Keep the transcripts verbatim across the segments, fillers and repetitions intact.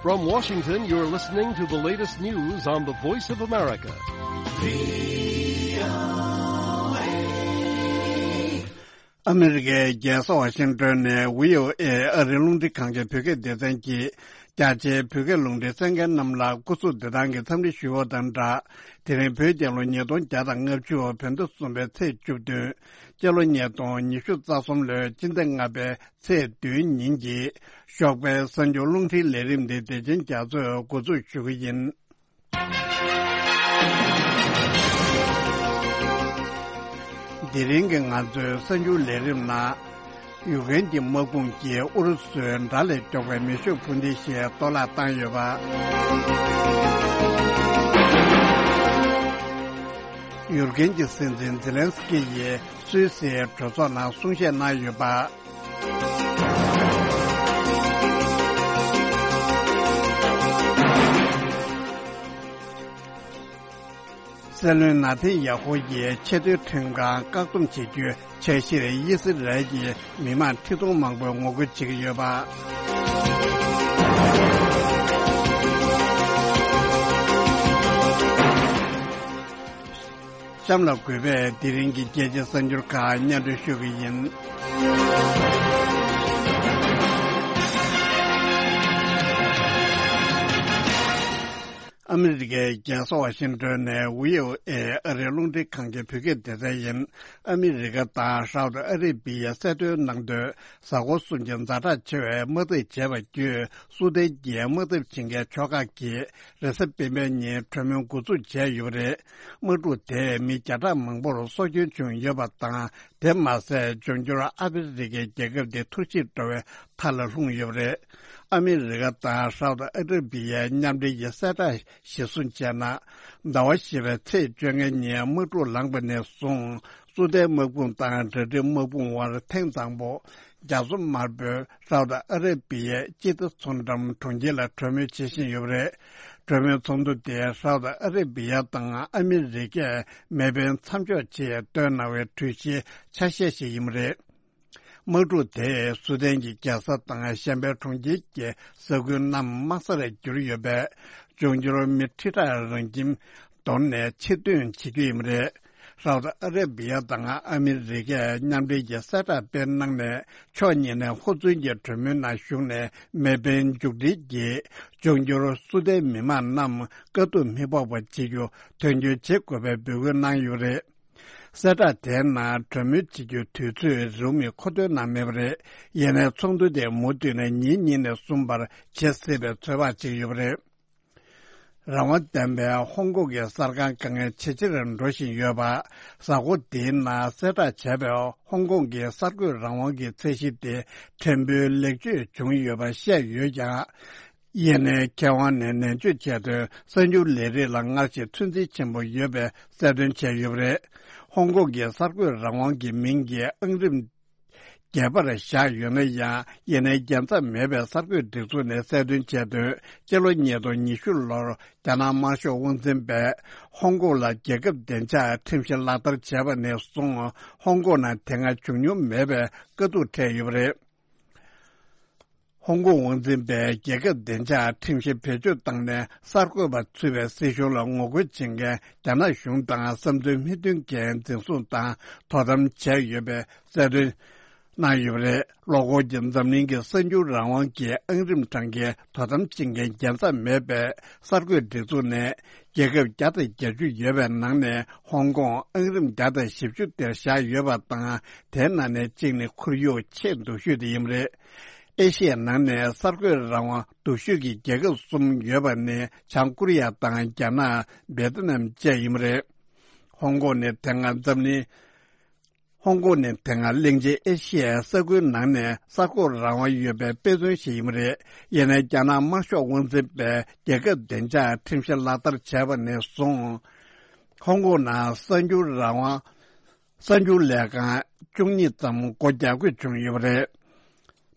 From Washington, you're listening to the latest news on the Voice of America. ཨ་མི་རི་ཀའི་རྒྱལ་ས་ཝ་ཤིང་ཏོན་ནས་བྷི་ཨོ་ཨེ་ཨ་རིའི་རླུང་འཕྲིན་ཁང་གི་བོད་སྐད་སྡེ་ཚན་གྱིས། རྒྱ་ཆེའི་བོད་སྐད་རླུང་འཕྲིན་གསན་མཁན་རྣམས་ལ་སྐུ་གཟུགས་བདེ་ཐང་གི་འཚམས་འདྲི་ཞུ་བ་དང་སྦྲགས། དེ་རིང་བོད་རྒྱལ་ལོ་ཉིས་སྟོང་བརྒྱ་དང་ལྔ་བཅུ་བོད་ཟླ་གསུམ་པའི་ཚེས་བཅུ་བདུན། སྤྱི་ལོ་ཉིས་སྟོང་ཉི་ཤུ་རྩ་གསུམ་ལོའི་སྤྱི་ཟླ་ལྔ་པའི་ཚེས་བདུན་ཉིན་གྱི་ཞོགས་པའི་གསར་འགྱུར་རླུང་འཕྲིན་ལས་རིམ་འདི་བདེ་ཆེན་རྒྱ་མཚོས་འགོ་འཛུགས་ཞུ་གི་ཡིན། དེ་རིང་གི་ང་ཚོའི་གསར་འགྱུར་ལས་རིམ་ནང་། ཡུཀ་རེན་གྱི་དམག་དཔུང་གིས་ཨུ་རུ་སུའི་དགྲ་ལས་མགྱོགས་པའི་མེ་ཤུགས་འཕུར་མདེལ་ཞིག་གཏོར་བརླག་བཏང་ཡོད་པ། ཡུཀ་རེན་གྱི་སྲིད་འཛིན་ཛེ་ལན་སི་ཀི་ཡིས་སུད་སིའི་གྲོས་ཚོགས་ནང་གསུང་བཤད་གནང་ཡོད་པ། སྲིད་བློན་ན་ཐན་ཡ་ཧུ་ཡིས་ཆེས་མཐོའི་ཁྲིམས་ཁང་བཀག་སྡོམ་བྱེད་རྒྱུའི་འཆར་གཞིར་དབྱི་སི་རལ་གྱི་མི་མང་ཁྲི་སྟོང་མང་པོས་ངོ་རྒོལ་བྱེད་ཀྱི་ཡོད་པ། གཤམ་ལ་གུས་པས་དེ་རིང་གི་རྒྱལ་སྤྱིའི་གསར་འགྱུར་ཁག་སྙན་སྒྲོན་ཞུ་གི་ཡིན། ཨ་མི་རི་ཀའི་རྒྱལ་ས་ཝ་ཤིང་ཏོན་ནས་བྷི་ཨོ་ཨེ་ཨ་རིའི་རླུང་འཕྲིན་ཁང་གི་བོད་སྐད་སྡེ་ཚན་ཡིན། ཨ་མི་རི་ཀ་དང་ཧྲའོ་ཏི་ཨ་རི་བི་ཡས་གསལ་སྟོན་གནང་དོན། གཟའ་འཁོར་གསུམ་གྱི་ཛ་དྲག་ཆེ་བའི་དམག་འཐབ་བྱས་པ་བརྒྱུད། སུ་དན་གྱི་དམག་འཐབ་བྱེད་མཁན་ཕྱོགས་ཁག་གིས་རེས་གཟའ་སྤེན་པའི་ཉིན་གྲོས་མོལ་འགོ་འཛུགས་བྱས་ཡོད་པ་རེད། དམག་འཁྲུག་དེས་མི་བརྒྱ་ཕྲག་མང་པོར་སྲོག་སྐྱོན་བྱུང་ཡོད་པ་དང་། དེ་མ་ཟད་འབྱུང་འགྱུར་ཨ་ཧྥེ་རི་ཁའི་རྒྱལ་ཁབ་དེ་འཐོར་ཞིག་འགྲོ་བའི་མཐའ་ལ་ལྷུང་ཡོད་པ་རེད། ཨ་མི་རི་ཀ་དང་ཧྲའོ་ཏི་ཨ་ར་བི་ཡའི་མཉམ་འབྲེལ་གྱི་གསལ་བསྒྲགས་གཞིར་བཟུང་བྱས་ན། ཟླ་བ་བཞི་པའི་ཚེས་བཅོ་ལྔ་ཉིན་དམག་འཁྲུག་ལངས་པ་ནས་བཟུང་། སུ་དན་དམག་དཔུང་དང་འབྲེལ་འདྲིས་དམག་དཔུང་དབར་ཐེངས་དང་པོ། རྒྱ་མཚོ་དམར་པོའི་ཧྲའོ་ཏི་ཨ་ར་བི་ཡའི་ཅི་ཏི་མཚོ་འགྲམ་གྲོང་ཁྱེར་ལ་གྲོས་མོལ་བྱེད་བཞིན་ཡོད་པ་རེད། གྲོས་མོལ་ཚོགས་འདུ་དེ་ཧྲའོ་ཏི་ཨ་ར་བི་ཡ་དང་ཨ་མི་རི་ཀས་མེ་འཕེན་མཚམས་འཇོག་ཆེད་བཏོན་གནང་བའི་གྲོས་གཞིའི་ཆ་ཤས་ཤིག་ཡིན་པ་རེད། དམག་འཁྲུག་དེས་སུ་དན་གྱི་རྒྱལ་ས་དང་གཞན་པའི་གྲོང་ཁྱེར་གྱི་ས་ཁུལ་རྣམས་དམག་སར་གྱུར་ཡོད་པས། འབྱུང་འགྱུར་མི་ཁྲི་ཕྲག་རང་ཁྱིམ་དོར་ནས་ཕྱིར་ཐོན་བྱེད་རྒྱུ་ཡིན་པ་རེད། ཧྲའོ་ཏི་ཨ་ར་བི་ཡ་དང་ཨ་མི་རི་ཀས་མཉམ་འབྲེལ་གྱི་གསལ་བསྒྲགས་སྤེལ་གནང་ནས། ཕྱོགས་གཉིས་ནས་ཧུར་བརྩོན་གྱིས་གྲོས་མོལ་ནང་ཞུགས་ནས། མེ་འཕེན་མཇུག་སྒྲིལ་གྱིས་འབྱུང་འགྱུར་སུ་དན་མི་མང་རྣམས་དཀའ་སྡུག་མི་ཕོག་པ་བྱེད་རྒྱུ་དོན་འཁྱོལ་བྱེད་དགོས་པའི་འབོད་སྐུལ་གནང་ཡོད་པ་རེད། གསལ་བསྒྲགས་དེའི་ནང་གྲོས་མོལ་བྱེད་རྒྱུའི་དུས་ཚོད་རིང་མོ་མཁོ་འདོན་གནང་མེད་པ་རེད། ཡིན་ནའི་ཚོགས་འདུ་དེ་མུ་མཐུད་ནས་ཉིན་གཉིས་ནས་གསུམ་བར་བྱེད་སྲིད་པའི་ཚོད་དཔག་བྱེད་ཀྱི་ཡོད་པ་རེད། རང་དབང་ལྡན་པའི་ཧོང་ཀོང་གི་གསར་ཁང་དཀའ་ངལ་ཇེ་ཆེར་འགྲོ་བཞིན་ཡོད་པ། གཟའ་འཁོར་འདིའི་ནང་གསལ་བསྒྲགས་བྱས་པའི་ཧོང་ཀོང་གི་གསར་འགོད་རང་དབང་གི་ཚད་གཞི་དེ་ཕྲན་བུ་ལེགས་བཅོས་བྱུང་ཡོད་པ་བཤད་ཡོད་ཀྱང་། ཡིན་ནའི་མཁས་དབང་ནས་ནན་བརྗོད་བྱས་དོན། གསར་འགྱུར་ལས་རིགས་ལ་སྔར་བཞིན་ཚོད་འཛིན་ཆེན་པོ་ཡོད་པའི་གསལ་སྟོན་བྱས་ཡོད་པ་རེད། ཧོང་ཀོང་གི་གསར་འགོད་རང་དབང་གི་མིང་གི་ཨང་རིམ་བརྒྱད་པར་བཞག་ཡོད་ན་ཡང་། ཡིན་ནའི་རྒྱལ་མཚམས་མེད་པའི་གསར་འགོད་སྒྲིག་འཛུགས་ནས་གསལ་སྟོན་བྱས་དོན། སྤྱི་ལོ་ཉིས་སྟོང་ཉི་ཤུ་ལོར་རྒྱ་ནག་དམར་ཤོག་དབང་འཛིན་པས་ཧོང་ཀོང་ལ་རྒྱལ་ཁབ་བདེ་འཇགས་ཁྲིམས་གཞི་ལག་བསྟར་བྱས་པ་ནས་བཟུང་། ཧོང་ཀོང་ནང་དེ་སྔ་བྱུང་མྱོང་མེད་པའི་དཀའ་སྡུག་འཕྲད་ཡོད་པ་རེད། ཧོང་ཀོང་དབང་འཛིན་པས་རྒྱལ་ཁབ་བདེ་འཇགས་ཁྲིམས་གཞི་བེད་སྤྱོད་བཏང་ནས། གསར་འགོད་པ་ཚུད་པའི་སྲིད་གཞུང་ལ་ངོ་རྒོལ་བྱེད་མཁན་རྒྱ་ནག་གཞུང་དང་བསམ་ཚུལ་མི་མཐུན་མཁན་འཛིན་བཟུང་དང་དོ་དམ་བྱས་ཡོད་པའི་གསལ་སྟོན་གནང་ཡོད་པ་རེད། ལོ་འཁོར་གྱི་འཛམ་གླིང་གི་གསར་འགྱུར་རང་དབང་གི་ཨང་རིམ་གྲངས་ཀའི་དོ་དམ་བྱེད་མཁན་རྒྱལ་མཚམས་མེད་པའི་གསར་འགོད་སྒྲིག་འཛུགས་ནས། རྒྱལ་ཁབ་བརྒྱ་དང་བརྒྱད་ཅུ་ཡོད་པའི་ནང་ནས་ཧོང་ཀོང་ཨང་རིམ་བརྒྱ་དང་བཞི་བཅུ་དེར་བཞག་ཡོད་པ་དང་། དེའི་ནང་ནས་གཅིག་ནི་ཁོར་ཡུག་ཆེས་སྡུག་ཤོས་དེ་ཡིན་པ་རེད། ཨེ་ཤི་ཡའི་ནང་ནས་གསར་འགོད་རང་དབང་སྡུག་ཤོས་ཀྱི་རྒྱལ་ཁབ་གསུམ་ཡོད་པ་ནི་བྱང་ཀོ་རི་ཡ་དང་། རྒྱ་ནག་བེ་ཏི་ནམ་བཅས་ཡིན་པ་རེད། ཧོང་ཀོང་ནི་དེ་སྔ་འཛམ་གླིང་། ཧོང་ཀོང་ནི་དེ་སྔ་གླིང་ཆེན་ཨེ་ཤི་ཡའི་ས་ཁུལ་ནང་ནས་གསར་འགོད་རང་དབང་ཡོད་པའི་དཔེ་མཚོན་ཞིག་ཡིན་པ་རེད། ཡིན་ནའི་རྒྱ་ནག་དམར་ཤོག་དབང་འཛིན་པས་རྒྱལ་ཁབ་བདེ་འཇགས་ཁྲིམས་གཞི་ལག་བསྟར་བྱས་པ་ནས་བཟུང་། ཧོང་ཀོང་ནང་གསར་འགྱུར་རང་དབང་། གསར་འགྱུར་ལས་ཁང་བཅུ་གཉིས་ཙམ་སྒོ་རྒྱག་དགོས་བྱུང་ཡོད་པ་རེད།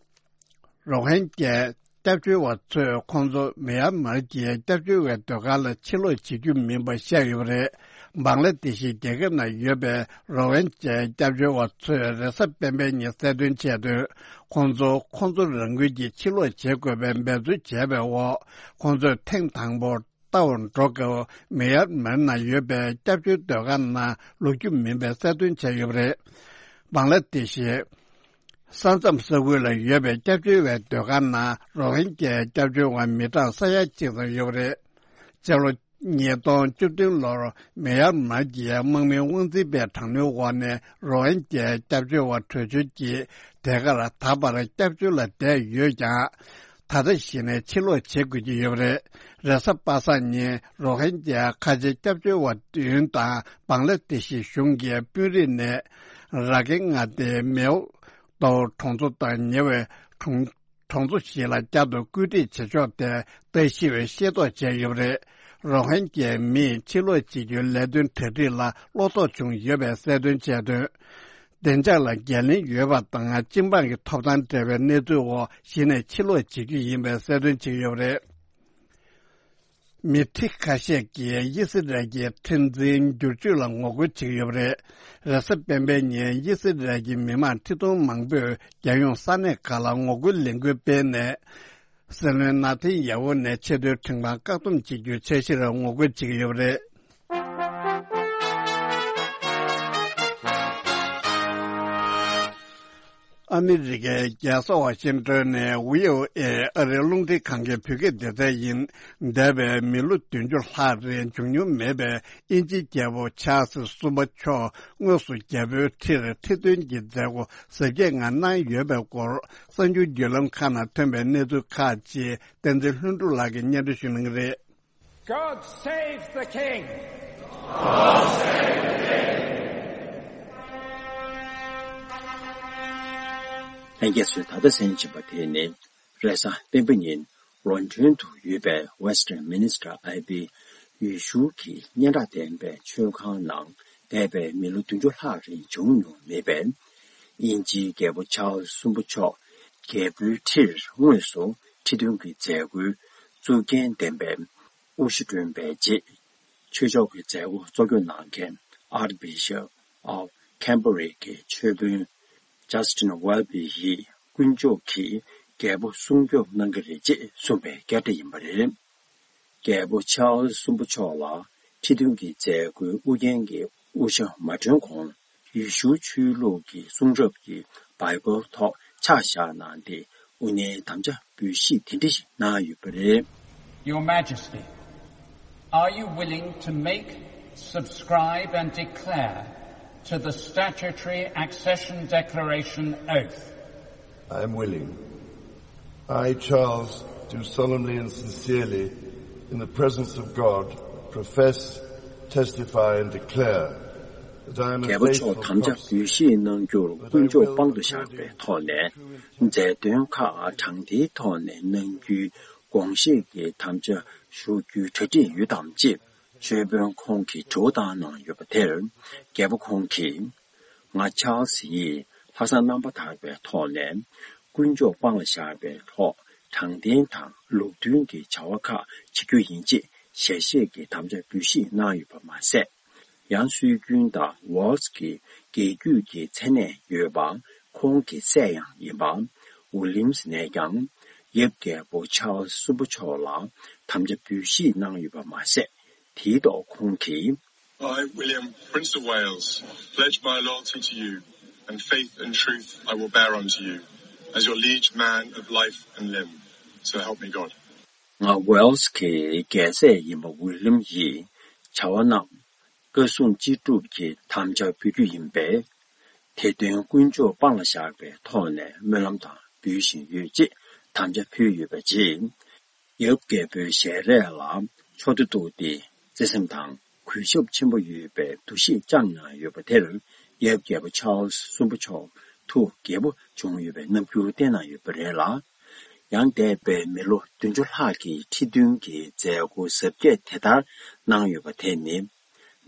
རོ་ཧིན་གྱའི་སྐྱབས་བཅོལ་བ་ཚོས་ཁོང་ཚོ་མེ་ཡར་མར་གྱི་སྐྱབས་བཅོལ་བའི་སྡོད་སྒར་ལ་ཕྱིར་ལོག་བྱེད་རྒྱུ་མིན་པ་བཤད་ཡོད་པ་རེད། བང་ལ་དེ་ཤི་རྒྱལ་ཁབ་ནང་ཡོད་པའི་རོ་ཧིན་ཇའི་སྐྱབས་བཅོལ་བ་ཚོས་རེས་གཟའ་སྤེན་པའི་ཉིན་གསལ་སྟོན་བྱས་དོན། ཁོང་ཚོ་ཁོང་ཚོ་རང་འགུལ་གྱིས་ཕྱིར་ལོག་བྱེད་དགོས་པའི་འབད་རྩོལ་བྱས་པའི་འོག་ཁོང་ཚོས་ཐེངས་དང་པོ་ལྟ་བར་འགྲོ་སྐབས་མེ་ཡར་མར་ནང་ཡོད་པའི་སྐྱབས་བཅོལ་སྡོད་ཁང་ནང་ལོག་རྒྱུ་མིན་པའི་གསལ་སྟོན་བྱས་ཡོད་པ་རེད། བང་ལ་དེ་ཤི་ས་མཚམས་ས་ཁུལ་ལ་ཡོད་པའི་སྐྱབས་བཅོལ་བའི་སྡོད་ཁང་ནང་རོ་ཧིན་ཇའི་སྐྱབས་བཅོལ་བ་མི་གྲངས་ས་ཡ་གཅིག་ཙམ་ཡོད་པ་རེད། སྤྱི་ལོ་ཉིས་སྟོང་བཅུ་བདུན་ལོར་མེ་ཡར་མར་གྱི་དམག་མིའི་དབང་འཛིན་པའི་དྲག་གནོན་འོག་ནས་རོ་ཧིན་ཇའི་སྐྱབས་བཅོལ་བ་བྲོས་བྱོལ་གྱིས་དེ་གར་ད་བར་སྐྱབས་བཅོལ་ལ་བསྡད་ཡོད་ཀྱང་། ད་ལྟ་གཞི་ནས་ཕྱིར་ལོག་བྱེད་དགོས་ཀྱི་ཡོད་པ་རེད། རེས་གཟའ་པ་སངས་ཉིན་རོ་ཧིན་ཇའི་ཁ་ཆེ་སྐྱབས་བཅོལ་བ་བདུན་དང་བང་ལ་དེ་ཤི་གཞུང་གི་དཔོན་རིགས་ནས་ར་གན་མངའ་སྡེའི་མེའོ་ཏོའུ་གྲོང་ཚོ་དང་ཉེ་བའི་གྲོང་གྲོང་ཚོ་ཞིག་ལ་བསྐྱར་དུ་བཀོད་སྒྲིག་བྱེད་ཕྱོགས་ཐད་ལྟ་ཞིབ་ཤེས་རྟོགས་བྱས་ཡོད་པ་རེད། རོ་ཧིན་ཇའི་མིས་ཕྱིར་ལོག་བྱེད་རྒྱུའི་ལས་དོན་གྲ་སྒྲིག་ལ་བློ་དོགས་བྱུང་ཡོད་པའི་གསལ་སྟོན་བྱས་དོན། བདེ་འཇགས་ལ་འགན་ལེན་ཡོད་པ་དང་སྤྱི་འབངས་ཀྱི་ཐོབ་ཐང་འབྲེལ་བའི་གནས་ཚུལ་འོག་གཞི་ནས་ཕྱིར་ལོག་བྱེད་རྒྱུ་ཡིན་པའི་གསལ་སྟོན་བྱས་ཡོད་པ་རེད། མི་ཁྲི་ཁ་ཤས་ཀྱིས་དབྱི་སི་རལ་གྱི་ཁྲིམས་འཛིན་བསྒྱུར་བཅོས་ལ་ངོ་རྒོལ་བྱེད་ཀྱི་ཡོད་པ་རེད། རེས་གཟའ་སྤེན་པའི་ཉིན་དབྱི་སི་རལ་གྱི་མི་མང་ཁྲི་སྟོང་མང་པོས་རྒྱལ་ཡོངས་ས་གནས་ཁག་ལ་ངོ་རྒོལ་ལས་འགུལ་སྤེལ་ནས། སྲིད་བློན་ནཱ་ཐན་ཡ་ཧུ་ནས་ཆེས་མཐོའི་ཁྲིམས་ཁང་བཀག་སྡོམ་བྱེད་རྒྱུའི་འཆར་གཞིར་ངོ་རྒོལ་བྱེད་ཀྱི་ཡོད་པ་རེད། ཨ་མི་རི་ཀའི་རྒྱལ་ས་ཝ་ཤིང་ཏོན་ནས་བྷི་ཨོ་ཨེ་ཨ་རིའི་རླུང་འཕྲིན་ཁང་གི་བོད་སྐད་སྡེ་ཚན་ཡིན། འདས་པའི་མི་ལོ་བདུན་ཅུ་ལྷག་རིང་བྱུང་མྱོང་མེད་པའི་དབྱིན་ཇིའི་རྒྱལ་པོ་ཆཱལ་སི་གསུམ་པ་མཆོག་དངོས་སུ་རྒྱལ་པོའི་ཁྲིར་ཁྲི་འདོན་གྱི་མཛད་སྒོ་གཟབ་རྒྱས་ངང་གནང་ཡོད་པའི་སྐོར་གསར་འགྱུར་བརྒྱུད་ལམ་ཁག་ནང་ཐོན་པའི་གནས་ཚུལ་ཁག་ཅིག་བསྟན་འཛིན་ལྷུན་གྲུབ་ལགས་ཀྱིས་སྙན་སྒྲོན་ཞུ་གནང་གི་རེད། God save the King! ལྷན་རྒྱས་ཚོས་ད་ལྟ་གསན་བཞིན་པ་དེ་ནི་རེས་གཟའ་སྤེན་པ་ཉིན་ལོན་ཌོན་དུ་ཡོད་པའི་Westminster Abbey ཡུལ་ཤུལ་གྱི་སྙན་གྲགས་ལྡན་པའི་མཆོད་ཁང་ནང་འདས་པའི་མི་ལོ་བདུན་ཅུ་ལྷག་རིང་བྱུང་མྱོང་མེད་པའི་དབྱིན་ཇིའི་རྒྱལ་པོ་ཆཱལ་སི་གསུམ་པ་མཆོག་རྒྱལ་པོའི་ཁྲིར་དངོས་སུ་ཁྲི་འདོན་གྱི་མཛད་སྒོའི་གཙུག་རྒྱན་ལྡན་པའི་དབུ་ཞྭ་སྒྲོན་པའི་རྗེས། ཆོས་ཕྱོགས་ཀྱི་མཛད་སྒོ་གཙོ་སྐྱོང་གནང་མཁན་Archbishop of Canterbury གྱི་ཆོས་དཔོན་Justin Welby ཡིས་དཀོན་མཆོག་གིས་རྒྱལ་པོ་སྲུང་སྐྱོབ་གནང་གི་རེད་ཅེས་གསུངས་པའི་སྐད་སྒྲ་ཡིན་པ་རེད། རྒྱལ་པོ་ཆཱལ་སི་གསུམ་པ་མཆོག་ལ་ཁྲི་འདོན་གྱི་མཛད་སྒོའི་དབུ་རྒྱན་གྱི་དབུ་ཞྭ་མ་སྒྲོན་གོང་། ཡེ་ཤུའི་ཆོས་ལུགས་ཀྱི་གསུང་རབ་ཀྱི་བྷའི་བལ་ཐོག་ཕྱག་བཞག་གནང་སྟེ། དབུ་བརྙེས་དམ་བཅའ་འབུལ་བཞེས་དེ་འདྲ་ཞིག་གནང་ཡོད་པ་རེད། Your Majesty, are you willing to make, subscribe and declare to the statutory accession declaration oath? I am willing. I, Charles, do solemnly and sincerely, in the presence of God, profess, testify and declare that I am a རྒྱལ་པོ་མཆོག་faithful དམ་བཅའ་འབུལ་བཞེས་གནང་རྒྱུར་དཀོན་མཆོག་དཔང་དུ་བཞག་པའི་ཐོག་ནས་མཛད་དོན་ཁག་དྲང་བདེན་ཐོག་ནས་གནང་རྒྱུའི་དགོངས་བཞེས་ཀྱི་དམ་བཅའ་ཞུ་རྒྱུའི་གྲ་སྒྲིག་ཡོད་དམ་ཅེས་ཆོས་དཔོན་ཁོང་གིས་དྲི་བ་བཏང་གནང་ཡོད་པ་དེར། རྒྱལ་པོ་ཁོང་གིས། ང་ཆཱལ་སི་ཡིས་ལྷག་བསམ་རྣམ་པར་དག་པའི་ཐོག་ནས་དཀོན་མཆོག་དཔང་ལ་བཞག་པའི་ཐོག་དྲང་བདེན་དང་ལུགས་མཐུན་གྱི་བྱ་བ་ཁག་བྱེད་རྒྱུ་ཡིན་ཅེས་ཞལ་བཞེས་ཀྱི་དམ་བཅའ་འབུལ་བཞེས་གནང་ཡོད་པ་མ་ཟད། ཡང་སྲོལ་རྒྱུན་དང་ཝེལ་སི་གི་རྒྱལ་རྒྱུད་ཀྱི་མཚན་གནས་ཡོད་པ་ཁོང་གི་སྲས་ཡང་ཡིན་པ་ཝི་ལི་ཡམ་སི་ནས་ཀྱང་ཡབ་རྒྱལ་པོ་ཆཱལ་སི་གསུམ་པ་མཆོག་ལ་དམ་བཅའ་འབུལ་བཞེས་གནང་ཡོད་པ་མ་ཟད། དེའི་ཐོག་ཁོང་གིས། I, William, Prince of Wales, pledge my loyalty to you, and faith and truth I will bear unto you, as your liege man of life and limb. So help me God. ང་ཝེལ་སི་གི་རྒྱལ་སྲས་ཡིན་པ་ཝི་ལི་ཡམ་ཡིས་བྱ་བ་རྣམས་བཀའ་སྲུང་ཅི་སྒྲུབ་ཀྱི་དམ་བཅའ་འབུལ་རྒྱུ་ཡིན་པས། དེ་དོན་དཀོན་མཆོག་དཔང་ལ་བཞག་པའི་ཐོག་ནས་སྨོན་ལམ་དང་འབུལ་བཞིན་ཡོད་ཅེས་དམ་བཅའ་ཕུལ་ཡོད་པ་རྗེས། ཡབ་རྒྱལ་པོའི་ཞལ་རས་ལ་ཕྱོགས་བསྡུ་གཏུགས་ཏེ་བརྩེ་སེམས་དང་གུས་ཞབས་ཆེན་པོ་ཡོད་པའི་འདུ་ཤེས་བཅངས་གནང་ཡོད་པ་དེར། ཡབ་རྒྱལ་པོ་ཆཱལ་སི་གསུམ་པ་མཆོག་ཐུགས་དགྱེས་པོ་བྱུང་ཡོད་པའི་རྣམ་འགྱུར་བསྟན་གནང་ཡོད་པ་རེད་ལ། ཡང་འདས་པའི་མི་ལོ་བདུན་ཅུ་ལྷག་གི་ཁྲི་འདོན་གྱི་མཛད་སྒོ་གཟབ་རྒྱས་དེ་ལྟར་གནང་ཡོད་པ་དེ་ནི།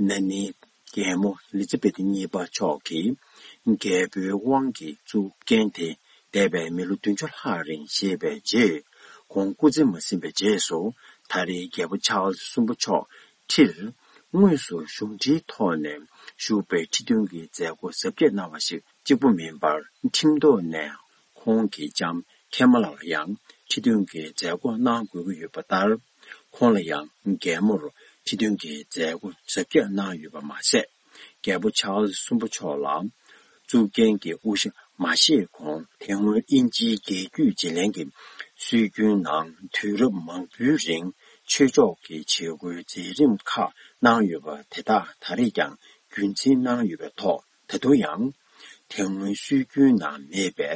ན་ནིང་རྒྱལ་མོ་ཨེ་ལི་ཛ་བེད་གཉིས་པ་མཆོག་གིས་རྒྱལ་པོའི་དབང་གི་གཙུག་རྒྱན་དེ་འདས་པའི་མི་ལོ་བདུན་ཅུ་ལྷག་རིང་བཞེས་པའི་རྗེས། ཁོང་སྐུ་ཚེ་མ་ཟིན་པའི་རྗེས་སུ་ད་རེས་རྒྱལ་པོ་ཆཱལ་སི་གསུམ་པ་མཆོག་ཁྲིར་ དངོས་སུ་གཞུང་འབྲེལ་ཐོག་ནས་ཞུགས་པའི་ཁྲི་འདོན་གྱི་མཛད་སྒོ་གཟབ་རྒྱས་གནང་བ་ཞིག་གཅིག་པུ་མིན་པར། ཁྲིམས་ཐོག་ནས་ཁོང་གི་ལྕམ་ཁེ་མ་ལ་ལ་ཡང་ཁྲི་འདོན་གྱི་མཛད་སྒོ་གནང་དགོས་ཀྱི་ཡོད་པ་ལྟར། ཁོང་ལ་ཡང་རྒན་མོར་ཁྲི་འདོན་གྱི་མཛད་སྒོ་གཟབ་རྒྱས་གནང་ཡོད་པ་མ་ཟད། རྒྱལ་པོ་ཆཱལ་སི་གསུམ་པ་མཆོག་ལ་གཙུག་རྒྱན་གྱི་དབུ་ཞྭ་མ་བཞེས་གོང་། དེ་སྔོན་དབྱིན་ཇིའི་རྒྱལ་རྒྱུད་བརྗེ་ལེན་གྱི་སྲོལ་རྒྱུན་ནང་དུས་རབས་མང་པོའི་རིང་ཆོས་ཕྱོགས་ཀྱི་བྱེད་སྒོའི་མཛད་རིམ་ཁག་གནང་ཡོད་པ་དེ་དག་ད་རེས་ཀྱང་རྒྱུན་འཛིན་གནང་ཡོད་པའི་ཐོག། ད་དུང་ཡང་། དེ་སྔོན་སྲོལ་རྒྱུན་ནང་མེད་པའི་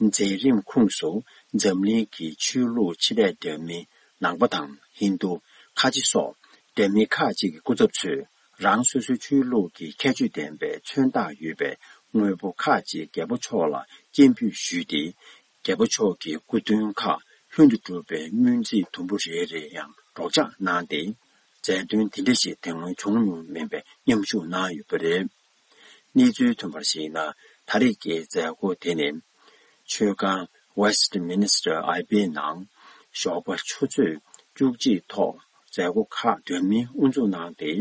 མཛད་རིམ་ཁོངས་སུ། འཛམ་གླིང་གི་ཆོས་ལུགས་ཆེ་གྲས་འདྲ་མིན་ནང་པ་དང་ཧིན་རྡུ། ཁ་ཆེ་སོགས་འདྲ་མིན་ཁག་ཅིག་གི་སྐུ་ཚབ་ཚོས། རང་སོ་སོའི་ཆོས་ལུགས་ཀྱི་ཁྱད་ཆོས་ལྡན་པའི་མཚོན་རྟགས་ཡོད་པའི་དངོས་པོ་ཁག་ཅིག་རྒྱལ་པོ་མཆོག་ལ་སྤྱན་འབུལ་ཞུས་ཏེ། རྒྱལ་པོ་མཆོག་གི་སྐུ་མདུན་ཁག་ལྷུན་དུ་གྲུབ་པའི་སྨོན་ཚིག་དུམ་བུ་རེ་རེ་ཡང་སྒྲོག་སྦྱང་གནང་སྟེ། མཛད་དོན་དེ་འདྲ་ཞིག་དེ་སྔོན་བྱུང་མྱོང་མེད་པའི་མཉམ་ཞུགས་གནང་ཡོད་པ་རེད། གནས་ཚུལ་ཐོན་པར་གཞིགས་ན། ད་རེས་ཀྱི་མཛད་སྒོ་དེ་ནི། མཆོད་ཁང་Westminster Abbey ནང་ཞོགས་པ་ཆུ་ཚོད་བཅུ་གཅིག་ཐོག་མཛད་སྒོ་ཁག་འདྲ་མིན་དབུ་འཛུགས་གནང་སྟེ།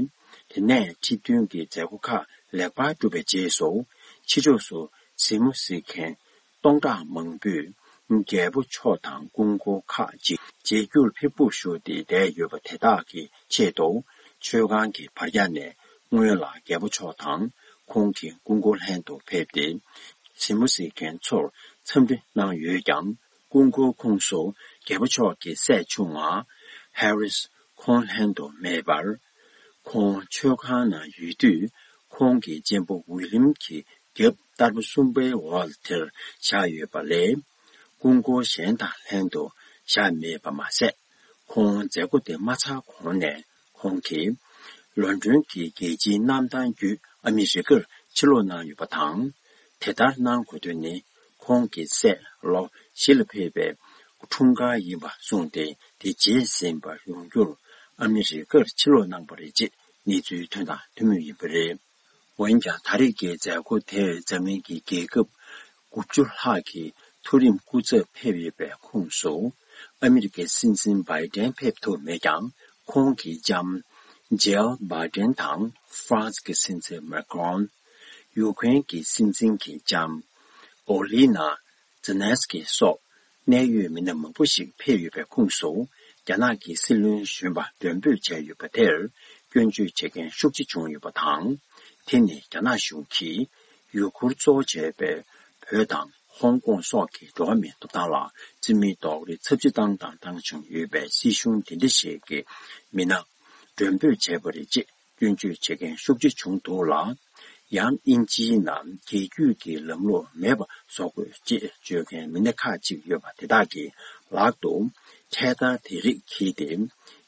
དེ་ནས་ཁྲི་འདོན་གྱི་མཛད་སྒོ་ཁག་ལེགས་པར་གྲུབ་པའི་རྗེས་སུ། ཕྱི་ཕྱོགས་སུ་གཟིགས་མོ་གཟིགས་མཁན་སྟོང་ཕྲག་མང་པོས་རྒྱལ་པོ་མཆོག་དང་སྐུ་འཁོར་ཁག་ཅིག་མཇལ་རྒྱུར་ཕེབས་སྒུག་ཞུ་སྟེ་བསྡད་ཡོད་པ་དེ་དག་གི་ཆེད་དུ། མཆོད་ཁང་གི་བར་ཡ་ནས་སྔོན་ལ་རྒྱལ་པོ་མཆོག་དང་ཁོང་གི་སྐུ་འཁོར་ལྷན་དུ་ཕེབས་ཏེ། གཟིགས་མོ་གཟིགས་མཁན་ཚོར་འཚམས་འདྲི་གནང་ཡོད་ཀྱང་། སྐུ་འཁོར་ཁོངས་སུ་རྒྱལ་པོ་མཆོག་གི་སྲས་ཆུང་བ་ཧེ་རིས་ཁོང་ལྷན་དུ་མེད་པར། ཁོང་མཆོད་ཁང་ནང་ཡོད་དུས། ཁོང་གི་གཅེན་པོ་ཝི་ལིམ་གྱི་རྒྱབ་ལྟར་པ་གསུམ་པའི་འོག་དེར་བཞག་ཡོད་པ་ལས། སྐུ་འཁོར་གཞན་དང་ལྷན་དུ་བཞག་མེད་པ་མ་ཟད། ཁོང་མཛད་སྒོ་དེ་མ་ཚར་གོང་ནས། ཁོང་གིས་ལོན་ཌོན་གྱི་རྒྱལ་སྤྱིའི་གནམ་ཐང་བརྒྱུད་ཨ་མི་རི་ཀར་ཕྱིར་ལོག་གནང་ཡོད་པ་དང་། དེ་ལྟར་གནང་དགོས་དོན་ནི། ཁོང་གི་སྲས་ལོ་བཞི་ལ་ཕེབས་པའི་འཁྲུངས་སྐར་ཡིན་པ་གསུངས་ཏེ། དེ་རྗེས་ཟིན་པར་ཡོང་རྒྱུར་ཨ་མི་རི་ཀར་ཕྱིར་ལོག་གནང་བ་རེད་ཅེས་གནས་ཚུལ་ཐོན་དང་ཐོན་མུས་ཡིན་པ་རེད། འོན་ཀྱང་། ད་རེས་ཀྱི་མཛད་སྒོ་དེར་འཛམ་གླིང་གི་རྒྱལ་ཁབ་དགུ་བཅུ་ལྷག་གི་མཐོ་རིམ་སྐུ་ཚབ་ཕེབས་ཡོད་པའི་ཁོངས་སུ། ཨ་མི་རི་ཀའི་སྲིད་འཛིན་བྷའི་ཌེན་ཕེབས་ཐུབ་མེད་ཀྱང་། ཁོང་གི་ལྕམ་ཇིལ་བྷའི་ཌེན་དང་ཧྥ་རན་སི་གི་སྲིད་འཛིན་མེ་ཀྲོན། ཡུ་ཀེ་རེན་གྱི་སྲིད་འཛིན་གྱི་ལྕམ་ཨོ་ལི་ན་ཛེ་ལན་སི་ཀི་སོགས། གནད་ཡོད་མི་སྣ་མང་པོ་ཞིག་ཕེབས་ཡོད་པའི་ཁོངས་སུ། རྒྱ་ནག་གི་སྲིད་བློན་གཞོན་པ་མགྲོན་འབོད་བྱས་ཡོད་པ་དེར་སྐྱོན་བརྗོད་བྱེད་མཁན་ཤུགས་ཆེ་བྱུང་ཡོད་པ་དང་། དེ་ནི་རྒྱ་ནག་གཞུང་གིས་ཡུ་གུར་གཙོ་བོ་བྱས་པའི་བོད་དང་ཧོང་ཀོང་སོགས་ཀྱི་འགྲོ་བ་མིའི་ཐོབ་ཐང་ལ་རྩིས་མེད་རྡོག་རོལ་ཚབས་ཆེ་བཏང་དང་བཏང་བཞིན་ཡོད་པའི་སྲིད་གཞུང་དེ་འདྲ་ཞིག་གི་མི་སྣ་མགྲོན་འབོད་བྱས་པ་རེད་ཅེས། སྐྱོན་བརྗོད་བྱེད་མཁན་ཤུགས་ཆེ་བྱུང་འདུག་ལ། ཡང་དབྱིན་ཇིའི་ནང་རྒྱལ་རྒྱུད་ཀྱི་ལམ་ལུགས་མེད་པ་བཟོ་དགོས་ཅེས་བརྗོད་མཁན་མི་སྣ་ཁག་ཅིག་ཡོད་པ་དེ་དག་གི་ལག་ཏུ་འཕྲེད་དར་དེ་རིགས་འཁྱེར་ཏེ།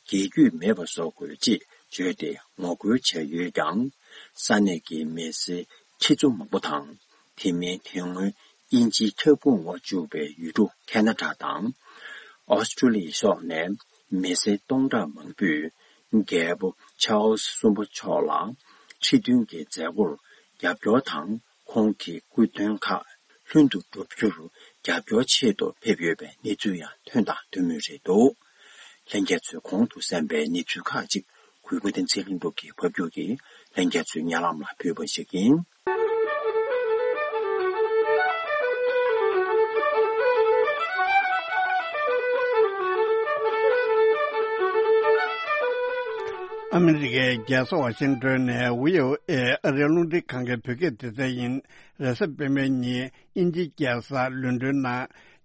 རྒྱལ་རྒྱུད་མེད་པ་བཟོ་དགོས་ཅེས་བརྗོད་དེ་ངོ་རྒོལ་བྱས་ཡོད་ཀྱང་། ས་གནས་ཀྱི་མི་སེར་ཁྲི་ཚོ་མང་པོ་དང་། དེ་མིན་དེ་སྔོན་དབྱིན་ཇིའི་ཁྱབ་ཁོངས་འོག་བཅུག་པའི་ཡུལ་གྲུ་ཁེ་ན་ཌ་དང་། ཨོ་སི་ཀྲུ་ལི་ཡ་སོགས་ནས་མི་སེར་སྟོང་ཕྲག་མང་པོས་རྒྱལ་པོ་ཆཱལ་སི་གསུམ་པ་མཆོག་ལ་ཁྲི་འདོན་གྱི་མཛད་སྒོར་རྒྱབ་སྐྱོར་དང་། ཁོང་གི་སྐུ་མདུན་ཁག་ལྷུན་དུ་གྲུབ་རྒྱུར་རྒྱབ་སྐྱོར་ཆེད་དུ་ཕེབས་ཡོད་པའི་གནས་ཚུལ་ཡང་ཐོན་དང་ཐོན་མུས་རེད་འདུག་ལྷན་རྒྱས་ཚོས་གོང་དུ་གསན་པའི་གནས་ཚུལ་ཁག་ཅིག་གུས་པ་བསྟན་འཛིན་ལྷུན་གྲུབ་ཀྱིས་ཕབ་སྒྱུར་གྱིས་ལྷན་རྒྱས་ཚོའི་སྙན་ལམ་ལ་ཕུལ་བ་ཞིག་ཡིན། ཨ་མི་རི་ཀའི་རྒྱལ་ས་ཝ་ཤིང་ཏོན་ནས་བྷི་ཨོ་ཨེ་ཨ་རིའི་རླུང་འཕྲིན་ཁང་གི་བོད་སྐད་སྡེ་ཚན་ཡིན། རེས་གཟའ་སྤེན་པའི་ཉིན་དབྱིན་ཇིའི་རྒྱལ་ས་ལོན་ཌོན་ནང་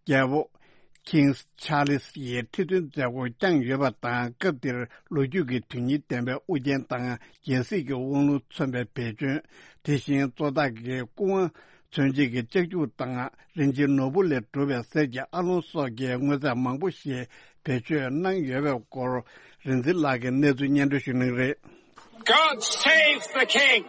རྒྱལ་པོ་King Charles ཡི་ཁྲི་འདོན་མཛད་སྒོ་བསྐྱངས་ཡོད་པ་དང་། སྐབས་དེར་ལོ་རྒྱུས་ཀྱི་དོན་སྙིང་ལྡན་པའི་དབུ་རྒྱན་དང་། རྒྱལ་སྲིད་ཀྱི་དབང་ལུང་མཚོན་པའི་བེ་ཅོན། དེ་བཞིན་གཙོ་བདག་གི་སྐུ་དབང་མཚོན་བྱེད་ཀྱི་ལྕགས་ཀྱུ་དང་། རིན་ཆེན་ནོར་བུ་ལས་གྲུབ་པའི་གསེར་གྱི་ཨ་ལོང་སོགས་ཀྱི་དངོས་རྫས་མང་པོ་ཞིག་བེད་སྤྱོད་གནང་ཡོད་པའི་སྐོར། རིག་འཛིན་ལགས་ཀྱིས་གནས་ཚུལ་སྙན་སྒྲོན་ཞུ་གནང་གི་རེད། God save the king!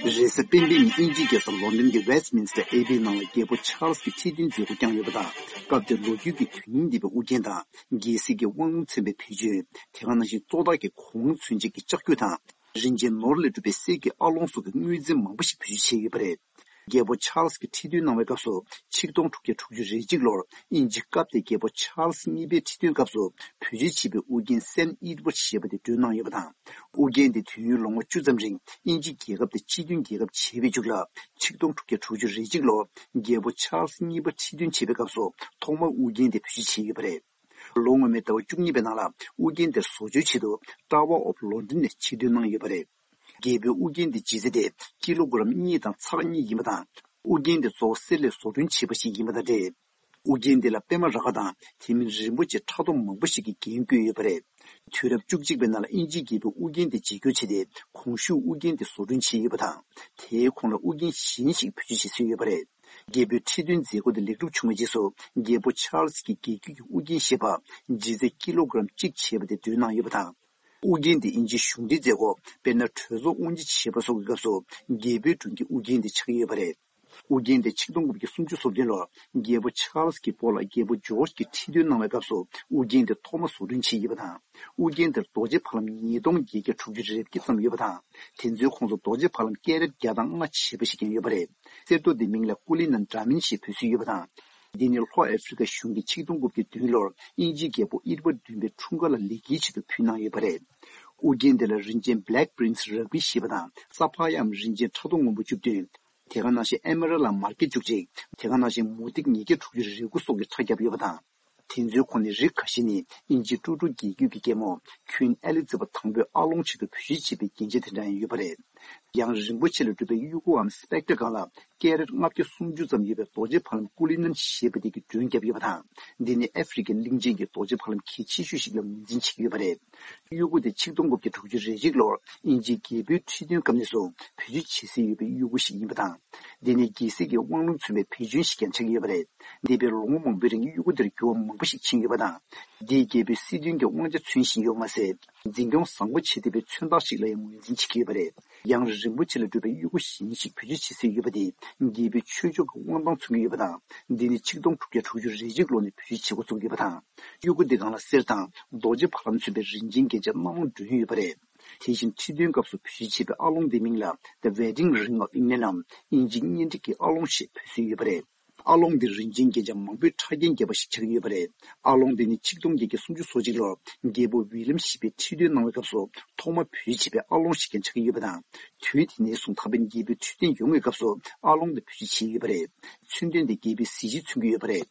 རེས་གཟའ་སྤེན་པའི་ཉིན་དབྱིན་ཇིའི་རྒྱལ་ས་ལོན་ཌོན་གྱི་Westminster Abbey ནང་ལ་རྒྱལ་པོ་ཆཱལ་སི་ཀྱི་ཁྲི་འདོན་མཛད་སྒོ་བསྐྱངས་ཡོད་པ་དང་། སྐབས་དེར་ལོ་རྒྱུས་ཀྱི་དོན་སྙིང་ལྡན་པའི་དབུ་རྒྱན་དང་། རྒྱལ་སྲིད་ཀྱི་དབང་ལུང་མཚོན་པའི་བེད་སྤྱོད། དེ་ག་ནང་བཞིན་གཙོ་བདག་གི་སྐུ་དབང་མཚོན་བྱེད་ཀྱི་ལྕགས་ཀྱུ་དང་། རིན་ཆེན་ནོར་ལས་གྲུབ་པའི་གསེར་གྱི་ཨ་ལོང་སོགས་ཀྱི་དངོས་རྫས་མང་པོ་ཞིག་བེད་སྤྱོད་བྱས་ཡོད་པ་རེད། རྒྱལ་པོ་ཆཱལ་སི་གིས་ཁྲི་འདོན་གནང་བའི་སྐབས་སུ་ཆིག་སྟོང་དྲུག་བརྒྱ་དྲུག་ཅུ་རེ་གཅིག་ལོར་དབྱིན་ཇི་སྐབས་དེའི་རྒྱལ་པོ་ཆཱལ་སི་གཉིས་པའི་ཁྲི་འདོན་སྐབས་སུ་བེད་སྤྱོད་བྱས་པའི་དབུ་རྒྱན་སེན་ཨེ་ཌི་ཝར་ཌི་ཞེས་པ་དེ་འདོན་གནང་ཡོད་པ་དང་། དབུ་རྒྱན་དེ་དུས་ཡུན་ལོ་ངོ་བཅུ་ཙམ་རིང་དབྱིན་ཇི་རྒྱལ་ཁབ་དེ་སྤྱི་མཐུན་རྒྱལ་ཁབ་བྱས་པའི་མཇུག་ལ་ཆིག་སྟོང་དྲུག་བརྒྱ་དྲུག་ཅུ་རེ་གཅིག་ལོར་རྒྱལ་པོ་ཆཱལ་སི་གཉིས་པ་ཁྲི་འདོན་བྱེད་པའི་སྐབས་སུ་ཐོག་མར་དབུ་རྒྱན་དེ་བེད་སྤྱོད་བྱས་ཡོད་པ་རེད། ལོ་སྔོན་མའི་ཟླ་བ་བཅུ་གཉིས་པའི་ནང་ལ་དབུ་རྒྱན་དེ་བཟོ་བཅོས་ཆེད་དུ་Tower of London ནས་ཕྱིར་འདོན་གནང་ཡོད་པ་རེད། རྒྱལ་པོའི་དབུ་རྒྱན་དེ་ལྗིད་ཚད་དེ་ཀི་ལོ་གི་རམ་གཉིས་དང་ཚེག་གཉིས་ཡིན་པ་དང་། དབུ་རྒྱན་དེ་གཙོ་བོ་གསེར་ལས་བཟོ་སྐྲུན་བྱས་པ་ཞིག་ཡིན་པ་དང་འབྲེལ། དབུ་རྒྱན་དེ་ལ་པད་མ་རཱ་ག་དང་དེ་མིན་རིན་པོ་ཆེ་ཕྲ་མཐོང་མང་པོ་ཞིག་གིས་རྒྱན་བཀོད་ཡོད་པ་རེད། དུས་རབས་བཅུ་གཅིག་པའི་ནང་ལ་དབྱིན་ཇིའི་རྒྱལ་པོའི་དབུ་རྒྱན་དེ་བརྗེ་སྒྱུར་བྱས་ཏེ་གོང་ཞུས་དབུ་རྒྱན་དེ་བཟོ་སྐྲུན་བྱས་ཡོད་པ་དང་། དེའི་གོང་ལ་དབུ་རྒྱན་གཞན་ཞིག་བེད་སྤྱོད་བྱེད་སྲོལ་ཡོད་པ་རེད། རྒྱལ་པོའི་ཁྲི་འདོན་མཛད་སྒོ་དེ་ལེགས་གྲུབ་བྱུང་བའི་རྗེས་སུ་རྒྱལ་པོ་ཆཱལ་སི་ཀྱི་རྒྱལ་རྒྱུད་ཀྱི་དབུ་རྒྱན་ཞེས་པ་ལྗིད་ཚད་ཀི་ལོ་གི་རམ་གཅིག་བྱས་པ་དེ་འདོན་གནང་ཡོད་པ་དང་། དབུ་རྒྱན་དེ་དབྱིན་ཇིའི་གཞུང་འབྲེལ་མཛད་སྒོ་དཔེར་ན་གྲོས་ཚོགས་དབུ་འབྱེད་བྱེད་པ་སོགས་ཀྱི་སྐབས་སུ་རྒྱལ་པོའི་དྲུང་གི་དབུ་རྒྱན་དེ་ཆགས་ཀྱི་ཡོད་པ་རེད། དབུ་རྒྱན་དེ་ཆིག་སྟོང་དགུ་བརྒྱ་སུམ་ཅུ་སོ་བདུན་ལོར་རྒྱལ་པོ་ཆཱལ་སི་གི་སྤོ་ལགས་རྒྱལ་པོ་ཇོརྗ་གིས་ཁྲི་འདོན་གནང་བའི་སྐབས་སུ་དབུ་རྒྱན་དེ་ཐོག་མ་བཟོ་སྐྲུན་བྱས་ཡོད་པ་དང་། དབུ་རྒྱན་དེར་རྡོ་རྗེ་ཕ་ལམ་ཉིས་སྟོང་བརྒྱད་བརྒྱ་དྲུག་ཅུ་རེ་བརྒྱད་ཙམ་ཡོད་པ་དང་། དེ་ཚོའི་ཁོངས་སུ་རྡོ་རྗེ་ཕ་ལམ་ཀེ་རེཊ་བརྒྱ་དང་ལྔ་བྱས་པ་ཞིག་ཀྱང་ཡོད་པ་རེད། གསེར་རྡོ་འདིའི་མིང་ལ་ཀུ་ལི་ནན་ཌ་མིན་ཞེས་འབོད་སྲོལ་ཡོད་པ་དང་། འདི་ནི་ལྷོ་ཨ་ཧྥེ་རི་ཀ་གཞུང་གིས་ཆིག་སྟོང་དགུ་བརྒྱ་བདུན་ལོར་དབྱིན་ཇིའི་རྒྱལ་པོ་ཨེ་ཌི་ཝར་ཌི་བདུན་པའི་འཁྲུངས་སྐར་ལ་ལེགས་སྐྱེས་ཆེད་དུ་ཕུལ་གནང་ཡོད་པ་རེད། དབུ་རྒྱན་དེ་ལ་རིན་ཆེན་Black Prince Ruby ཞེས་པ་དང་ས་ཕ་ཡའམ་རིན་ཆེན་ཕྲ་མཐོང་སྔོན་པོ་བཅུ་བདུན། དེ་ག་ནང་བཞིན་ཨེ་མེ་རལ་ལ་མར་གད་བཅུ་གཅིག་དེ་ག་ནང་བཞིན་མུ་ཏིག་ཉིས་བརྒྱ་དྲུག་ཅུ་རེ་དགུ་སོགས་ཀྱི་ཁྲ་བརྒྱབ་ཡོད་པ་དང་། དེ་ཚོའི་ཁོངས་ནས་རིགས་ཁ་ཤས་ནི་དབྱིན་ཇིའི་ཀྲུ་ཀྲུ་རྒྱལ་རྒྱུད་ཀྱི་རྒྱལ་མོ་Queen Elizabeth དང་པོའི་ཨ་ལོང་ཆེད་དུ་བེད་སྤྱོད་བྱས་པའི་རྒྱན་ཆ་དེ་འདྲ་ཡང་ཡོད་པ་རེད། ཡང་རིན་པོ་ཆེ་ལས་གྲུབ་པའི་དབྱུ་གུའམ་སྤེག་ཊ་སྒང་ལ་ཀེ་རེཊ་ལྔ་བརྒྱ་སུམ་ཅུ་ཙམ་ཡོད་པའི་རྡོ་རྗེ་ཕ་ལམ་ཀུ་ལི་ནན་ཞེས་པ་དེ་གི་སྒྲོན་བརྒྱབ་ཡོད་པ་དང་། འདི་ནི་ཨ་ཧྥེ་རི་ཀའི་གླིང་ཆེན་གྱི་རྡོ་རྗེ་ཕ་ལམ་གལ་ཆེ་ཤོས་ཤིག་ལ་ངོས་འཛིན་བྱེད་ཀྱི་ཡོད་པ་རེད། དབྱུ་གུ་དེ་ཆིག་སྟོང་དགུ་བརྒྱ་དྲུག་ཅུ་རེ་གཅིག་ལོར་དབྱིན་ཇིའི་རྒྱལ་པོའི་ཁྲི་འདོན་སྐབས་ནས་བཟུང་བེད་སྤྱོད་བྱེད་སྲོལ་ཡོད་པའི་དབྱུ་གུ་ཞིག་ཡིན་པ་དང་། འདི་ནི་རྒྱལ་སྲིད་ཀྱི་དབང་ལུང་མཚོན་པའི་བེད་སྤྱོད་ཞིག་ཀྱང་ཆགས་ཀྱི་ཡོད་པ་རེད། འདས་པའི་ལོ་ངོ་མང་པོའི་རིང་དབྱུ་གུ་དེར་འགྱུར་བ་མང་པོ་ཞིག་ཕྱིན་ཡོད་པ་དང་། འདིས་རྒྱལ་པོའི་སྲིད་དོན་གྱི་དབང་ཆ་མཚོན་བཞིན་ཡོད་མ་ཟད། འཛིན་སྐྱོང་བཟང་པོ་བྱེད་བསྡད་པའི་མཚོན་རྟགས་ཤིག་ལ་ཡང་ངོས་འཛིན་བྱེད་ཀྱི་ཡོད་པ་རེད། ཡང་རིན་པོ་ཆེ་ལས་གྲུབ་པའི་དབྱུ་གུ་གཞན་ཞིག་བེད་སྤྱོད་བྱེད་སྲོལ་ཡོད་པ་དེ་རྒྱལ་པོའི་ཆོས་ཕྱོགས་ཀྱི་དབང་ཐང་མཚོན་གྱི་ཡོད་པ་དང་། འདི་ནི་ཆིག་སྟོང་དྲུག་བརྒྱ་དྲུག་ཅུ་རེ་གཅིག་ལོ་ནས་བེད་སྤྱོད་བྱེད་འགོ་བཙུགས་ཡོད་པ་དང་། དབྱུ་གུ་འདི་སྒང་ལ་གསེར་དང་རྡོ་རྗེ་ཕ་ལམ་མཚོན་པའི་རིན་ཆེན་རྒྱན་ཆ་སྣ་མང་བསྒྲོན་ཡོད་པ་རེད། དེ་བཞིན་ཁྲི་འདོན་སྐབས་སུ་བེད་སྤྱོད་བྱེད་པའི་ཨ་ལོང་འདིའི་མིང་ལ་The Wedding Ring of England ནམ་དབྱིན་ཇིའི་གཉེན་སྒྲིག་གི་ཨ་ལོང་ཞེས་འབོད་སྲོལ་ཡོད་པ་རེད། ཨ་ལོང་འདི་རིན་ཆེན་རྒྱན་ཆ་མང་པོའི་ཕྲ་རྒྱན་བརྒྱབ་པ་ཞིག་ཆགས་ཀྱི་ཡོད་པ་རེད། ཨ་ལོང་འདི་ནི་ཆིག་སྟོང་བརྒྱད་བརྒྱ་སུམ་ཅུ་སོ་གཅིག་ལོར་རྒྱལ་པོ་ཝི་ལིམ་བཞི་པས་ཁྲི་འདོན་གནང་བའི་སྐབས་སུ་ཐོག་མར་བེད་སྤྱོད་བྱས་པའི་ཨ་ལོང་ཞིག་ཀྱང་ཆགས་ཀྱི་ཡོད་པ་དང་། དུས་དེ་ནས་བཟུང་ད་ཕན་རྒྱལ་པོའི་ཁྲི་འདོན་ཡོང་བའི་སྐབས་སུ་ཨ་ལོང་འདི་བེད་སྤྱོད་བྱས་ཡོད་པ་རེད། མཚོན་དོན་འདི་རྒྱལ་པོའི་གཟི་བརྗིད་མཚོན་གྱི་ཡོད་པ་རེད།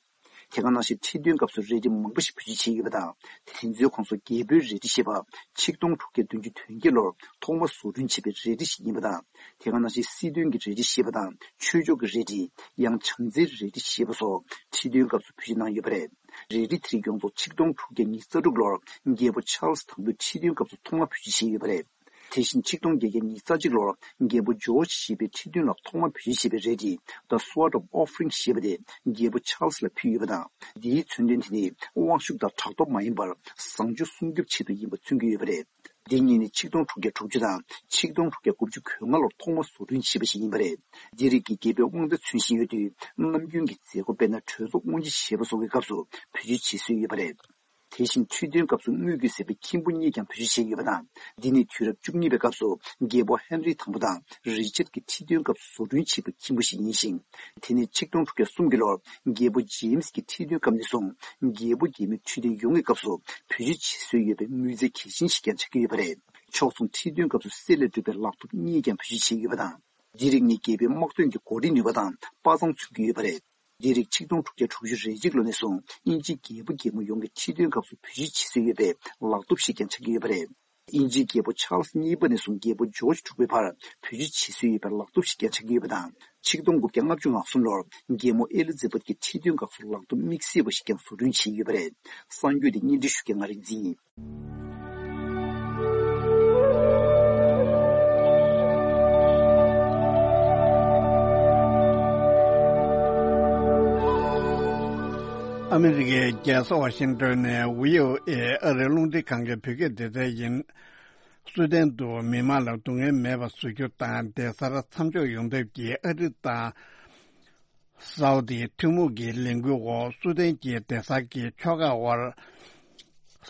དེ་ག་ནང་བཞིན་ཁྲི་འདོན་སྐབས་སུ་རལ་གྲི་མང་པོ་ཞིག་བེད་སྤྱོད་བྱས་ཡོད་པ་དང་། དེ་ཚོའི་ཁོངས་སུ་རྒྱལ་པོའི་རལ་གྲི་ཞེས་པ་ཆིག་སྟོང་དྲུག་བརྒྱ་བདུན་ཅུ་དོན་བརྒྱད་ལོར་ཐོག་མར་བཟོ་སྐྲུན་བྱས་པའི་རལ་གྲི་ཞིག་ཡིན་པ་དང་། དེ་ག་ནང་བཞིན་སྲིད་དོན་གྱི་རལ་གྲི་ཞེས་པ་དང་ཆོས་ཕྱོགས་ཀྱི་རལ་གྲི། ཡང་བྱམས་བརྩེའི་རལ་གྲི་ཞེས་པ་སོགས་ཁྲི་འདོན་སྐབས་སུ་བེད་སྤྱོད་གནང་ཡོད་པ་རེད། རལ་གྲི་དེ་རིགས་ཡོངས་རྫོགས་ཆིག་སྟོང་དྲུག་བརྒྱ་ཉི་ཤུ་རྩ་དྲུག་ལོར་རྒྱལ་པོ་ཆཱལ་སི་དང་པོའི་ཁྲི་འདོན་སྐབས་སུ་ཐོག་མར་བེད་སྤྱོད་བྱས་ཡོད་པ་རེད། དེ་བཞིན་ཆིག་སྟོང་བརྒྱད་བརྒྱ་ཉི་ཤུ་རྩ་གཅིག་ལོར་རྒྱལ་པོ་ཇོརྗ་བཞི་པའི་ཁྲི་འདོན་ལ་ཐོག་མར་བེད་སྤྱོད་བྱས་པའི་རལ་གྲི་The Sword of Offering ཞེས་པ་དེ་རྒྱལ་པོ་ཆཱལ་སི་ལ་ཕུལ་ཡོད་པ་དང་། འདིའི་མཚོན་དོན་དེ་ནི་དབང་ཤུགས་དང་ཕྲག་དོག་མ་ཡིན་པར་བཟང་སྤྱོད་སྲུང་སྐྱོབ་ཆེད་དུ་ཡིན་པ་མཚོན་གྱི་ཡོད་པ་རེད། འདི་གཉིས་ནི་ཆིག་སྟོང་དྲུག་བརྒྱ་དྲུག་ཅུ་དང་ཆིག་སྟོང་དྲུག་བརྒྱ་དགུ་བཅུ་གོ་ལྔ་ལོར་ཐོག་མར་བཟོ་སྐྲུན་བྱས་པ་ཞིག་ཡིན་པ་རེད། འདི་རིགས་ཀྱིས་རྒྱལ་པོའི་དབང་ཆ་མཚོན་བཞིན་ཡོད་དུས། ནམ་རྒྱུན་གྱི་མཛད་སྒོ་དཔེར་ན་གྲོས་ཚོགས་དབུ་འབྱེད་བྱེད་པ་སོགས་ཀྱི་སྐབས་སུ་བེད་སྤྱོད་བྱེད་སྲོལ་ཡོད་པ་རེད། དེ་བཞིན་ཁྲི་འདོན་སྐབས་སུ་དངུལ་གྱིས་བཟོས་པའི་ཁྱིམ་ཕུ་གཉིས་ཀྱང་བེད་སྤྱོད་བྱས་ཡོད་པ་དང་། འདི་ནི་དུས་རབས་བཅུ་གཉིས་པའི་སྐབས་སུ་རྒྱལ་པོ་ཧེན་རི་དང་པོ་དང་རི་ཅར་གྱི་ཁྲི་འདོན་སྐབས་སུ་བཟོ་སྐྲུན་བྱས་པའི་ཁྱིམ་ཕུ་ཞིག་ཡིན་ཞིང་། དེ་ནི་ཆིག་སྟོང་དྲུག་བརྒྱ་གསུམ་གྱི་ལོར་རྒྱལ་པོ་ཇེམ་སི་གི་ཁྲི་འདོན་སྐབས་ནས་བཟུང་རྒྱལ་པོ་རྒྱལ་མོའི་ཁྲི་འདོན་ཡོང་བའི་སྐབས་སུ་བེད་སྤྱོད་བྱེད་སྲོལ་ཡོད་པའི་དངུལ་རྫས་གལ་ཆེན་ཞིག་ཀྱང་ཆགས་ཀྱི་ཡོད་པ་རེད། ཕྱོགས་མཚུངས་ཁྲི་འདོན་སྐབས་སུ་གསེར་ལས་གྲུབ་པའི་ལག་ཐོབ་གཉིས་ཀྱང་བེད་སྤྱོད་བྱས་ཡོད་པ་དང་། འདི་རིགས་ནི་རྒྱལ་པོའི་དམག་དོན་གྱི་གོ་སྒྲིག་ནུས་པ་དང་དཔའ་མཛངས་མཚོན་གྱི་ཡོད་པ་རེད། འདི་རིགས་ཆིག་སྟོང་དྲུག་བརྒྱ་དྲུག་ཅུ་རེ་གཅིག་ལོ་ནས་བཟུང་དབྱིན་ཇིའི་རྒྱལ་པོ་རྒྱལ་མོ་ཡོངས་ཀྱི་ཁྲི་འདོན་སྐབས་སུ་བེད་སྤྱོད་བྱེད་སྲོལ་ཡོད་པའི་ལག་ཐོབ་ཞིག་ཀྱང་ཆགས་ཀྱི་ཡོད་པ་རེད། དབྱིན་ཇིའི་རྒྱལ་པོ་ཆཱལ་སི་གཉིས་པ་ནས་བཟུང་རྒྱལ་པོ་ཇོརྗ་དྲུག་པའི་བར་བེད་སྤྱོད་བྱེད་སྲོལ་ཡོད་པའི་ལག་ཐོབ་ཞིག་ཀྱང་ཆགས་ཀྱི་ཡོད་པ་དང་། ཆིག་སྟོང་དགུ་བརྒྱ་ལྔ་བཅུ་ང་གསུམ་ལོར་རྒྱལ་མོ་ཨེ་ལི་ཛེ་བྷད་ཀྱི་ཁྲི་འདོན་སྐབས་སུ་ལག་ཐོབ་དམིགས་བསལ་བ་ཞིག་ཀྱང་བཟོ་སྐྲུན་བྱས་ཡོད་པ་རེད། གསར་འགྱུར་དེ་སྙན་སྒྲོན་ཞུ་མཁན་ང་རིག་འཛིན་ཡིན། ཨ་མི་རི་ཀའི་རྒྱལ་ས་ཝ་ཤིང་ཏོན་ནས་བྷི་ཨོ་ཨེ་ཨ་རིའི་རླུང་འཕྲིན་ཁང་གི་བོད་སྐད་སྡེ་ཚན་ཡིན། སུའུ་ཏན་དུ་མི་མང་ལ་སྡུག་བསྔལ་མེད་པ་བཟོ་རྒྱུ་དང་སྡོད་སར་མཚམས་འཇོག་ཡོང་ཐབས་ཀྱི་ཨ་རི་དང་སའུ་དིའི་ཐུན་མོང་གི་ལས་འགུལ་འོག་སུའུ་ཏན་གྱི་སྡོད་སར་གྱི་ཆོལ་ཁ་དབར་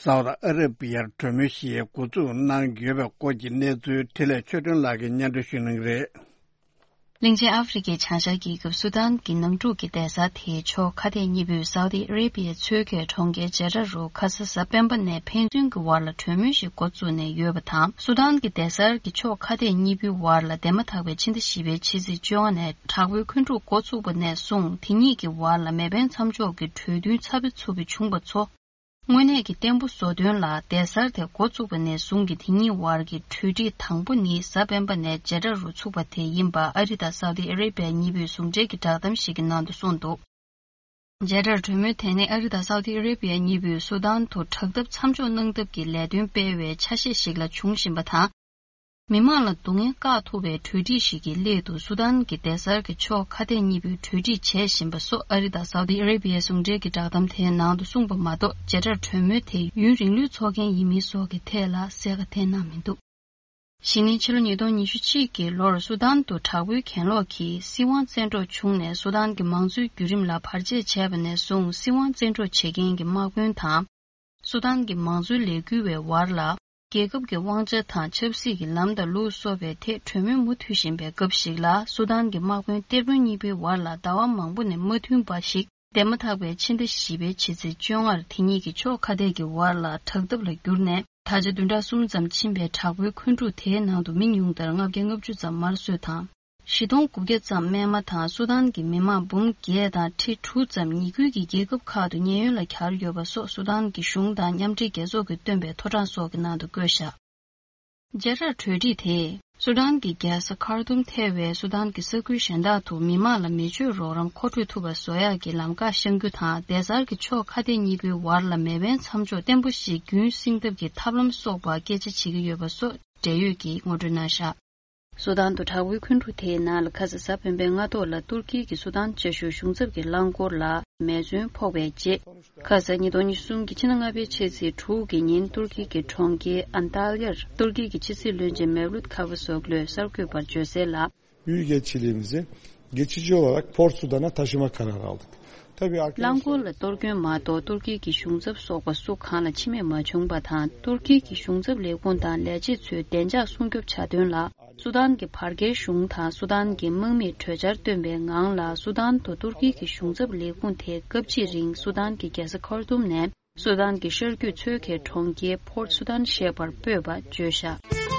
སའུ་ཏི་ཨ་ར་པི་ཡར་གྲོས་མོལ་ཞིག་འགོ་འཛུགས་གནང་ཡོད་པའི་སྐོར་གྱི་གནས་ཚུལ་འཕྲིན་ལས་ཆོས་སྒྲོན་ལགས་ཀྱིས་སྙན་སྒྲོན་ཞུ་གནང་གི་རེད། གླིང་ཆེན་ཨ་ཧྥེ་རི་ཁའི་བྱང་ཤར་རྒྱལ་ཁབ་སུ་དཱན་གྱི་ནང་འཁྲུག་གི་སྡེ་གཟར་དེའི་ཕྱོགས་ཁ་གཏད་གཉིས་པོས་སའུ་ཏི་ཨ་རེ་བི་ཡའི་མཚོ་ཁའི་གྲོང་ཁྱེར་ཇེ་ཌ་རུ་ཁ་ས་གཟའ་སྤེན་པ་ནས་ཕན་ཚུན་གྱི་བར་ལ་གྲོས་མོལ་ཞིག་འགོ་བཙུགས་ནས་ཡོད་པ་དང་། སུ་དཱན་གྱི་སྡེ་གཟར་གྱི་ཕྱོགས་ཁ་གཏད་གཉིས་པོའི་བར་ལ་འདས་མ་ཐག་པའི་ཕྱི་ཟླ་བཞི་པའི་ཕྱི་ཚེས་བཅོ་ལྔ་ནས་དྲག་པོའི་འཁོན་འཁྲུག་འགོ་ཚུགས་པ་ནས་བཟུང་། དེ་གཉིས་ཀྱི་བར་ལ་མེ་འཕེན་མཚམས་འཇོག་གི་གྲོས་མཐུན་ཚབ་པ་ཚུགས་པ་བྱུང་པ་ཚོ། དངོས་གནས་ཀྱི་བརྟན་པོ་བཟོ་དོན་ལ། སྡེ་གཟར་དེ་འགོ་བཙུགས་པ་ནས་བཟུང་གི་དེ་གཉིས་བར་གྱི་གྲོས་འགྲིག་དང་པོ་ནི་གཟའ་སྤེན་པ་ནས་ཇེ་ཌ་རུ་ཚུགས་པ་དེ་ཡིན་པ་ཨ་རི་དང་སའུ་ཏི་ཨ་རེ་བི་ཡ་གཉིས་པོས་ཟུང་འབྲེལ་གྱི་བསྒྲགས་གཏམ་ཞིག་གི་ནང་དུ་གསུངས་འདུག་ཇེ་ཌར་གྲོས་མོལ་དེ་ནི་ཨ་རི་དང་སའུ་ཏི་ཨ་རེ་བི་ཡ་གཉིས་པོས་སུ་དཱན་དུ་དྲག་འཐབ་མཚམས་འཇོག་གནང་ཐབས་ཀྱི་ལས་དོན་སྤེལ་བའི་ཆ་ཤས་ཤིག་ལ་འབྱུང་བཞིན་པ་དང་། མི་མང་ལ་སྡུག་བསྔལ་བཀག་ཐུབ་པའི་གྲོས་འགྲིག་ཞིག་གི་སླད་དུ་སུ་དཱན་གྱི་སྡེ་གཟར་གྱི་ཕྱོགས་ཁ་གཏད་གཉིས་པོས་གྲོས་འགྲིག་བྱས་བཞིན་པ་སོགས་ཨ་རི་དང་སའུ་ཏི་ཨ་རེ་བི་ཡའི་ཟུང་འབྲེལ་གྱི་བསྒྲགས་གཏམ་དེའི་ནང་དུ་གསུངས་པ་མ་གཏོགས། ཇེ་ཌར་གྲོས་མོལ་དེ་ཡུན་རིང་ལོས་འཚོགས་མཁན་ཡིན་མིན་སོགས་ཀྱི་ཐད་ལ་གསལ་ཁ་བསྟན་གནང་མི་འདུག་གཞེས་ནིང་ཕྱི་ལོ་ཉིས་སྟོང་ཉི་ཤུ་གཅིག་གི་ལོར་སུ་དཱན་དུ་དྲག་པོའི་གྱེན་ལོག་གིས་སྲིད་དབང་བཙན་འཕྲོག་བྱུང་ནས། སུ་དཱན་གྱི་མང་གཙོའི་བརྒྱུད་རིམ་ལ་བར་ཆད་བྱས་པ་ནས་བཟུང་། སྲིད་དབང་བཙན་འཕྲོག་བྱེད་མཁན་གྱི་དམག་དཔོན་དང་། སུ་དཱན་གྱི་མང་གཙོའི་ལས་འགུལ་བའི་བར་ལ། རྒྱལ་ཁབ་ཀྱི་དབང་ཆ་དང་ཆབ་སྲིད་ཀྱི་ལམ་དང་ལུགས་སོགས་པའི་ཐད་གྲོས་མོལ་མུ་མཐུད་བཞིན་པའི་སྐབས་ཤིག་ལ། སུ་དཱན་གྱི་དམག་དཔོན་གཏེར་དཔོན་གཉིས་པོའི་བར་ལ་ཟླ་བ་མང་པོ་ནས་མ་མཐུན་པ་ཞིག་འདས་མ་ཐག་པའི་ཕྱི་ཟླ་བཞི་པའི་ཕྱི་ཚེས་བཅོ་ལྔར་དེ་གཉིས་ཀྱི་ཕྱོགས་ཁ་གཏད་ཀྱི་བར་ལ་དྲག་འཐབ་ལ་གྱུར་ནས། ད་ཆ་བདུན་ཕྲག་གསུམ་ཙམ་ཕྱིན་པའི་དྲག་པོའི་འཁོན་འཁྲུག་དེའི་ནང་དུ་མི་ཉུང་མཐར་ལྔ་བརྒྱ་ལྔ་བཅུ་ཙམ་དམར་གསོད་དང་། བཞི་སྟོང་དགུ་བརྒྱ་ཙམ་རྨས་མ་དང་། སུ་དཱན་གྱི་མི་མང་འབུམ་བརྒྱད་དང་ཁྲི་དྲུག་ཙམ་ཉེ་ཁུལ་གྱི་རྒྱལ་ཁབ་ཁག་ཏུ་ཉེན་གཡོལ་ལ་གྱར་ཡོད་པ་སོགས་སུ་དཱན་གྱི་གཞུང་དང་མཉམ་འབྲེལ་རྒྱལ་ཚོགས་ཀྱིས་བཏོན་པའི་ཐོ་གྲངས་སོགས་ཀྱི་ནང་དུ་བཀོད་བཞག་ཇེ་ཌར་གྲོས་འགྲིག་དེས། སུ་དཱན་གྱི་རྒྱལ་ས་ཁར་ཏུམ་ཐེ་བའི་སུ་དཱན་གྱི་ས་ཁུལ་གཞན་དག་ཏུ་མི་མང་ལ་མི་ཆོས་རོགས་རམ་མཁོ་སྤྲོད་ཐུབ་པ་བཟོ་ཡག་གི་ལམ་ཁ་བཤང་རྒྱུ་དང་། སྡེ་གཟར་གྱི་ཕྱོགས་ཁ་གཏད་གཉིས་པོའི་བར་ལ་མེ་འཕེན་མཚམས་འཇོག་བརྟན་པོ་ཞིག་རྒྱུན་བསྲིང་ཐབས་ཀྱི་ཐབས་ལམ་སོགས་པ་སྐད་ཆ་བྱེད་ཀྱི་ཡོད་པ་སོགས་འབྲེལ་ཡོད་ཀྱིས་ངོ་སྤྲོད་གནང་བཞག་སུ་དཱན་དུ་དྲག་པོའི་འཁོན་འཁྲུག་དེའི་ནང་ལ། ཁ་ས་གཟའ་སྤེན་པའི་སྔ་ཐོག་ལ་ཏུར་ཀི་གི་སུ་དཱན་བཅའ་བཞུགས་གཞུང་ཚབ་ཀྱི་རླངས་འཁོར་ལ་མེ་མཚོན་ཕོག་པའི་རྗེས། ཁ་ས་ཉིས་སྟོང་ཉི་ཤུ་གསུམ་གྱི་ཕྱི་ཟླ་ལྔ་པའི་ཕྱི་ཚེས་དྲུག་གི་ཉིན་ཏུར་ཀི་གི་གྲོང་ཁྱེར་ཨན་ཏཱ་ལི་ཡར་ཏུར་ཀི་གི་ཕྱི་སྲིད་བློན་ཆེན་མེ་ཝ་ལུད་ཁ་ཝུ་ཟོག་ལོས་གསར་འགོད་པར་བརྗོད་གསལ་ལ། Büyük Elçiliğimizi geçici olarak Port Sudan'a taşıma kararı aldık. Tabii རླངས་འཁོར་ལ་གཏོར་སྐྱོན་མ་གཏོགས་ཏུར་ཀི་གི་གཞུང་ཚབ་སོགས་པ་སུ་གང་ལ་འཆི་རྨས་མ་བྱུང་པ་དང་། ཏུར་ཀི་གི་གཞུང་ཚབ་ལས་ཁུངས་དང་ལས་བྱེད་ཚོའི་བདེ་འཇགས་སྲུང་སྐྱོབ་བྱ་དོན་ལ། སུ་དཱན་གྱི་བར་བརྒལ་གཞུང་དང་སུ་དཱན་གྱི་དམག་མིས་གྲོས་འཆར་བཏོན་པའི་ངང་ལ། སུ་དཱན་དུ་ཏུར་ཀི་གི་གཞུང་ཚབ་ལས་ཁུངས་དེ་སྐབས་གཅིག་རིང་སུ་དཱན་གྱི་རྒྱལ་ས་ཁར་ཏུམ་ནས་སུ་དཱན་གྱི་ཤར་རྒྱུད་མཚོ་ཁའི་གྲོང་ཁྱེར་Port Sudan ཞེས་པར་སྤོས་པ་བརྗོད་བཞག་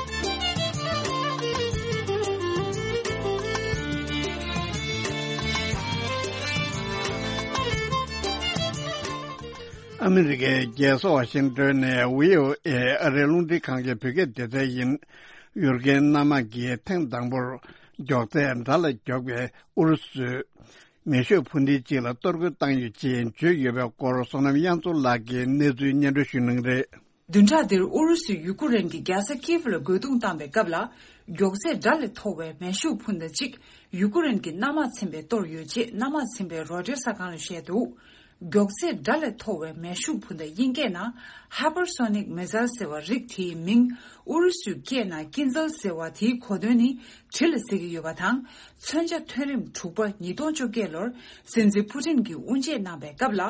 ཨ་མི་རི་ཀའི་རྒྱལ་ས་ཝ་ཤིང་ཏོན་ནས་བྷི་ཨོ་ཨེ་ཨ་རིའི་རླུང་འཕྲིན་ཁང་གི་བོད་སྐད་སྡེ་ཚན་ཡིན། ཡུལ་སྐད་སྣ་མང་གིས་ཐེངས་དང་པོར་མགྱོགས་ཚད་དགྲ་ལ་མགྱོགས་པའི་ཨུ་རུ་སུའི་མེ་ཤུགས་འཕུར་མདེལ་གཅིག་ལ་གཏོར་རྒོལ་བཏང་ཡོད་ཅེས་བརྗོད་ཡོད་པའི་སྐོར། བསོད་ནམས་དབྱངས་མཚོ་ལགས་ཀྱིས་གནས་ཚུལ་སྙན་སྒྲོན་ཞུ་གནང་གི་རེད། བདུན་ཕྲག་འདིར་ཨུ་རུ་སུས་ཡུ་ཀུ་རེན་གྱི་རྒྱལ་ས་ཀིབ་ལ་རྒོལ་རྡུང་བཏང་པའི་སྐབས་ལ། མགྱོགས་ཚད་དགྲ་ལས་མཐོ་བའི་མེ་ཤུགས་འཕུར་མདའ་གཅིག་ཡུ་ཀུ་རེན་གྱི་གནམ་དམག་ཚན་པས་གཏོར་ཡོད་ཅེས་གནམ་དམག་ཚན་པས་རོའི་ཊར་གསར་ཁང་ལ་བཤད་འདུག་མགྱོགས་ཚད་དགྲ་ལས་མཐོ་བའི་མེ་ཤུགས་འཕུར་མདའ་དབྱིན་སྐད་ནང་Hypersonic Missile ཟེར་བ་རིགས་དེའི་མིང་ཨུ་རུ་སུའི་སྐད་ནང་ཀིན་ཛལ་ཟེར་བ་དེའི་གོ་དོན་ནི་གྲི་ལ་ཟེར་གྱི་ཡོད་པ་དང་། མཚོན་ཆ་ཐོན་རིམ་དྲུག་པ་ཉིས་སྟོང་བཅོ་བརྒྱད་ལོར་སྲིད་འཛིན་ཕུ་ཏིན་གྱིས་དབུ་འབྱེད་གནང་པའི་སྐབས་ལ།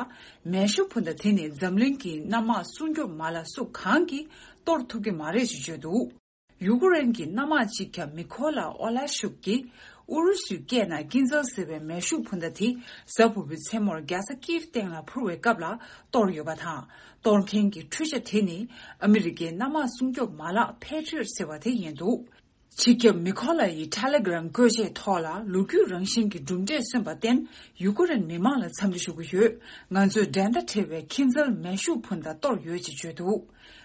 མེ་ཤུགས་འཕུར་མདའ་དེ་ནི་འཛམ་གླིང་གི་གནམ་དམག་སྲུང་སྐྱོབ་མ་ལག་སུ་གང་གིས་གཏོར་ཐུབ་ཀྱི་མ་རེད་ཅེས་བརྗོད་འདུག་ཡུ་ཀུ་རེན་གྱི་གནམ་དམག་སྤྱི་ཁྱབ་མི་ཁོ་ལ་ཨོ་ལ་ཤུག་གིས་ཨུ་རུ་སུའི་སྐད་ནང་ཀིན་ཛལ་ཟེར་བའི་མེ་ཤུགས་འཕུར་མདའ་དེ་གཟའ་ཕུར་བུའི་མཚན་མོར་རྒྱལ་ས་ཀིའིབ་སྟེང་ལ་འཕུར་བའི་སྐབས་ལ་གཏོར་ཡོད་པ་དང་། གཏོར་མཁན་གྱི་འཕྲུལ་ཆ་དེ་ནི་ཨ་མི་རི་ཀའི་གནམ་དམག་སྲུང་སྐྱོབ་མ་ལག་Patriot ཟེར་བ་དེ་ཡིན་འདུག་སྤྱི་ཁྱབ་མི་ཁོ་ལ་ཡི་ཊེ་ལེ་གྷི་རམ་བཀོད་འབྱེད་ཐོག་ལ་ལོ་རྒྱུས་རང་བཞིན་གྱི་གྲུབ་འབྲས་སོན་པར་བརྟེན། ཡུ་ཀུ་རེན་མི་མང་ལ་འཚམས་འདྲི་ཞུ་གི་ཡོད། ང་ཚོས་འགྲན་ཟླ་བྲལ་བའི་ཀིན་ཛལ་མེ་ཤུགས་འཕུར་མདའ་གཏོར་ཡོད་ཅེས་བརྗོད་འདུག་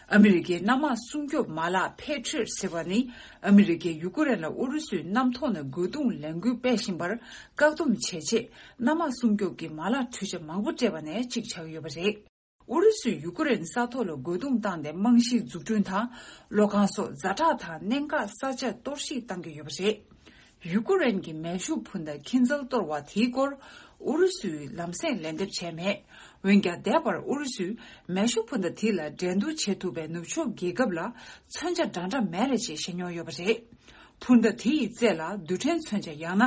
ཨ་མི་རི་ཀའི་གནམ་དམག་སྲུང་སྐྱོབ་མ་ལག་Patriot ཟེར་བ་ནི་ཨ་མི་རི་ཀས་ཡུ་ཀུ་རེན་ལ་ཨུ་རུ་སུའི་གནམ་ཐོག་ནས་རྒོལ་རྡུང་ལས་འགུལ་སྤེལ་བཞིན་པར་བཀག་སྡོམ་བྱེད་ཆེད། གནམ་དམག་སྲུང་སྐྱོབ་ཀྱི་མ་ལག་འཕྲུལ་ཆ་མང་པོ་སྤྲད་པ་ནས་གཅིག་ཆགས་ཡོད་པ་རེད། ཨུ་རུ་སུས་ཡུ་ཀུ་རེན་ས་ཐོག་ལ་རྒོལ་རྡུང་བཏང་སྟེ་རྨང་གཞིའི་འཛུགས་སྐྲུན་དང་། གློག་ཁང་སོགས་ཛ་དྲག་དང་གནད་འགག་ས་ཆ་གཏོར་བཤིག་བཏང་གི་ཡོད་པ་རེད། ཡུ་ཀུ་རེན་གྱི་མེ་ཤུགས་འཕུར་མདའ་ཀིན་ཛལ་གཏོར་བ་དེའི་སྐོར་ཨུ་རུ་སུས་ལམ་སེང་ལན་འདེབས་བྱས་མེད། འོན་ཀྱང་། འདས་པར་ཨུ་རུ་སུས་མེ་ཤུགས་འཕུར་མདའ་དེ་ལ་འགྲན་བསྡུར་བྱེད་ཐུབ་པའི་ནུབ་ཕྱོགས་རྒྱལ་ཁབ་ལ་མཚོན་ཆ་འདྲ་འདྲ་མེད་རེད་ཅེས་བཤད་མྱོང་ཡོད་པ་རེད། འཕུར་མདའ་དེ་ཡི་རྩེ་ལ་རྡུལ་ཕྲན་མཚོན་ཆ་ཡང་ན་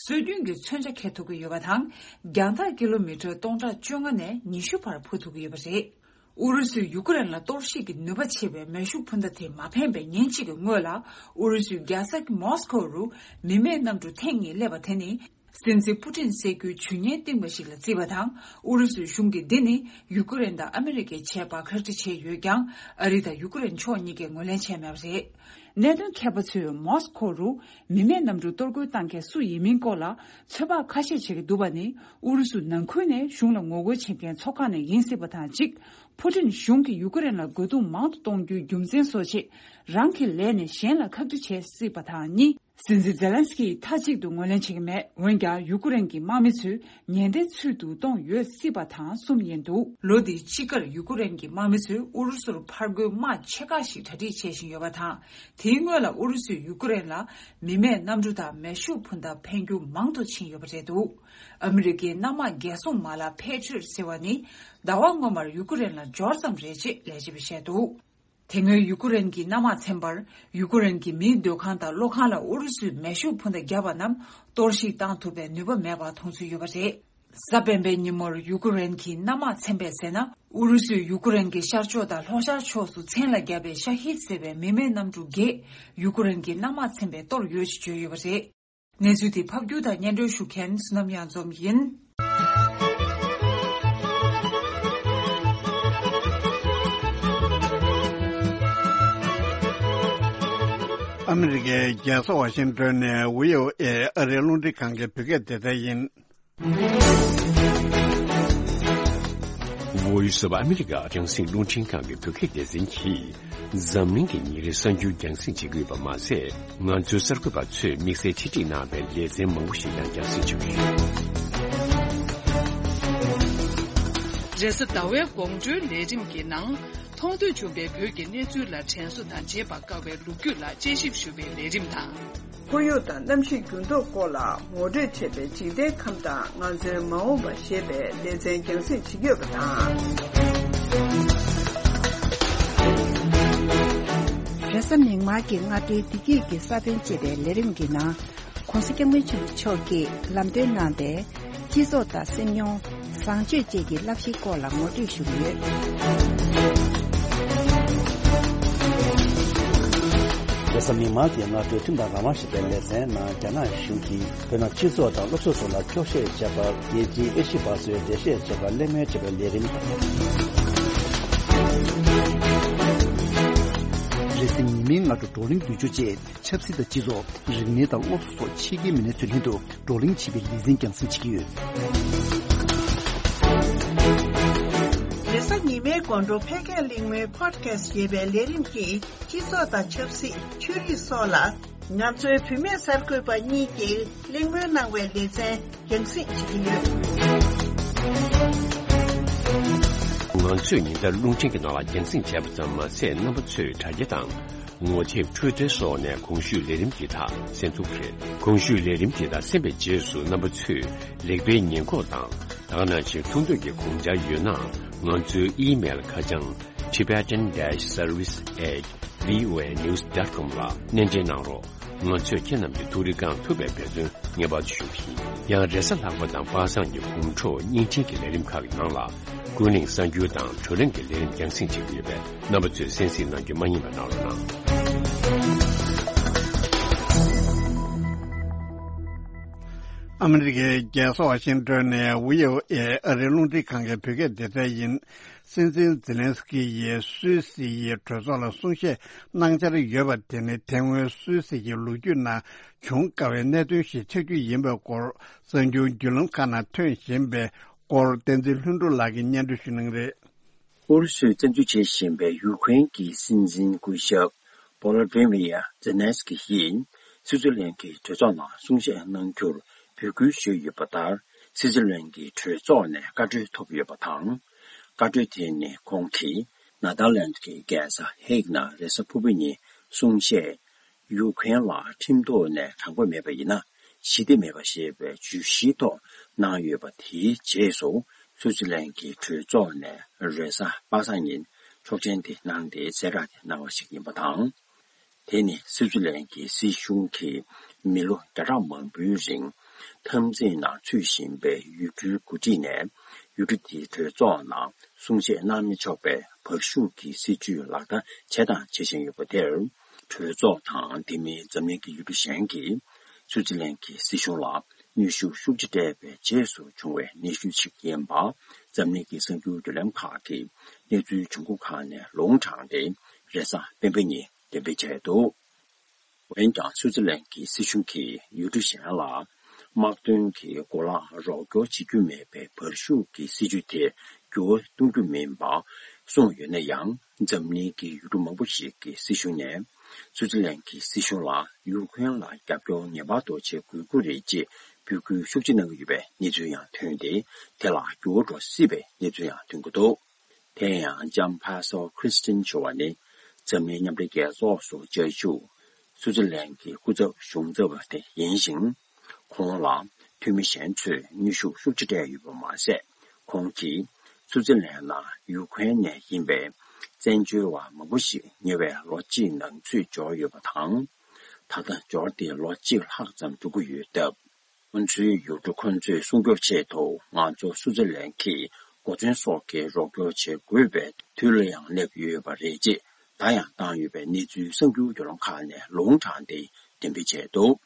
སྲོལ་རྒྱུན་གྱི་མཚོན་ཆ་འཁྱེར་ཐུབ་ཀྱི་ཡོད་པ་དང་། རྒྱང་ཐག་ཀི་ལོ་མི་ཊར་སྟོང་ཕྲག་བཅོ་ལྔ་ནས་ཉི་ཤུ་བར་འཕུར་ཐུབ་ཀྱི་ཡོད་པ་རེད། ཨུ་རུ་སུས་ཡུ་ཀེ་རེན་ལ་གཏོར་བཤིག་གི་ནུས་པ་ཆེ་བའི་མེ་ཤུགས་འཕུར་མདའ་དེ་མ་འཕེན་པའི་ཉིན་གཅིག་གི་སྔོན་ལ། ཨུ་རུ་སུའི་རྒྱལ་ས་མོ་སི་ཁོ་རུ་མི་མེད་གནམ་གྲུ་ཐེངས་གཉིས་སླེབས་པ་དེ་ནི། སྲིད་འཛིན་པུ་ཏིན་སྲིད་བསྐུལ་ཇུས་ཉེས་བཏིང་བ་ཞིག་ལ་བརྩིས་པ་དང་། ཨུ་རུ་སུའི་གཞུང་གིས་འདི་ནི་ཡུ་ཀེ་རེན་དང་ཨ་མི་རི་ཀས་བྱས་པར་ཁག་དཀྲི་བྱས་ཡོད་ཀྱང་། ཨ་རི་དང་ཡུ་ཀེ་རེན་ཕྱོགས་གཉིས་ཀས་ངོས་ལེན་བྱས་མེད་པ་རེད། གནད་དོན་མཁས་པ་ཚོས་མོ་སི་ཁོ་རུ་མི་མེད་གནམ་གྲུ་གཏོར་རྒོལ་བཏང་མཁན་སུ་ཡིན་མིན་སྐོར་ལ་ཚོད་དཔག་ཁ་ཤས་བྱེད་ཀྱི་འདུག་པ་ནི། ཨུ་རུ་སུ་ནང་ཁུལ་ནས་གཞུང་ལ་ངོ་རྒོལ་བྱེད་མཁན་ཚོགས་ཁག་ནས་ཡིན་སྲིད་པ་དང་གཅིག་པུ་ཏིན་གཞུང་གིས་ཡུ་ཀེ་རེན་ལ་རྒོལ་རྡུང་མང་དུ་གཏོང་རྒྱུའི་རྒྱུ་མཚན་བཟོ་ཆེད། རང་གི་ལས་ནས་གཞན་ལ་ཁག་དཀྲི་བྱས་སྲིད་པ་དང་གཉིས། སྲིད་འཛིན་ཛེ་ལན་སི་ཀི་མཐའ་གཅིག་ཏུ་ངོས་ལེན་བྱེད་ཀྱི་མེད། འོན་ཀྱང་། ཡུ་ཀེ་རེན་གྱི་དམག་མི་ཚོས་ཉེན་བརྡའི་ཚུལ་དུ་གཏོང་ཡོད་སྲིད་པ་དང་གསུམ་ཡིན་འདུག་ལོ་འདིའི་དཔྱིད་ཀར་ཡུ་ཀེ་རེན་གྱི་དམག་མི་ཚོས་ཨུ་རུ་སུར་ཕར་རྒོལ་དམག་ཆེ་ཁག་ཞིག་གྲ་སྒྲིག་བྱེད་བཞིན་ཡོད་པ་དང་། དེའི་སྔོན་ལ་ཨུ་རུ་སུས་ཡུ་ཀེ་རེན་ལ་མི་མེད་གནམ་གྲུ་དང་མེ་ཤུགས་འཕུར་མདའ་འཕེན་རྒྱུ་མང་དུ་ཕྱིན་ཡོད་པ་རེད་འདུག་ཨ་མི་རི་ཀའི་གནམ་དམག་རྒྱལ་སྲུང་མ་ལག་པེ་ཊི་རི་ཡོཊ་ཟེར་བ་ནི། ཟླ་བ་སྔོན་མར་ཡུ་ཀེ་རེན་ལ་འབྱོར་ཙམ་རེད་ཅེས་ལས་བྱེད་པས་བཤད་འདུག་དེ་སྔོན་ཡུ་ཀེ་རེན་གྱི་གནམ་དམག་ཚན་པར། ཡུ་ཀེ་རེན་གྱི་མིའི་སྡོད་ཁང་དང་གློག་ཁང་ལ་ཨུ་རུ་སུས་མེ་ཤུགས་འཕུར་མདའ་བརྒྱབ་པ་རྣམས་གཏོར་བཤིག་བཏང་ཐུབ་པའི་ནུས་པ་མེད་པ་མཐོང་ཚུལ་ཡོད་པ་རེད། གཟའ་སྤེན་པའི་ཉིན་མོར་ཡུ་ཀེ་རེན་གྱི་གནམ་དམག་ཚན་པས་ཟེར་ན། ཨུ་རུ་སུས་ཡུ་ཀེ་རེན་གྱི་ཤར་ཕྱོགས་དང་ལྷོ་ཤར་ཕྱོགས་སུ་མཚན་ལ་བརྒྱབ་པའི་ཤ་ཧིད་ཟེར་བའི་མི་མེད་གནམ་གྲུ་བརྒྱད་ཡུ་ཀེ་རེན་གྱི་གནམ་དམག་ཚན་པས་གཏོར་ཡོད་ཅེས་བརྗོད་ཡོད་པ་རེད། གནས་ཚུལ་དེ་ཕབ་སྒྱུར་དང་སྙན་སྒྲོན་ཞུ་མཁན་བསོད་ནམས་གཡང་འཛོམས་ཡིན། ཨ་མི་རི་ཀའི་རྒྱལ་ས་ཝ་ཤིང་ཏོན་ནས་བྷི་ཨོ་ཨེ་ཨ་རིའི་རླུང་འཕྲིན་ཁང་གི་བོད་སྐད་སྡེ་ཚན་ཡིན། Voice of America རྒྱང་སྲིང་རླུང་འཕྲིན་ཁང་གི་བོད་སྐད་སྡེ་ཚན་གྱིས། འཛམ་གླིང་གི་ཉིན་རེའི་གསར་འགྱུར་རྒྱང་སྲིང་བྱེད་ཀྱི་ཡོད་པ་མ་ཟད། ང་ཚོའི་གསར་འགོད་པ་ཚོས་དམིགས་བསལ་ཆེད་སྒྲིག་གནང་བའི་ལེ་ཚན་མང་པོ་ཞིག་ཡང་རྒྱང་སྲིང་བྱེད་ཀྱི་ཡོད། རེས་གཟའ་ཟླ་བའི་དགོང་དྲོའི་ལས་རིམ་གྱི་ནང་། མཐོང་ཐོས་བྱུང་བའི་བོད་ཀྱི་གནས་ཚུལ་ལ་དྲན་གསོ་དང་བརྗེད་པར་དཀའ་བའི་ལོ་རྒྱུས་ལ་དཔྱད་ཞིབ་ཞུ་བའི་ལས་རིམ་དང་། ཁོར་ཡུག་དང་གནམ་གཤིས་འགྱུར་ལྡོག་སྐོར་ལ་ངོ་སྤྲོད་བྱས་པའི་འཇིག་རྟེན་ཁམས་དང་ང་ཚོའི་མ་འོངས་པ་ཞེས་པའི་ལེ་ཚན་རྒྱང་སྲིང་བྱེད་ཀྱི་ཡོད་པ་དང་། རེས་གཟའ་མིག་དམར་གྱི་སྔ་དྲོའི་བདེ་སྐྱིད་ཀྱི་ས་བོན་ཅེས་པའི་ལས་རིམ་གྱི་ནང་། ༸གོང་ས་༸སྐྱབས་མགོན་ཆེན་པོ་མཆོག་གིས་ལམ་སྟོན་གནང་པའི་སྤྱི་ཚོགས་དང་སེམས་མྱོང་། བཟང་སྤྱོད་བཅས་ཀྱི་བསླབ་གཞིའི་སྐོར་ལ་ངོ་སྤྲོད་ཞུ་གི་ཡོད། རེས་གཟའ་མིག་དམར་གྱི་སྔ་དྲོའི་ཁྲིམས་དང་རང་དབང་ཞེས་པའི་ལེ་ཚན་ནང་། རྒྱ་ནག་གཞུང་གིས་བོད་ནང་སྤྱི་ཚོགས་དང་སློབ་གསོ་སོགས་ལ་འཁྱོག་བཤད་བྱས་པར། རྒྱལ་སྤྱིའི་ཨེ་ཤི་བ་སོའི་འགྲེལ་བཤད་བྱས་པར་གླེང་མོལ་བྱས་པའི་ལས་རིམ། རེས་གཟའ་ཉི་མའི་སྔ་དྲོ་བགྲོ་གླེང་བསྡུས་སྦྱོར་བཅས། ཆབ་སྲིད་དང་སྤྱི་ཚོགས། རིག་གནས་དང་སློབ་གསོ་སོགས་ཕྱི་རྒྱལ་མི་སྣའི་ཚུལ་ལྷན་དུ་བགྲོ་གླེང་བྱེད་པའི་ལེ་ཚན་རྒྱང་སྲིང་བྱེད་ཀྱི་ཡོད། རེས་གཟའ་ཉི་མའི་དགོང་དྲོ་ཕལ་སྐད་གླེང་མོལ་Podcast ཞེས་པའི་ལས་རིམ་གྱིས་སྤྱི་ཚོགས་དང་ཆབ་སྲིད། ཆོས་རིག་སོགས་ལ་ང་ཚོའི་བུད་མེད་གསར་འགོད་པ་གཉིས་ཀྱིས་གླེང་མོལ་གནང་བའི་ལེ་ཚན་རྒྱང་སྲིང་བྱེད་ཀྱི་ཡོད། ང་ཚོས་ཉིན་ལྟར་རླུང་འཕྲིན་གྱི་ནང་ལ་རྒྱང་སྲིང་བྱས་པ་ཙམ་མ་ཟད། རྣམ་པ་ཚོས་དྲ་རྒྱ་དང་། ངོ་དེབ། Twitter སོགས་ནས་གོང་ཞུས་ལས་རིམ་འདི་དག་གསན་ཐུབ་ཀྱི་རེད། གོང་ཞུས་ལས་རིམ་འདི་དག་གསན་པའི་རྗེས་སུ་རྣམ་པ་ཚོས་རིག་པའི་ཉེན་འགོག་དང་། ད་ག་ནང་བཞིན་ཐུགས་འདོད་ཀྱི་དགོངས་འཆར་ཡོད་ན། ང་ཚོའི་ཨི་མེལ་ཁ་བྱང་tibetan dash service at voanews dot com ལ་སྣེ་འདྲེན་གནང་རོགས། ང་ཚོས་ཁྱེད་རྣམས་ཀྱི་ཐུགས་རེ་བསྐང་ཐུབ་པའི་འབད་བརྩོན་ངེས་པར་དུ་ཞུ་གི་ཡིན། ཡང་རེས་གཟའ་ལྷག་པ་དང་པ་སངས་ཀྱི་དགོང་དྲོ་བརྙན་འཕྲིན་གྱི་ལས་རིམ་ཁག་གི་ནང་ལ། ཀུན་གླེང་གསར་འགྱུར་དང་བགྲོ་གླེང་གི་ལས་རིམ་རྒྱང་སྲིང་བྱེད་ཀྱི་ཡོད་པས། རྣམ་པ་ཚོས་གསན་གཟིགས་གནང་རྒྱུ་མ་བསྙེལ་བ་གནང་རོགས་གནང་། ཨ་མི་རི་ཀའི་རྒྱལ་ས་ཝ་ཤིང་ཏོན་ནས་བྷི་ཨོ་ཨེ་ཨ་རིའི་རླུང་འཕྲིན་ཁང་གི་བོད་སྐད་སྡེ་ཚན་ཡིན། སྲིད་འཛིན་ཛེ་ལན་སི་ཀི་ཡིས་སུད་སི་ཡི་གྲོས་ཚོགས་ལ་གསུང་བཤད་གནང་འཆར་ཡོད་པ་དེ་ནི་དེ་སྔོན་སུད་སི་ཡི་ལོ་རྒྱུས་ནང་བྱུང་དཀའ་བའི་གནད་དོན་ཞིག་ཆགས་རྒྱུ་ཡིན་པའི་སྐོར་གསར་འགྱུར་བརྒྱུད་ལམ་ཁག་ནང་ཐོན་བཞིན་པའི་སྐོར་བསྟན་འཛིན་ལྷུན་གྲུབ་ལགས་ཀྱིས་སྙན་སྒྲོན་ཞུ་གནང་རེད། ཨུ་རུ་སུས་བཙན་འཛུལ་བྱེད་བཞིན་པའི་ཡུ་ཁུ་རེན་གྱི་སྲིད་འཛིན་སྐུ་ཞབས་བོ་ལོ་དི་མི་ཡ་ཛེ་ལན་སི་ཀི་ཡིས་སི་ཙི་ལན་གྱི་གྲོས་ཚོགས་ནང་གསུང་བཤད་གནང་རྒྱུར་འབོད་སྐུལ་ཞུས་ཡོད་པ་ལྟར། སི་ཙི་ལན་གྱི་གྲོས་ཚོགས་ནས་བཀའ་འཁྲོལ་ཐོབ་ཡོད་པ་དང་། བཀའ་འཁྲོལ་དེ་ནི་ཁོང་གིས་ནེ་དར་ལན་གྱི་རྒྱལ་ས་ཧེག་ནང་རེས་གཟའ་ཕུར་བུ་ཉིན་གསུང་བཤད། ཡུ་ཁུ་རེན་ལ་ཁྲིམས་ཐོག་ནས་དྲང་པོ་མེད་པ་ཡིན་ན་ཞི་བདེ་མེད་པ་ཞེས་པའི་བརྗོད་གཞིའི་ཐོག་གནང་ཡོད་པ། དེའི་རྗེས་སུ་སུའུ་ཙི་ལན་གྱི་གྲོས་ཚོགས་ནས་རེས་གཟའ་པ་སངས་ཉིན་ཆོག་མཆན་དེ་གནང་སྟེ་གསལ་བསྒྲགས་དེ་གནང་བ་ཞིག་ཡིན་པ་དང་། དེ་ནི་སུའུ་ཙི་ལན་གྱི་སྲིད་གཞུང་གིས་མི་ལོ་བརྒྱ་ཕྲག་མང་པོའི་རིང་འཐབ་འཛིང་ནང་ཚུད་བཞིན་པའི་ཡུལ་གྲུའི་འགོ་ཁྲིད་ནས་ ཡུལ་གྲུ་དེའི་གྲོས་ཚོགས་ནང་གསུང་བཤད་གནང་མི་ཆོག་པའི་བར་ཤུགས་ཀྱི་སྲིད་ཇུས་ལག་བསྟར་བྱས་དང་བྱེད་བཞིན་ཡོད་པ་དེར། གྲོས་ཚོགས་དང་དེ་མིན་འཛམ་གླིང་གི་ཡུལ་གྲུ་གཞན་གྱིས་སུའུ་ཙི་ལན་གྱི་སྲིད་གཞུང་ལ་གནོན་ཤུགས་ཤུགས་ཆེ་སྤྲད་པའི་རྗེས་སུ་བྱུང་བའི་གནས་ཚུལ་ཞིག་ཡིན་པ། འཛམ་གླིང་གི་གསར་འགྱུར་བརྒྱུད་ལམ་ཁག་གིས་གནས་ཚུལ་བྱུང་ཁུངས་ཁག་ནས་ལུང་དྲངས་ཏེ། རེས་གཟའ་སྤེན་པ་ཉིན་འགྲེམས་སྤེལ་བྱས་འདུག་འོན་ཀྱང་སུའུ་ཙི་ལན་གྱི་སྲིད་གཞུང་གིས་ཡུལ་གྲུ་གཞན་ལ་དམག་དོན་གྱི་གོ་ལག་རོགས་སྐྱོར་བྱེད་རྒྱུ་མེད་པའི་བར་ཤུགས་ཀྱི་སྲིད་ཇུས་དེ་འགྱུར་བ་གཏོང་རྒྱུ་མིན་པ་གསུངས་ཡོད་ན་ཡང་། འཛམ་གླིང་གི་ཡུལ་གྲུ་མང་པོ་ཞིག་གི་སྲིད་གཞུང་ནས་སུའུ་ཙི་ལན་གྱི་སྲིད་གཞུང་ལ་ཡུ་ཁུ་རེན་ལ་རྒྱབ་སྐྱོར་ངེས་པར་དུ་བྱེད་དགོས་ཀྱི་རེད་ཅེས་འབོད་སྐུལ་ཤུགས་ཆེ་གནང་གི་ཡོད་པའི་གནས་ཚུལ་ཡང་ཐོན་ཏེ། དེ་ལ་འགྱུར་བ་འགྲོ་སྲིད་པའི་གནས་ཚུལ་ཡང་ཐོན་གྱི་འདུག་དེ་ཡང་ལྕམ་ཕ་སོ་ཁྲི་སི་ཏིན་ཞུ་བ་ནི་འཛམ་གླིང་མཉམ་འབྲེལ་རྒྱལ་ཚོགས་སུ་བཅའ་བཞུགས་སུའུ་ཙི་ལན་གྱི་སྐུ་ཚབ་གཞུང་ཚབ་དེ་ཡིན་ཞིང་། ཁོང་ལ་འཐུས་མི་གཞན་ཚོས་གནོན་ཤུགས་ཤུགས་ཆེ་སྤྲད་ཡོད་པ་མ་ཟད། ཁོང་གིས་སུའུ་ཙི་ལན་ནང་ཡུ་ཁུ་རེན་ནས་ཡིན་པའི་བཙན་བྱོལ་བ་མང་པོ་ཞིག་ཉེ་བའི་ལོ་གཅིག་ནང་ཚུད་འབྱོར་ཡོད་པ་དང་། ད་ལྟ་འབྱོར་ཏེ་ལོ་གཅིག་ལྷག་ཙམ་འགྲོ་གི་ཡོད་སྟབས། ང་ཚོའི་ཡུལ་གྲུ་ཁོ་ཚོས་སྲུང་སྐྱོབ་ཆེད་དུ་ང་ཚོ་སུའུ་ཙི་ལན་གྱི་འགོ་འཛིན་སོགས་ཀྱི་རོགས་སྐྱོར་བྱེད་དགོས་པའི་དུས་ལ་ཡང་སླེབས་ཡོད་པ་རེད་ཅེས་བརྡ་ཡང་བཏང་ཡོད་པའི་གནས་ཚུལ་གསར་འགྱུར་བརྒྱུད་ལམ་ཁག་ནས་ལུང་དྲངས་ཏེ་འགྲེམས་སྤེལ་བྱས་འདུག་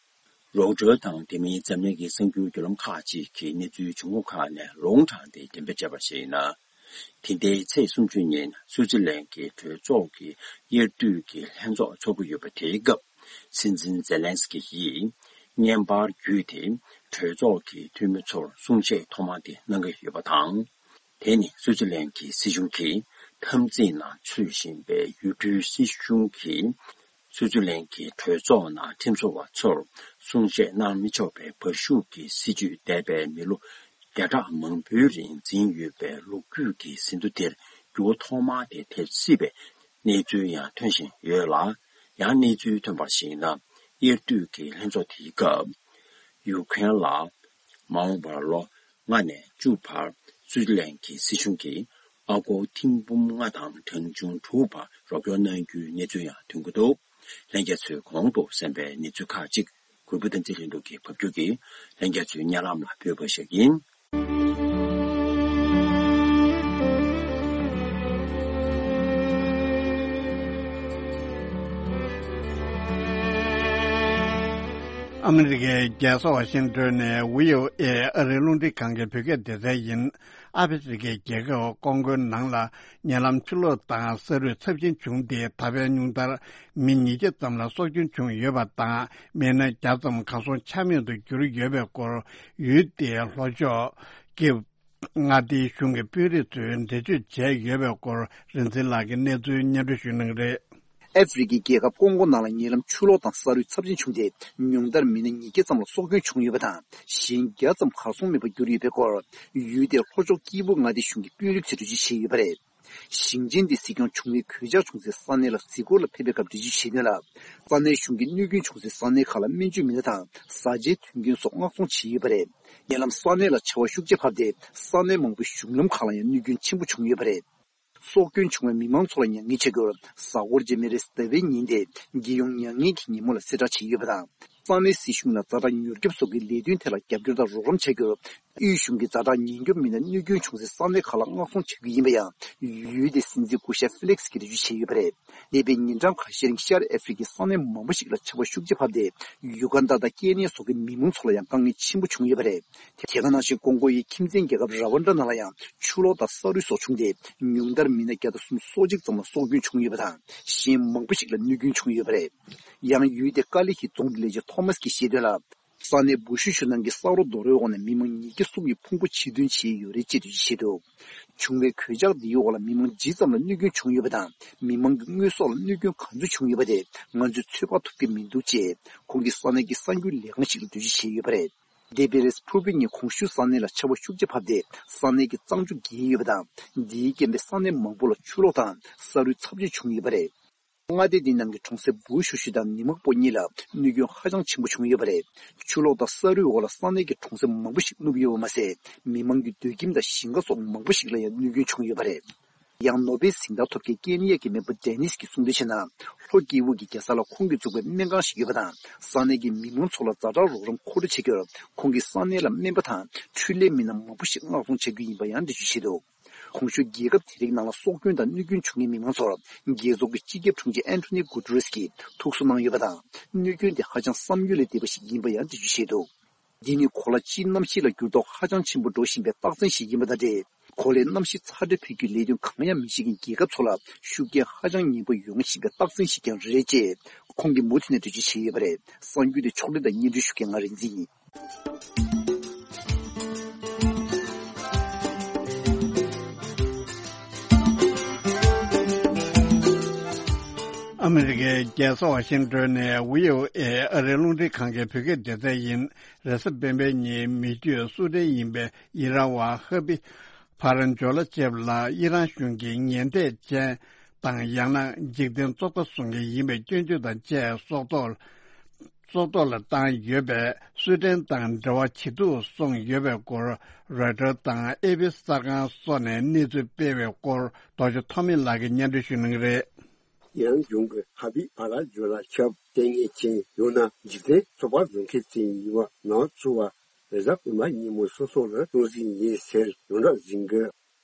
རོའུ་ཊར་དང་དེ་མིན་འཛམ་གླིང་གི་གསར་འགྱུར་བརྒྱུད་ལམ་ཁག་ཅིག་གིས་གནས་ཚུལ་བྱུང་ཁུངས་ཁག་ནས་ལུང་དྲངས་ཏེ་འགྲེམས་སྤེལ་བྱས་པར་གཞིགས་ན། དེ་ཟླའི་ཚེས་སུམ་ཅུ་ཉིན་སུའུ་ཙི་ལན་གྱི་གྲོས་ཚོགས་ཀྱི་དབྱར་དུས་ཀྱི་ལྷན་ཚོགས་འཚོགས་ཀྱི་ཡོད་པ་དེའི་སྐབས། སྲིད་འཛིན་ཛེ་ལན་སི་ཀི་ཡིས་བརྙན་པར་བརྒྱུད་དེ་གྲོས་ཚོགས་ཀྱི་འཐུས་མི་ཚོར་གསུང་བཤད་ཐོག་མ་དེ་གནང་གི་ཡོད་པ་དང་། དེ་ནི་སུའུ་ཙི་ལན་གྱི་སྲིད་གཞུང་གིས་འཐབ་འཛིང་ནང་ཚུད་བཞིན་པའི་ཡུལ་གྲུའི་སྲིད་གཞུང་གིས་སུའུ་ཙི་ལན་གྱི་གྲོས་ཚོགས་ནང་ཁྲིམས་བཟོ་བ་ཚོར་གསུང་བཤད་གནང་མི་ཆོག་པའི་བར་ཤུགས་ཀྱི་སྲིད་ཇུས་འདས་པའི་མི་ལོ་བརྒྱ་ཕྲག་མང་པོའི་རིང་འཛིན་ཡོད་པའི་ལོ་རྒྱུས་ཀྱི་ཟིན་ཐོ་དེར་འགྱུར་བ་ཐོག་མ་དེ་ཐེབས་སྲིད་པའི་གནས་ཚུལ་ཡང་ཐོན་བཞིན་ཡོད་ལ། ཡང་གནས་ཚུལ་ཐོན་པར་གཞིགས་ན། དབྱར་དུས་ཀྱི་ལྷན་ཚོགས་དེའི་སྐབས། ཡུ་ཁུ་རེན་ལ་མ་འོངས་པར་ལོ་ལྔ་ནས་བཅུ་བར་སུའུ་ཙི་ལན་གྱི་སྲིད་གཞུང་གིས་ཨ་སྒོར་ཐེར་འབུམ་ལྔ་དང་གྲངས་ཆུང་དྲུག་བར་རོགས་སྐྱོར་གནང་རྒྱུའི་གནས་ཚུལ་ཡང་ཐོན་གྱི་འདུག་ལྷན་རྒྱས་ཚོས་གོང་དུ་གསན་པའི་གནས་ཚུལ་ཁག་ཅིག་གུས་པ་བསྟན་འཛིན་ལྷུན་གྲུབ་ཀྱིས་ཕབ་སྒྱུར་གྱིས་ལྷན་རྒྱས་ཚོའི་སྙན་ལམ་ལ་ཕུལ་བ་ཞིག་ཡིན། ཨ་མི་རི་ཀའི་རྒྱལ་ས་ཝ་ཤིང་ཏོན་ནས་བྷི་ཨོ་ཨེ་ཨ་རིའི་རླུང་འཕྲིན་ཁང་གི་བོད་སྐད་སྡེ་ཚན་ཡིན། ཨ་ཧྥེ་རི་ཁའི་རྒྱལ་ཁབ་ཀོང་ཀོའི་ནང་ལ་ཉེ་ལམ་ཆུ་ལོག་དང་ས་རུད་ཚབས་ཆེན་བྱུང་སྟེ། ད་ཕན་ཉུང་མཐར་མི་ཉིས་བརྒྱ་ཙམ་ལ་སྲོག་སྐྱོན་བྱུང་ཡོད་པ་དང་། མི་སྣ་བརྒྱ་ཙམ་གར་སོང་ཆ་མེད་དུ་གྱུར་ཡོད་པའི་སྐོར། ཡུལ་དེའི་ལྷོ་ཕྱོགས་ཀྱི་མངའ་སྡེའི་གཞུང་གི་དཔོན་རིགས་ཚོས་འགྲེལ་བརྗོད་བྱས་ཡོད་པའི་སྐོར། རིག་འཛིན་ལགས་ཀྱིས་གནས་ཚུལ་སྙན་སྒྲོན་ཞུ་གནང་གི་རེད། ཨ་ཧྥེ་རི་ཁའི་རྒྱལ་ཁབ་ཀོང་ཀོ་ནང་ལ་ཉེ་ལམ་ཆུ་ལོག་དང་ས་རུད་ཚབས་ཆེན་བྱུང་སྟེ། ཉུང་མཐར་མི་སྣ་ཉིས་བརྒྱ་ཙམ་ལ་སྲོག་སྐྱོན་བྱུང་ཡོད་པ་དང་། གཞན་བརྒྱ་ཙམ་གར་སོང་མེད་པར་གྱུར་ཡོད་པའི་སྐོར། ཡུལ་དེའི་ལྷོ་ཕྱོགས་སྐྱིད་པོ་མངའ་སྡེའི་གཞུང་གི་དཔོན་རིགས་ཚོས་འགྲེལ་བརྗོད་བྱས་ཡོད་པ་རེད། ཞིང་ཆེན་དེའི་སྲིད་སྐྱོང་བྱུང་བའི་གོད་ཆག་བྱུང་སའི་ས་གནས་ལ་གཟིགས་སྐོར་ལ་ཕེབས་པའི་སྐབས་འགྲེལ་བརྗོད་བྱས་དོན་ལ། ས་གནས་གཞུང་གིས་གནོད་སྐྱོན་བྱུང་སའི་ས་གནས་ཁག་ལ་སྨན་བཅོས་མི་སྣ་དང་བཟའ་བཅའི་དོན་རྐྱེན་སོགས་མངགས་གཏོང་བྱས་ཡོད་པ་རེད། ཉེ་ལམ་ས་གནས་ལ་ཆར་པ་ཤུགས་ཆེ་བབས་ཏེ། ས་གནས་མང་པོའི་གཞུང་ལམ་ཁག་ལ་ཡང་གནོད་སྐྱོན་ཆེན་པོ་བྱུང་ཡོད་པ་རེད། སྲོག་སྐྱོན་བྱུང་བའི་མི་མང་ཚོ་ལ་མྱ་ངན་བྱ་རྒྱུར། གཟའ་འཁོར་རྗེས་མའི་རེས་གཟའ་ཟླ་བའི་ཉིན་ཏེ། རྒྱལ་ཡོངས་མྱ་ངན་གྱི་ཉིན་མོ་ལ་གསལ་བསྒྲགས་བྱས་ཡོད་པ་དང་། ས་གནས་སྲིད་གཞུང་ལ་ཛ་དྲག་མྱུར་སྐྱོབ་སོགས་ཀྱི་ལས་དོན་ཐད་ལ་རྒྱབ་སྐྱོར་དང་རོགས་རམ་བྱ་རྒྱུར། དབུས་གཞུང་གིས་ཛ་དྲག་ཉེན་སྐྱོབ་མི་སྣ་གནོད་སྐྱོན་བྱུང་སའི་ས་གནས་ཁག་ལ་མངགས་གཏོང་བྱ་རྒྱུ་ཡིན་པ་ཡང་། ཡུལ་དེའི་སྲིད་འཛིན་སྐུ་ཞབས་ཧྥི་ལེག་སི་གིས་འགྲེལ་བརྗོད་བྱས་ཡོད་པ་རེད། འདས་པའི་ཉིན་གྲངས་ཁ་ཤས་རིང་ཤར་ཨ་ཧྥེ་རི་ཁའི་ས་གནས་མང་པོ་ཞིག་ལ་ཆར་པ་ཤུགས་ཆེ་བབས་ཏེ། ཡུ་གན་ཌ་དང་ཀེ་ནི་ཡ་སོགས་ཀྱི་མི་མང་ཚོ་ལ་ཡང་དཀའ་ངལ་ཆེན་པོ་བྱུང་ཡོད་པ་རེད། དེ་ག་ནང་བཞིན་ཀོང་ཀོ་ཡི་ཁྱིམ་མཚེས་རྒྱལ་ཁབ་ར་ཝན་ཌ་ནང་ལ་ཡང་ཆུ་ལོག་དང་ས་རུད་སོགས་བྱུང་སྟེ། ཉུང་མཐར་མི་སྣ་བརྒྱ་དང་སུམ་ཅུ་སོ་གཅིག་ཙམ་ལ་སྲོག་སྐྱོན་བྱུང་ཡོད་པ་དང་། གཞན་མང་པོ་ཞིག་ལ་གནོད་སྐྱོན་བྱུང་ཡོད་པ་རེད། ཡང་ཡུལ་དེའི་ཀ་ལི་ཧི་རྫོང་གི་ལས་བྱེད་ཐོ་མཱས་ཀྱིས་བཤད་དོན་ལ། ས་གནས་བུ་ཤུ་ཤུ་ནང་གི་ས་རོ་རྡོ་རོའི་འོག་ནས་མི་མང་ཉིས་བརྒྱ་གསུམ་གྱིས་ཕུང་པོ་ཕྱིར་ཐོན་བྱས་ཡོད་རེད་ཅེས་འགྲེལ་བརྗོད་བྱས་འདུག་བྱུང་བའི་གོད་ཆག་འདིའི་འོག་ལ་མི་མང་ཇི་ཙམ་ལ་གནོད་སྐྱོན་བྱུང་ཡོད་པ་དང་། མི་མང་གི་དངོས་ཟོག་ལ་གནོད་སྐྱོན་ག་ཚོད་བྱུང་ཡོད་པ་དེ་ང་ཚོས་ཚོད་དཔག་ཐུབ་ཀྱི་མི་འདུག་ཅེས་ཁོང་གིས་ས་གནས་ཀྱི་གསར་འགྱུར་ལས་ཁང་ཞིག་ལ་འགྲེལ་བརྗོད་བྱས་ཡོད་པ་རེད། འདས་པའི་རེས་ཕུར་བུའི་ཉིན་གོང་ཞུས་ས་གནས་ལ་ཆར་པ་ཤུགས་ཆེ་བབས་ཏེ། ས་གནས་ཀྱི་གཙང་ཆུ་རྒྱས་ཡོད་པ་དང་། འདིའི་རྐྱེན་པས་ས་གནས་མང་པོ་ལ་ཆུ་ལོག་དང་ས་རུད་ཚབས་ཆེ་བྱུང་ཡོད་པ་རེད། མངའ་སྡེ་འདི་ནང་གི་གྲོང་གསེབ་བུ་ཤུ་ཤུ་དང་ནི་མག་པོ་གཉིས་ལ་གནོད་སྐྱོན་ཧ་ཅང་ཆེན་པོ་བྱུང་ཡོད་པ་རེད། ཆུ་ལོག་དང་ས་རུད་འོག་ལ་ས་གནས་ཀྱི་གྲོང་གསེབ་མང་པོ་ཞིག་ནུབ་ཡོད་པ་མ་ཟད། མི་མང་གི་སྡོད་ཁྱིམ་དང་ཞིང་ཁ་སོགས་མང་པོ་ཞིག་ལ་ཡང་གནོད་སྐྱོན་བྱུང་ཡོད་པ་རེད། ཡང་ནོ་བེལ་གཟེངས་རྟགས་ཐོབ་མཁན་ཀེན་ཡ་གི་མེས་པོ་ཌེ་ནིས་ཀྱིས་གསུངས་དོན་བྱས་ན། ལྷོ་སྐྱེ་དབུས་ཀྱི་རྒྱལ་ས་ལ་ཁོང་གིས་བཙུགས་པའི་སྨན་ཁང་ཞིག་ཡོད་པ་དང་། ས་གནས་ཀྱི་མི་མང་ཚོ་ལ་ཛ་དྲག་རོགས་རམ་མཁོ་སྤྲོད་བྱེད་རྒྱུར། ཁོང་གིས་ས་གནས་ལ་སྨན་པ་དང་འཕྲུལ་ལས་མི་སྣ་མང་པོ་ཞིག་མངགས་གཏོང་བྱ་རྒྱུ་ཡིན་པ་ཡང་འགྲེལ་བརྗོད་བྱས་འདུག་གོང་ཞུས་རྒྱལ་ཁབ་དེ་རིགས་ནང་ལ་སྲོག་སྐྱོན་དང་གནོད་སྐྱོན་བྱུང་མཁན་མི་མང་ཚོར། རྒྱལ་ཚོགས་ཀྱི་སྤྱི་ཁྱབ་དྲུང་ཆེ་ཨན་ཐོ་ནི་གུ་ཏུ་རེས་ཀྱིས་ཐུགས་གསོ་གནང་ཡོད་པ་དང་། གནོད་སྐྱོན་དེ་ཧ་ཅང་བསམ་ཡུལ་ལས་འདས་པ་ཞིག་ཡིན་པ་ཡང་འགྲེལ་བརྗོད་བྱས་འདུག་འདི་ནི་གོ་ལ་སྤྱིའི་གནམ་གཤིས་ལ་འགྱུར་ལྡོག་ཧ་ཅང་ཆེན་པོ་འགྲོ་བཞིན་པའི་རྟགས་མཚན་ཞིག་ཡིན་པ་དང་འབྲེལ། གོ་ལའི་གནམ་གཤིས་ཚ་དྲོད་འཕེལ་རྒྱུའི་ལས་དོན་གང་ཡང་མི་བྱེད་མཁན་རྒྱལ་ཁབ་ཚོ་ལ་ཤུགས་རྐྱེན་ཧ་ཅང་ངན་པ་ཡོང་བཞིན་པའི་རྟགས་མཚན་ཞིག་ཀྱང་རེད་ཅེས་ཁོང་གིས་མུ་མཐུད་ནས་འགྲེལ་བརྗོད་བྱས་ཡོད་པ་རེད། གསར་འགྱུར་དེ་ཕྱོགས་སྒྲིག་དང་སྙན་སྒྲོན་ཞུ་མཁན་ང་རིག་འཛིན་ཡིན། ཨ་མི་རི་ཀའི་རྒྱལ་ས་ཝ་ཤིང་ཏོན་ནས་བྷི་ཨོ་ཨེ་ཨ་རིའི་རླུང་འཕྲིན་ཁང་གི་བོད་སྐད་སྡེ་ཚན་ཡིན། རེས་གཟའ་སྤེན་པའི་ཉིན་མི་རྒྱུད་སུ་ཏན་ཡིན་པའི་ཨི་རན་བ་ཧ་བི་ཕ་རན་ཇོ་ལ་ཅེབ་ལ་ཨི་རན་གཞུང་གིས་ཉེས་འབྲས་ཅན་དང་ཡང་ན་འཇིག་རྟེན་བཙོག་པ་བཟོ་མཁན་ཡིན་པའི་སྐྱོན་བརྗོད་དང་བཅས་སྲོག་ཐོག་སྲོག་ཐོག་ལ་བཏང་ཡོད་པས། སུ་ཏན་དང་འབྲེལ་བ་ཇེ་སྡུག་སོང་ཡོད་པའི་སྐོར་རོའི་ཊར་དང་ཨེ་པི་གསར་ཁང་སོགས་ནས་གནས་ཚུལ་སྤེལ་བའི་སྐོར་རྡོ་རྗེ་ཐོགས་མེད་ལགས་ཀྱིས་སྙན་སྒྲོན་ཞུ་གནང་གི་རེད། ཨི་རན་གཞུང་གིས་ཧ་བི་བྷ་ར་ཇོ་ལ་ཆབ་ལྟས་ངན་ཅན་ཡང་ན་འཇིག་རྟེན་བཙོག་པ་བཟོ་མཁན་ཅན་ཡིན་པ་ནང་ཚུད་པ་རེས་གཟའ་སྤེན་པ་ཉིན་མོ་སྲོག་སོགས་ལ་གཏོང་རྩིས་ཡིན་ཟེར་ཡོངས་གྲགས་ཟིན་གི།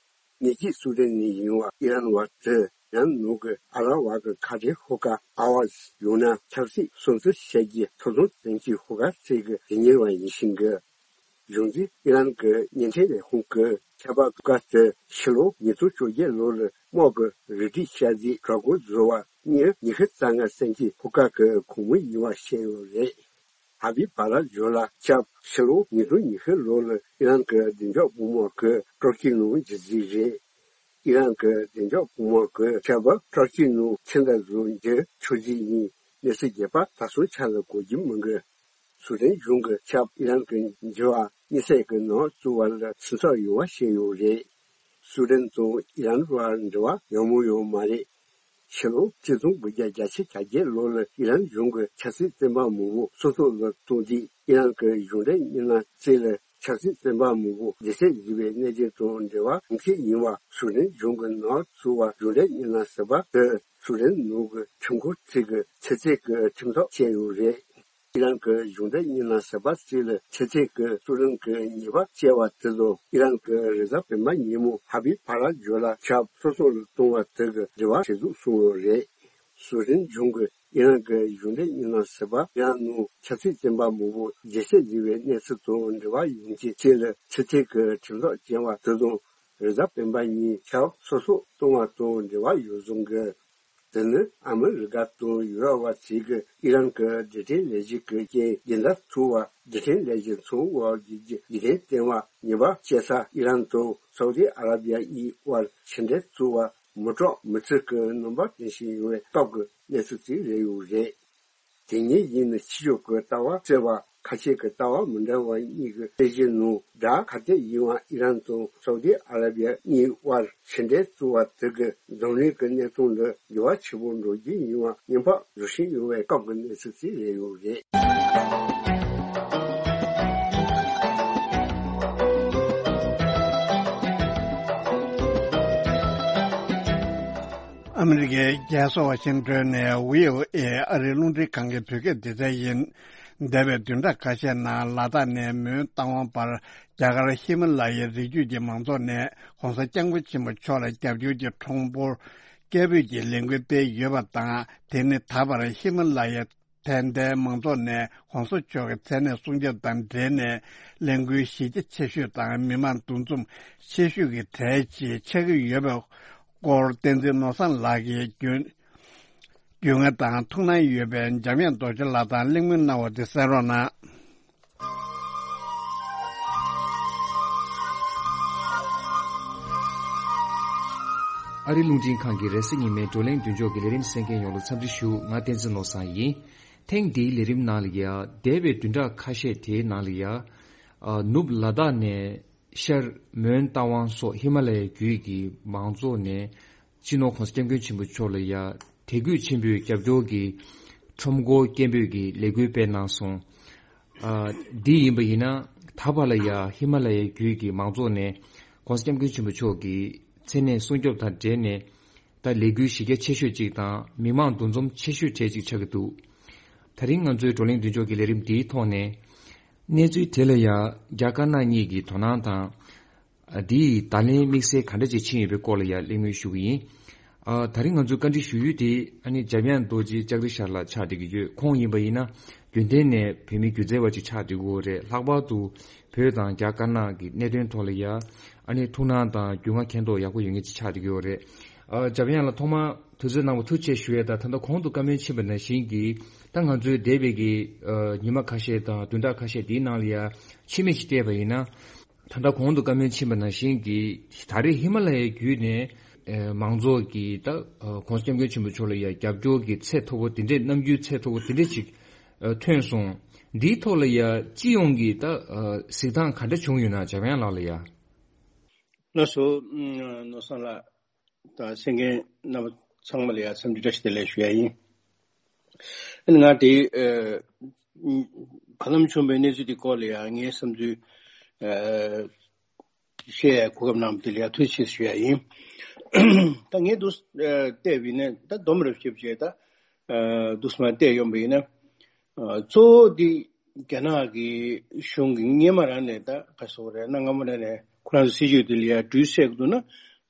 ཉེས་ཀྱི་སུ་ཏན་ནས་ཡིན་པ་ཨི་རན་བ་དེ་ཡང་ནུབ་ཀྱི་ཨ་ར་བ་གི་ཁ་བྲལ་ཧུ་ཀ་ཨ་ཝ་ཟི་ཡང་ན་ཆབ་སྲིད་སྲུང་བརྩི་བྱེད་ཀྱི་ཐོབ་ཐང་ཅན་གྱི་ཧུ་ཀ་ཚད་ཀྱི་རིག་གཉེར་བ་ཡིན་ཞིང་གི། གཞུང་འཛིན་ཨི་རན་གྱི་བརྙན་འཕྲིན་ལས་ཁུངས་ཀྱིས་ཁྱད་པར་ཀ་དེ་ཕྱི་ལོ་ཉིས་སྟོང་བཅོ་བརྒྱད་ལོ་ལ་དམག་གི་རུ་སྒྲིག་ཤར་རྫས་གྲོད་ཁོག་བཟོ་བ་གཉིས་ཉི་ཤུ་རྩ་ལྔ་ཙམ་གྱི་ཧུ་ཀ་གི་གོང་མོ་ཡིན་པ་བཤད་ཡོད་རེད། ཧ་བི་བྷ་ར་ཇོ་ལ་ཆབ་ཕྱི་ལོ་ཉིས་སྟོང་ཉི་ཤུ་ལོ་ལ་ཨི་རན་གྱི་བདེ་འཇགས་དཔོན་དམག་གིས་ཏུར་ཀི་ནང་འཇུག་རྩིས་རེད། ཨི་རན་གྱི་བདེ་འཇགས་དཔོན་དམག་གིས་ཆབ་ཏུར་ཀི་ནང་ཕྱི་ཟླ་བཟོ་འཇུག་ཆོག་རྩིས་ཡིན། གནས་ཚུལ་རྒྱས་པ་ད་སོང་ཆ་ལ་གོ་རྒྱུ་མི་འདུག་སུ་ཏན་གཞུང་གིས་ཆབ་ཨི་རན་གྱི་འགྱུར་བ་དམིགས་བསལ་གྱི་ནང་བཙུགས་པ་ལ་སེམས་འཚབ་ཡོང་བ་བཤད་ཡོད་རེད། སུ་ཏན་དང་ཨི་རན་བར་འབྲེལ་བ་ཡག་མོ་ཡོད་མ་རེད། ཕྱི་ལོ་གཅིག་སྟོང་དགུ་བརྒྱ་གྱ་གྲངས་ལོ་ལ་ཨི་རན་གཞུང་གིས་ཆབ་སྲིད་བཙོན་པ་མང་པོ་སྲོག་ཐོག་ལ་བཏང་དུས། ཨི་རན་གྱི་གཞུང་འབྲེལ་མི་སྣ་རྩིས་ལ་ཆབ་སྲིད་བཙོན་པ་མང་པོ་བདེ་ཚིག་བཟོས་པའི་གནད་དོན་དང་འབྲེལ་བ་ཡོང་གི་ཡིན་པ་སུ་ཏན་གཞུང་གི་ནང་བཙུགས་པ་གཞུང་འབྲེལ་མི་སྣ་ཟུར་པ་དེ་སུ་ཏན་ནང་གི་ཁྲིམས་ཁང་ཁྲིམས་ཀྱི་ཆེས་མཐོའི་ཁྲིམས་ཐག་བཅད་ཡོད་རེད། ཨི་རན་གྱི་གཞུང་འབྲེལ་མི་སྣ་ཟུར་པ་རྩིས་ལ་ཆེས་མཐོའི་སུ་ཏན་གྱི་ཉེས་པ་བཅད་པ་དེ་དང་ཨི་རན་གྱི་རེས་གཟའ་སྤེན་པ་ཉིན་མོ་ཧ་བི་བྷ་ར་ཇོ་ལ་ཆབ་སྲོག་སོགས་ལ་གཏོང་བ་དེ་གི་འབྲེལ་བ་ཇེ་སྡུག་སོང་ཡོད་རེད། སུ་ཏན་གཞུང་གིས་ཨི་རན་གྱི་གཞུང་འབྲེལ་མི་སྣ་ཟུར་པ་ཡང་ནང་ཆབ་སྲིད་བཙོན་པ་མང་པོ་བདེ་ཚིག་བཟོས་པའི་གནས་ཚུལ་དང་འབྲེལ་བ་ཡོང་རྒྱུའི་ཆེད་ལ་ཆེས་མཐོའི་ཁྲིམས་ཐག་བཅད་པ་དེ་དང་རེས་གཟའ་སྤེན་པ་ཉིན་ཆབ་སྲོག་སོགས་གཏོང་བ་དང་འབྲེལ་བ་ཡོད་བཟོ་གི། དེ་ནི་ཨ་མི་རི་ཀ་དང་ཡུ་རོབ་པ་ཚོས་ཀྱིས་ཨི་རན་གྱི་རྡུལ་ཕྲན་ལས་གཞི་གི་རྐྱེན་རྒྱུན་ལྡན་ཐུབ་པ་རྡུལ་ཕྲན་ལས་གཞི་ཚང་བ་བརྒྱུད་རྒྱུ་རྒྱུན་ལྡན་བསྟེན་པ་ཉེས་པ་བཅད་ས་ཨི་རན་དང་སའུ་དི་ཨ་ར་བི་ཡ་གཉིས་དབར་ཕྱི་འབྲེལ་བཙུགས་པ་མི་སྐྲག་མི་ཚིག་གི་རྣམ་པ་སྟོན་བཞིན་ཡོད་པའི་སྐབས་ཀྱི་གནས་ཚུལ་ཅིག་རེད་ཡོད་རེད། དེ་ཉིན་ཡིན་ནི་ཕྱི་ཕྱོགས་ཀྱི་ལྟ་བ་གསལ་བ་ཁ་ཤས་ཀྱི་ལྟ་བ་མི་འདྲ་བ་གཉིས་ཀྱི་དཔེ་གཞི་ནང་སྒྲ་ག་དེ་ཡིན་པ་ཨི་རན་དང་སའུ་དི་ཨ་ར་བི་ཡ་གཉིས་དབར་ཕྱི་འབྲེལ་བཙུགས་པ་དེ་གི་འཛམ་གླིང་གི་གནས་སྟངས་ལ་འགྱུར་བ་ཆེན་པོ་འགྲོ་རྒྱུ་ཡིན་པ་སྔོན་དཔག་བཟོ་བཞིན་ཡོད་པའི་སྐབས་ཀྱི་གནས་ཚུལ་ཅིག་རེད་ཡོད་རེད། ཨ་མི་རི་ཀའི་རྒྱལ་ས་ཝ་ཤིང་ཏོན་ནས་བྷི་ཨོ་ཨེ་ཨ་རིའི་རླུང་འཕྲིན་ཁང་གི་བོད་སྐད་སྡེ་ཚན་ཡིན། འདས་པའི་བདུན་ཕྲག་ཁ་ཤས་ནང་ལ་དྭགས་ནས་མོན་རྟ་དབང་བར་རྒྱ་གར་ཧི་མ་ལ་ཡའི་རི་རྒྱུད་ཀྱི་མང་ཚོགས་ནས་༸གོང་ས་༸སྐྱབས་མགོན་ཆེན་པོ་མཆོག་ལ་རྒྱབ་སྐྱོར་གྱི་ཁྲོམ་སྐོར་སྐད་འབོད་ཀྱི་ལས་འགུལ་སྤེལ་ཡོད་པ་དང་། དེ་ནི་ད་བར་ཧི་མ་ལ་ཡའི་དད་ལྡན་མང་ཚོགས་ནས་༸གོང་ས་མཆོག་གི་མཚན་གནས་སྲུང་སྐྱོབ་དང་འབྲེལ་ནས་ལས་འགུལ་གཞི་རྒྱ་ཆེ་ཤོས་དང་མི་མང་འདུ་འཛོམས་ཆེ་ཤོས་ཀྱི་གྲས་ཅིག་ཆགས་ཀྱི་ཡོད་པའི་སྐོར་བསྟན་འཛིན་ནོར་བཟང་ལགས་ཀྱིས་རྒྱུས་རྒྱུས་མངའ་དང་ཐུགས་སྣང་ཡོད་པའི་འཇམ་དབྱངས་རྡོ་རྗེ་ལགས་དང་གླེང་མོལ་གནང་བ་དེ་གསན་རོགས་གནང་། ཨ་རིའི་རླུང་འཕྲིན་ཁང་གི་རེས་གཟའ་ཉི་མའི་བགྲོ་གླེང་མདུན་ལྕོག་གི་ལས་རིམ་གསན་མཁན་ཡོངས་ལ་འཚམས་འདྲི་ཞུ། ང་བསྟན་འཛིན་ནོར་བཟང་ཡིན། ཐེངས་འདིའི་ལས་རིམ་ནང་ལ་ཡ། འདས་པའི་བདུན་ཕྲག་ཁ་ཤས་དེའི་ནང་ལ་ཡ། ཨ། ནུབ་ལ་དྭགས་ནས་ཤར་མོན་རྟ་དབང་སོགས་ཧི་མ་ལ་ཡའི་རྒྱུད་ཀྱི་མང་ཚོགས་ནས་སྤྱི་ནོར་༸གོང་ས་༸སྐྱབས་མགོན་ཆེན་པོ་མཆོག་ལ་ཡ། དད་གུས་ཆེན་པོས་རྒྱབ་སྐྱོར་གྱི་ཁྲོམ་སྐོར་སྐད་འབོད་ཀྱི་ལས་འགུལ་སྤེལ་གནང་སོང་། ཨ། འདི་ཡིན་པ་ཡིན་ན་ད་བར་ལ་ཡ་ཧི་མ་ལ་ཡའི་རྒྱུད་ཀྱི་མང་ཚོགས་ནས་༸གོང་ས་༸སྐྱབས་མགོན་ཆེན་པོ་མཆོག་གི་ མཚན་གནས་སྲུང་སྐྱོབ་དང་འབྲེལ་ནས་ད་ལས་འགུལ་གཞི་རྒྱ་ཆེ་ཤོས་ཅིག་དང་མི་མང་འདུ་འཛོམས་ཆེ་ཤོས་གྲས་ཅིག་ཆགས་ཀྱི་འདུག། ད་རིང་ང་ཚོའི་བགྲོ་གླེང་མདུན་ལྕོག་གི་ལས་རིམ་འདིའི་ཐོག་ནས་གནས་ཚུལ་དེ་ལ་ཡང་རྒྱ་དཀར་ནག་གཉིས་ཀྱི་དོ་སྣང་དང་། འདིའི་བརྡ་ལན་དམིགས་བསལ་ག་འདྲ་ཅིག་ཕྱིན་ཡོད་པའི་སྐོར་ལ་ཡང་གླེང་མོལ་ཞུ་གི་ཡིན། ཨ། ད་རིང་ང་ཚོའི་བཀའ་འདྲི་ཞུ་ཡུལ་དེ་ཨ་ནི་འཇམ་དབྱངས་རྡོ་རྗེ་ལྕགས་རི་ཤར་ལགས་ཆགས་བསྡད་ཀྱི་ཡོད། ཁོང་ཡིན་པ་ཡིན་ན་རྒྱུན་ལྡན་ནས་བོད་མི་སྒྱུ་རྩལ་བ་ཅིག་ཆགས་བསྡད་ཀྱི་ཡོད་རེད། ལྷག་པར་དུ་བོད་དང་རྒྱ་དཀར་ནག་གི་གནད་དོན་ཐོག་ལ་ཡང་ཨ་ནི་ཐུགས་སྣང་དང་རྒྱུས་མངའ་མཁྱེན་རྟོགས་ཡག་པོ་ཡོད་མཁན་ཅིག་ཆགས་བསྡད་ཀྱི་ཡོད་རེད། ཨ། འཇམ་དབྱངས་ལགས་ཐོག་མར་དུས་ཚོད་གནང་བ་ཐུགས་རྗེ་ཆེ་ཞུ་ཡས་དང་། ད་ལྟ་གོང་དུ་བཀའ་མོལ་ཕྱིན་པ་ནང་བཞིན་གྱི་ད་ང་ཚོའི་འདས་པའི་གི་ཨ། ཉི་མ་ཁ་ཤས་དང་བདུན་ཕྲག་ཁ་ཤས་འདིའི་ནང་ལ་ཡང་ཕྱི་མིག་ཅིག་བལྟས་པ་ཡིན་ན། ད་ལྟ་གོང་དུ་བཀའ་མོལ་ཕྱིན་པ་ནང་བཞིན་གྱི་ད་རེས་ཧི་མ་ལ་ཡའི་བརྒྱུད་ནས་ཨེ། མང་ཚོགས་ཀྱིས་ད་ཨ། ༸གོང་ས་༸སྐྱབས་མགོན་ཆེན་པོ་མཆོག་ལ་ཡང་རྒྱབ་སྐྱོར་གྱི་ཚད་མཐོ་པོ་དེ་འདྲས། རྣམ་འགྱུར་ཚད་མཐོ་པོ་དེ་འདྲས་ཅིག་ཨ། ཐོན་སོང་། འདིའི་ཐོག་ལ་ཡང་སྤྱི་ཡོངས་ཀྱི་ད་ཨ། གཟིགས་སྟངས་ག་འདྲ་བྱུང་ཡོད་ན། འཇམ་དབྱངས་ལགས་ལ་ཡང་། ལགས་སོ། ཨ། ནོར་བཟང་ལགས་དང་གསན་མཁན་རྣམ་པ་ཚང་མ་ལ་ཡང་འཚམས་འདྲི་བཀྲ་ཤིས་བདེ་ལེགས་ཞུ་ཡ་ཡིན། ཨ་ནི་ང་དེ་ཨ། བར་ལམ་བྱུང་བའི་གནས་ཚུལ་དེ་སྐོར་ལ་ཡང་ངའི་བསམ་ཚུལ་ཨ། བཤད་ཡ་གོ་སྐབས་གནང་བ་དེ་ལ་ཡང་ཐུགས་རྗེ་ཆེ་ཞུ་ཡ་ཡིན། ད་ངས་འདུག་ཨ། བལྟས་པ་ཡིན་ན་ད་སྡོམ་རབ་ཞིབ་བྱས་ད་ཨ། འདུག་སེ་མར་བལྟས་ཡོང་བ་ཡིན་ན། ཨ། གཙོ་བོ་དེ་རྒྱ་ནག་གི་གཞུང་གིས་སྔོན་མ་རང་ནས་ད་ག་ཟེར་དགོས་རེད། གནའ་སྔ་མོ་རང་ནས་ཁོ་རང་ཚོ་སྲིད་ཇུས་དེ་ལ་ཡ་འགྲུལ་བསལ་གྱི་འདུག་ན་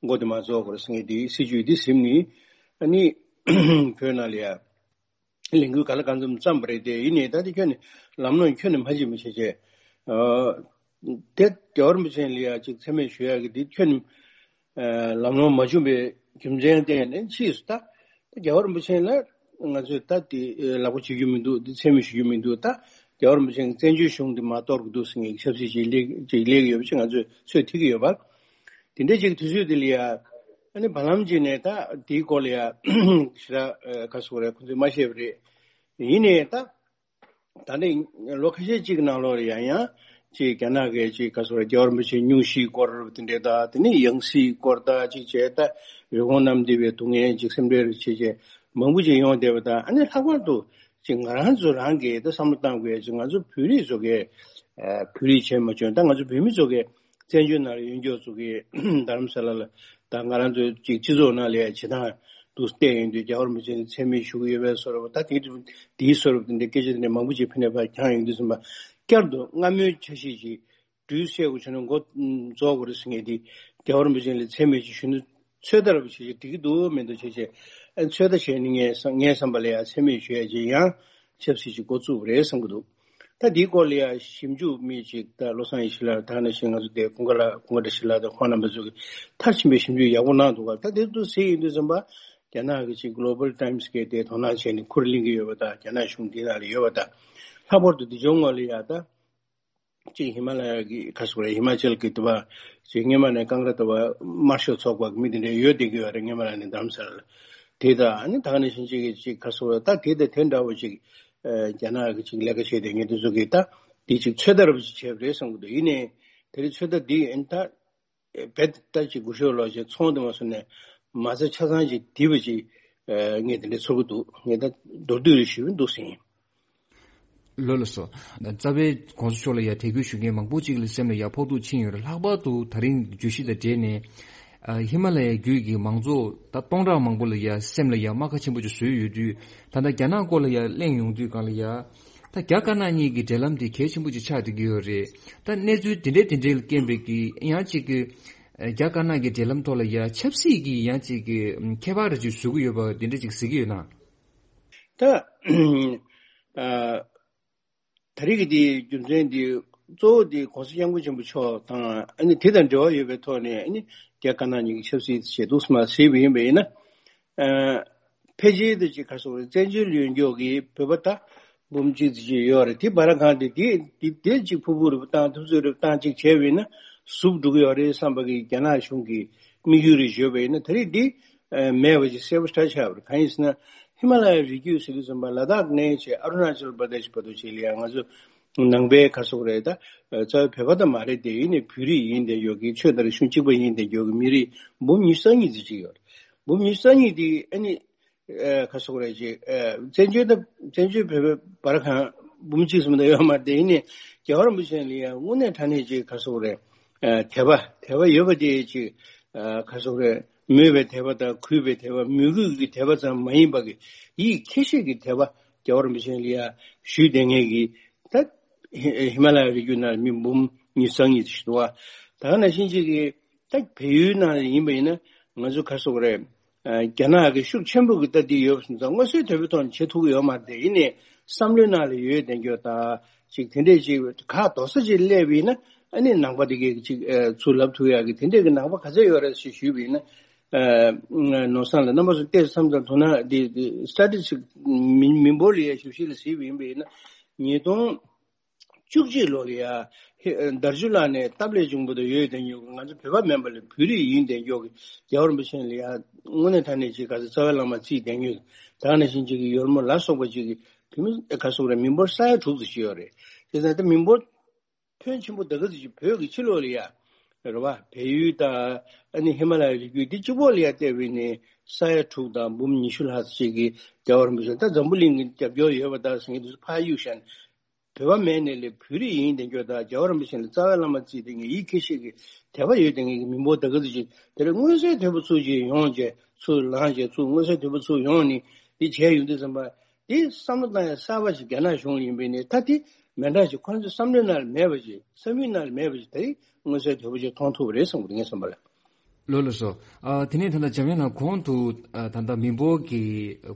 མགོ་དེ་མ་རྫོགས་དགོས་རེད་ཟེར་མཁན་དེ། སྲིད་ཇུས་དེ་ཟིན་ནས་ཨ་ནི་བོད་ནང་ལ་ཡ་ལས་འགུལ་ག་ལ་གང་འཚམ་བརྩམས་པ་རེད་དེ། ཡིན་ནའི་ད་དེ་ཁྱོན་ནས་ལམ་ལྷོང་ཁྱོན་ནས་མ་བྱུང་བ་བྱས་བྱས། ཨ། དེ་རྒྱལ་བ་རིན་པོ་ཆེ་ལ་ཡ་ཅིག་མཚན་སྨད་ཞུ་ཡ་གི་དེ་ཁྱོན་ནས་ཨ། ལམ་ལྷོང་མ་བྱུང་བའི་རྒྱུ་མཚན་བརྟེན་ནས། ཕྱིས་སུ་ད་རྒྱལ་བ་རིན་པོ་ཆེ་ལ་ང་ཚོས་ད་དེ་ལག་པ་འཆོལ་རྒྱུ་མི་འདུག། དེ་མཚན་སྨད་ཞུ་རྒྱུ་མི་འདུག། ད་རྒྱལ་བ་རིན་པོ་ཆེ་གི་བཙན་བྱོལ་གཞུང་དེ་མར་གཏོར་གྱི་འདུག་ཟེར་མཁན་གྱི་ཆབ་སྲིད་ཅིག་སླེབས་ཅིག་སླེབས་ཡོད་པ་ཅིག་ང་ཚོས་ཚོད་ཐིག་གི་ཡོད་པ། དེ་འདྲ་ཅིག་དུས་ཚོད་དེ་ལ་ཡ་ཨ་ནི་བར་ལམ་ཅིག་ནས་ད་དེའི་སྐོར་ལ་ཡ་ཞེ་དྲག་ཨ། ག་ཟེར་དགོས་རེད། ཁོང་ཚོས་མ་བཤད་པ་རེད། ཡིན་ནའི་ད། ད་ནི་ལོ་ཁ་ཤས་ཅིག་ནང་ལོགས་ལ་ཡང་ཡང་ཅིག་རྒྱ་ནག་གི་ཅིག་ག་ཟེར་དགོས་རེད། རྒྱལ་བ་རིན་པོ་ཆེའི་སྙུང་གཞིའི་སྐོར་དེ་འདྲས་དང་། དེ་ནས་ཡང་སྲིད་སྐོར་དང་ཅིག་བྱས། ད་རི་བོང་གནམ་རྡིབ་པའི་སྡུག་བསྔལ་ཅིག་སེམས་ཁྲལ་བྱེད་བྱས་མང་པོ་ཅིག་ཡོང་བསྡད་པ་དང་། ཨ་ནི་ལྷག་པར་དུ་ཅིག་ང་རང་ཚོ་རང་གིས་ད་བསམ་བློ་བཏང་དགོས་ཅིག་ང་ཚོ་བོད་རིགས་ཚོ་གིས་ཨ། བོད་རིགས་བྱས་མ་བྱུང་། ད་ང་ཚོ་བོད་མི་ཚོ་གིས་བཙན་བྱོལ་ནང་ལ་ཡོད་མཁན་ཚོ་གིས་རྡ་རམ་ས་ལ་ལ་ད་ང་རང་ཚོའི་ཅིག་སྤྱི་ཚོགས་ནང་ལ་ཡ་བྱེད་སྟངས་འདུག་བལྟས་ཡོང་དུས། རྒྱལ་བ་རིན་པོ་ཆེ་མཚན་སྨད་ཞུ་གི་ཡོད་པའི་བཟོ་འདྲ་པོ། ད་དེའི་དེའི་བཟོ་འདྲ་པོ་དེ་འདྲའི་སྐད་ཆ་དེ་འདྲ་མང་པོ་ཅིག་ཕ་ནས་ཕར་གྱང་ཡོང་དུས་ཙམ་པ། བསྐྱར་དུ་སྔ་མོའི་འཆར་གཞི་ཅིག་འགྲུལ་བསལ་དགོས་བྱུང་ན་མགོ་རྫོགས་དགོས་རེད་ཟེར་མཁན་དེ། རྒྱལ་བ་རིན་པོ་ཆེ་ལ་མཚན་སྨད་ཅིག་ཞུ་ན་ཚོད་ལྟ་འདྲ་པོ་བྱེད་ཅིག་འགྲིག་གི་འདུག་མི་འདུག་བྱས་བྱས། ཨ། ཚོད་ལྟ་བྱས་ནས་ངའི་བསམ་ངའི་བསམ་པ་ལ་ཡ་མཚན་སྨད་ཞུ་ཡ་ཅིག་ཡང་ཆབ་སྲིད་ཅིག་འགོ་བཙུགས་པ་རེད་བསམ་གྱི་འདུག། ད་འདིའི་སྐོར་ལ་ཡང་ཞིབ་འཇུག་མི་ཅིག་ད་བློ་བཟང་ཡེ་ཤེས་ལགས། ད་ནང་བཞིན་ང་ཚོ་དེ་ཀུན་དགའ་ལགས། ཀུན་དགའ་བཀྲ་ཤིས་ལགས་དང་ཁོང་རྣམ་པ་ཚོ་གིས་མཐར་ཕྱིན་པའི་ཞིབ་འཇུག་ཡག་པོ་གནང་འདུག་ག། ད་དེ་ཚོ་གཟིགས་ཡོང་དུས་ཙམ་པ། རྒྱ་ནག་གི་ཅིག་Global Times་གིས་དེ་དོ་སྣང་བྱས་ནས་ཁུར་ལེན་གྱི་ཡོད་པ་དང་། རྒྱ་ནག་གཞུང་འདི་ནང་ལ་ཡོད་པ་དང་། ལྷག་པར་དུ་འདི་ཕྱོགས་ངོས་ལ་ཡ་ད་ཅིག་ཧི་མ་ལ་ཡ་གི་ག་ཟེར་དགོས་རེད། ཧི་མ་ཅལ་གི་དུ་བ་ཅིག་སྔོན་མ་ནས་ཀང་ག་ར་དུ་བ་དམར་ཤོག་ཚོགས་པ་གི་མི་དེ་འདྲ་ཡོད་བསྡད་ཀྱི་ཡོད་རེད། སྔོན་མ་ལ་ནས་རྡ་རམ་ས་ལ་ལ་དེ་དང་། ཨ་ནི་ད་ག་ནང་བཞིན་ཅིག་གི་ཅིག་ག་ཟེར་དགོས་རེད། ད་དེ་དང་དེ་འདྲ་བོ་ཅིག་ཨ། རྒྱ་ནག་གི་ཅིག་ལས་ཀ་བྱས་བསྡད་མཁན་དེ་ཚོ་གིས་ད་འདི་ཅིག་ཚོད་ལྟ་འདྲ་བོ་ཅིག་བྱས་པ་རེད་བསམ་གྱི་འདུག། ཡིན་ནའི་དེ་རིང་ཚོད་ལྟ་འདི་ཨ་ནི་ད་རྦད་ད་ཅིག་སྒུལ་ཤུགས་ལོག་བྱས། ཚོང་དེ་མ་སོང་ནས་མ་རྩ་ཆ་ཚང་ཅིག་བརྡིབས་པ་ཅིག་ཨ། ངས་དེ་འདྲ་ཚོར་གྱི་འདུག། ངས་ད་མདོར་བསྡུས་རེ་ཞུས་པ་འདུག་ཟིན། ལགས་སོ། རྩ་བའི་གོང་ས་མཆོག་ལ་ཡ་དད་གུས་ཞུ་མཁན་མང་པོ་ཅིག་ལ་སེམས་ལ་ཡ་ཕོག་ཐུག་ཕྱིན་ཡོད་རེད། ལྷག་པར་དུ་ད་རིང་བརྗོད་གཞི་དང་འབྲེལ་ནས། ཨ། ཧི་མ་ལ་ཡའི་རྒྱུད་ཀྱི་མང་ཚོགས་ད་སྟོང་ཕྲག་མང་པོ་ལ་ཡ་སེམས་ལ་ཡ་རྨ་ཁ་ཆེན་པོ་ཅིག་བཟོས་ཡོད་དུས། ད་ལྟ་རྒྱ་ནག་སྐོར་ལ་ཡ་གླེང་ཡོང་དུས་སྒང་ལ་ཡ། ད་རྒྱ་དཀར་ནག་གཉིས་ཀྱི་འབྲེལ་ལམ་དེ་གལ་ཆེན་པོ་ཅིག་ཆགས་བསྡད་ཀྱི་ཡོད་རེད། ད་གནས་ཚུལ་དེ་འདྲའི་དེ་འདྲའི་ལ་རྐྱེན་པས་ཀྱི་ཡང་ཅིག་གི་རྒྱ་དཀར་ནག་གི་འབྲེལ་ལམ་ཐོག་ལ་ཡ་ཆབ་སྲིད་ཀྱི་ཡང་ཅིག་གི་ཁྱད་པར་རེ་ཅིག་བཟོ་གི་ཡོད་པ་དེ་འདྲ་ཅིག་གཟིགས་ཀྱི་ཡོད་ན། ད་ཨ། ད་རེས་ཀྱི་འདིའི་རྒྱུ་མཚན་འདི་གཙོ་བོ་འདི་༸གོང་ས་༸སྐྱབས་མགོན་ཆེན་པོ་མཆོག་དང་། ཨ་ནི་དེ་དང་འབྲེལ་བ་ཡོད་པའི་ཐོག་ནས། ཨ་ནི་རྒྱ་དཀར་ནག་གཉིས་ཀྱི་ཆབ་སྲིད་ཞེས་འདུག་སེ་མར་གཟིགས་པ་ཡིན་པ་ཡིན་ན། ཨ། ཕལ་ཆེར་དུ་ཅིག་ག་རེ་ཟེར་དགོས་རེད། བཙན་བྱོལ་ཡོད་མཁན་གྱི་བོད་པ་ད་འབུམ་གཅིག་ཙམ་ཅིག་ཡོད་རེད། དེ་བར་གང་དེ་དེ་དེ་དེ་ཅིག་ཕུར་བུ་རེ་བཏང་། ཐུབ་ཚོད་རེ་བཏང་ཅིག་བྱས་པ་ཡིན་ན་ཟུབ་འགྲོ་གི་ཡོད་རེད་བསམ་པ་གི་རྒྱ་ནག་གཞུང་གི་དམིགས་ཡུལ་རེ་བརྗོད་པ་ཡིན་ན། ད་རེས་འདི་ཨ། མེད་པ་ཅིག་གསལ་པོ་ཞེ་དྲག་ཆགས་པ་རེད། གང་ཡིན་ཟེར་ན། ཧི་མ་ལ་ཡའི་རི་རྒྱུད་ཟེར་དུས་ཙམ་པ་ལ་དྭགས་ནས་བྱས་ཨ་རུ་ན་ཅལ་པར་དེཤ་བར་དུ་ཅིག་ལ་ཡང་ང་ཚོ་ནང་པའི་ག་རེ་ཟེར་དགོས་རེད། ད་རྩ་བའི་བོད་པ་ད་མ་རེད་དེ། ཡིན་ནའི་བོད་རིགས་ཡིན་བསྡད་ཡོད་ཀྱི། ཆོས་དང་རིག་གཞུང་གཅིག་པ་ཡིན་བསྡད་ཡོད་ཀྱི་མི་རིགས་འབུམ་ཉི་ཤུ་རྩ་གཉིས་ཙམ་ཅིག་ཡོད་རེད། འབུམ་ཉི་ཤུ་རྩ་གཉིས་དེ་ཨ་ནི་ཨ། ག་རེ་ཟེར་དགོས་རེད། ཅིག་ཨ། བཙན་བྱོལ་ད་བཙན་བྱོལ་བོད་པའི་བར་གང་འབུམ་གཅིག་ཙམ་ད་ཡོད་མ་རེད་དེ། ཡིན་ནའི་རྒྱལ་བ་རིན་པོ་ཆེ་ལ་ཡང་དངོས་གནས་དྲང་གནས་ཅིག་ག་རེ་ཟེར་དགོས་རེད། ཨ། དད་པ་དད་པ་ཡོད་པ་དེ་ཅིག་ ཨ་ག་སོག་རེད། མོས་པའི་དད་པ་དང་གུས་པའི་དད་པ། མོས་གུས་ཀྱི་དད་པ་ཙམ་མ་ཡིན་པ་གི་ཡིད་ཁྱེད་ཤེས་ཀྱི་དད་པ་རྒྱལ་བ་རིན་པོ་ཆེ་ལ་ཡ་ཞུས་བསྡད་མཁན་གྱི་ད་ཧི་མ་ལ་ཡའི་རི་རྒྱུད་ནང་ལ་མི་འབུམ་ཉི་ཤུ་རྩ་གཉིས་ཞིག་འདུག་བ། ད་ག་ནང་བཞིན་ཅིག་གི་ད་བལ་ཡུལ་ནང་ལ་ཡིན་པ་ཡིན་ན་ང་ཚོ་ག་སོག་རེད། རྒྱ་ནག་གི་ཤུགས་ཆེན་པོ་གི་ལྟ་འདི་ཡོད་པ་སོང་ཙང་མངོན་གསལ་དོད་པོའི་ཐོག་ནས་བྱེད་ཐུབ་ཀྱི་ཡོད་མ་རེད་དེ། ཡིན་ནའི་བསམ་བློའི་ནང་ལ་ཡོད་བསྡད་རྒྱུ་དང་ཅིག་དེ་འདྲས་ཅིག་ཁག་རྡོག་རྩ་ཅིག་སླེབས་པ་ཡིན་ན་ཨ་ནི་ནང་པ་དེ་གས་ཅིག་ཚུར་ལབ་ཐུབ་ཡག་གི་དེ་འདྲས་ཀྱི་ནང་པ་ག་ཚད་ཡོད་རེད་ཅེས་ཞུས་པ་ཡིན་ན། ནོར་བཟང་ལ་རྣམ་པ་ཚོ་བལྟས་བསམ་ཙང་དོ་སྣང་འདི་སི་ཊེ་ཊིསི་ཊིག་མི་མི་འབོར་ལ་ཡ་ཞིབ་ཞིབ་ལ་གཟིགས་པ་ཡིན་པ་ཡིན་ན་ཉིས་སྟོང་བཅུ་གཅིག་ལོ་ལ་ཡ་ཧེ་དར་ཆུ་ལག་ནས་སྟབས་ལེགས་བྱུང་བ་དང་ཡོད་བསྡད་མྱོང་གི། ང་ཚོ་བོད་པ་མིན་པ་ལ་བོད་རིགས་ཡིན་བསྡད་མྱོང་གི་རྒྱལ་བ་རིན་པོ་ཆེ་ལ་ཡ་དངོས་གནས་དྲང་གནས་ཅིག་ག་ཚོད་རྩ་བའི་བླ་མ་བརྩིས་བསྡད་མྱོང་གི། ད་ག་ནང་བཞིན་ཅིག་གི་ཡོལ་མོ་ལ་སོགས་པ་ཅིག་གི་བོད་མི་ག་སོག་རེད། མི་འབོར་ས་ཡ་དྲུག་ཙམ་ཅིག་ཡོད་རེད། དེ་ཙང་ད་མི་འབོར་ཕོན་ཆེན་པོ་ད་ག་ཙམ་ཅིག་བོད་ཀྱི་ཕྱི་ལོགས་ལ་ཡ་རེད་བ། བལ་ཡུལ་དང་ཨ་ནི་ཧི་མ་ལ་ཡའི་རི་རྒྱུད་འདི་གཅིག་པོ་ལ་ཡ་བལྟས་པ་ཡིན་ནའི་ས་ཡ་དྲུག་དང་འབུམ་ཉི་ཤུ་ལྷག་ཙམ་ཅིག་གི་རྒྱལ་བ་རིན་པོ་ཆེ་ད་འཛམ་བུ་གླིང་གི་རྒྱབ་སྐྱོར་ཡོད་པ་དང་ཟེར་མཁན་དེ་ཚོ་ཕར་གཡུག་བཞག་ནས། བོད་པ་མེད་ནས་ལས་བོད་རིགས་ཡིན་བསྡད་རྒྱུ་དང་རྒྱལ་བ་རིན་པོ་ཆེ་ལ་རྩ་བའི་བླ་མ་བརྩིས་བསྡད་མཁན་ཡིད་ཁྱེད་ཤེས་ཀྱི་དད་པ་ཡོད་བསྡད་མཁན་གྱི་མི་འབོར་ད་ག་ཙམ་ཅིག་དེ་རིང་མངོན་གསལ་དོད་པོ་ཚུར་ཅིག་ཡོང་བྱས་ཚུར་ལངས་བྱས་ཚུར་མངོན་གསལ་དོད་པོ་ཚུར་ཡོང་ནས་འདི་བྱས་ཡོང་དུས་ཙམ་པ་འདི་བསམ་བློ་བཏང་ཡ་གསར་པ་ཅིག་རྒྱ་ནག་གཞུང་ལ་ཡིན་པས་ནས་ད་འདི་མི་འདྲ་ཞིག་ཁོ་ཚོའི་བསམ་བློའི་ནང་ལ་མེད་པ་ཅིག་བསམ་ཡུལ་ནང་ལ་མེད་པ་ཅིག་ད་རིང་མངོན་གསལ་དོད་པོ་ཅིག་མཐོང་ཐུབ་པ་རེད་བསམ་གི་འདུག་ངའི་བསམ་པ་ལ། ལགས་ལགས་སོ། ཨ་དེ་ནས་ད་ལྟ་འཇམ་དབྱངས་ལགས་གོང་དུ་ཨ་ད་ལྟ་མི་འབོར་གྱི་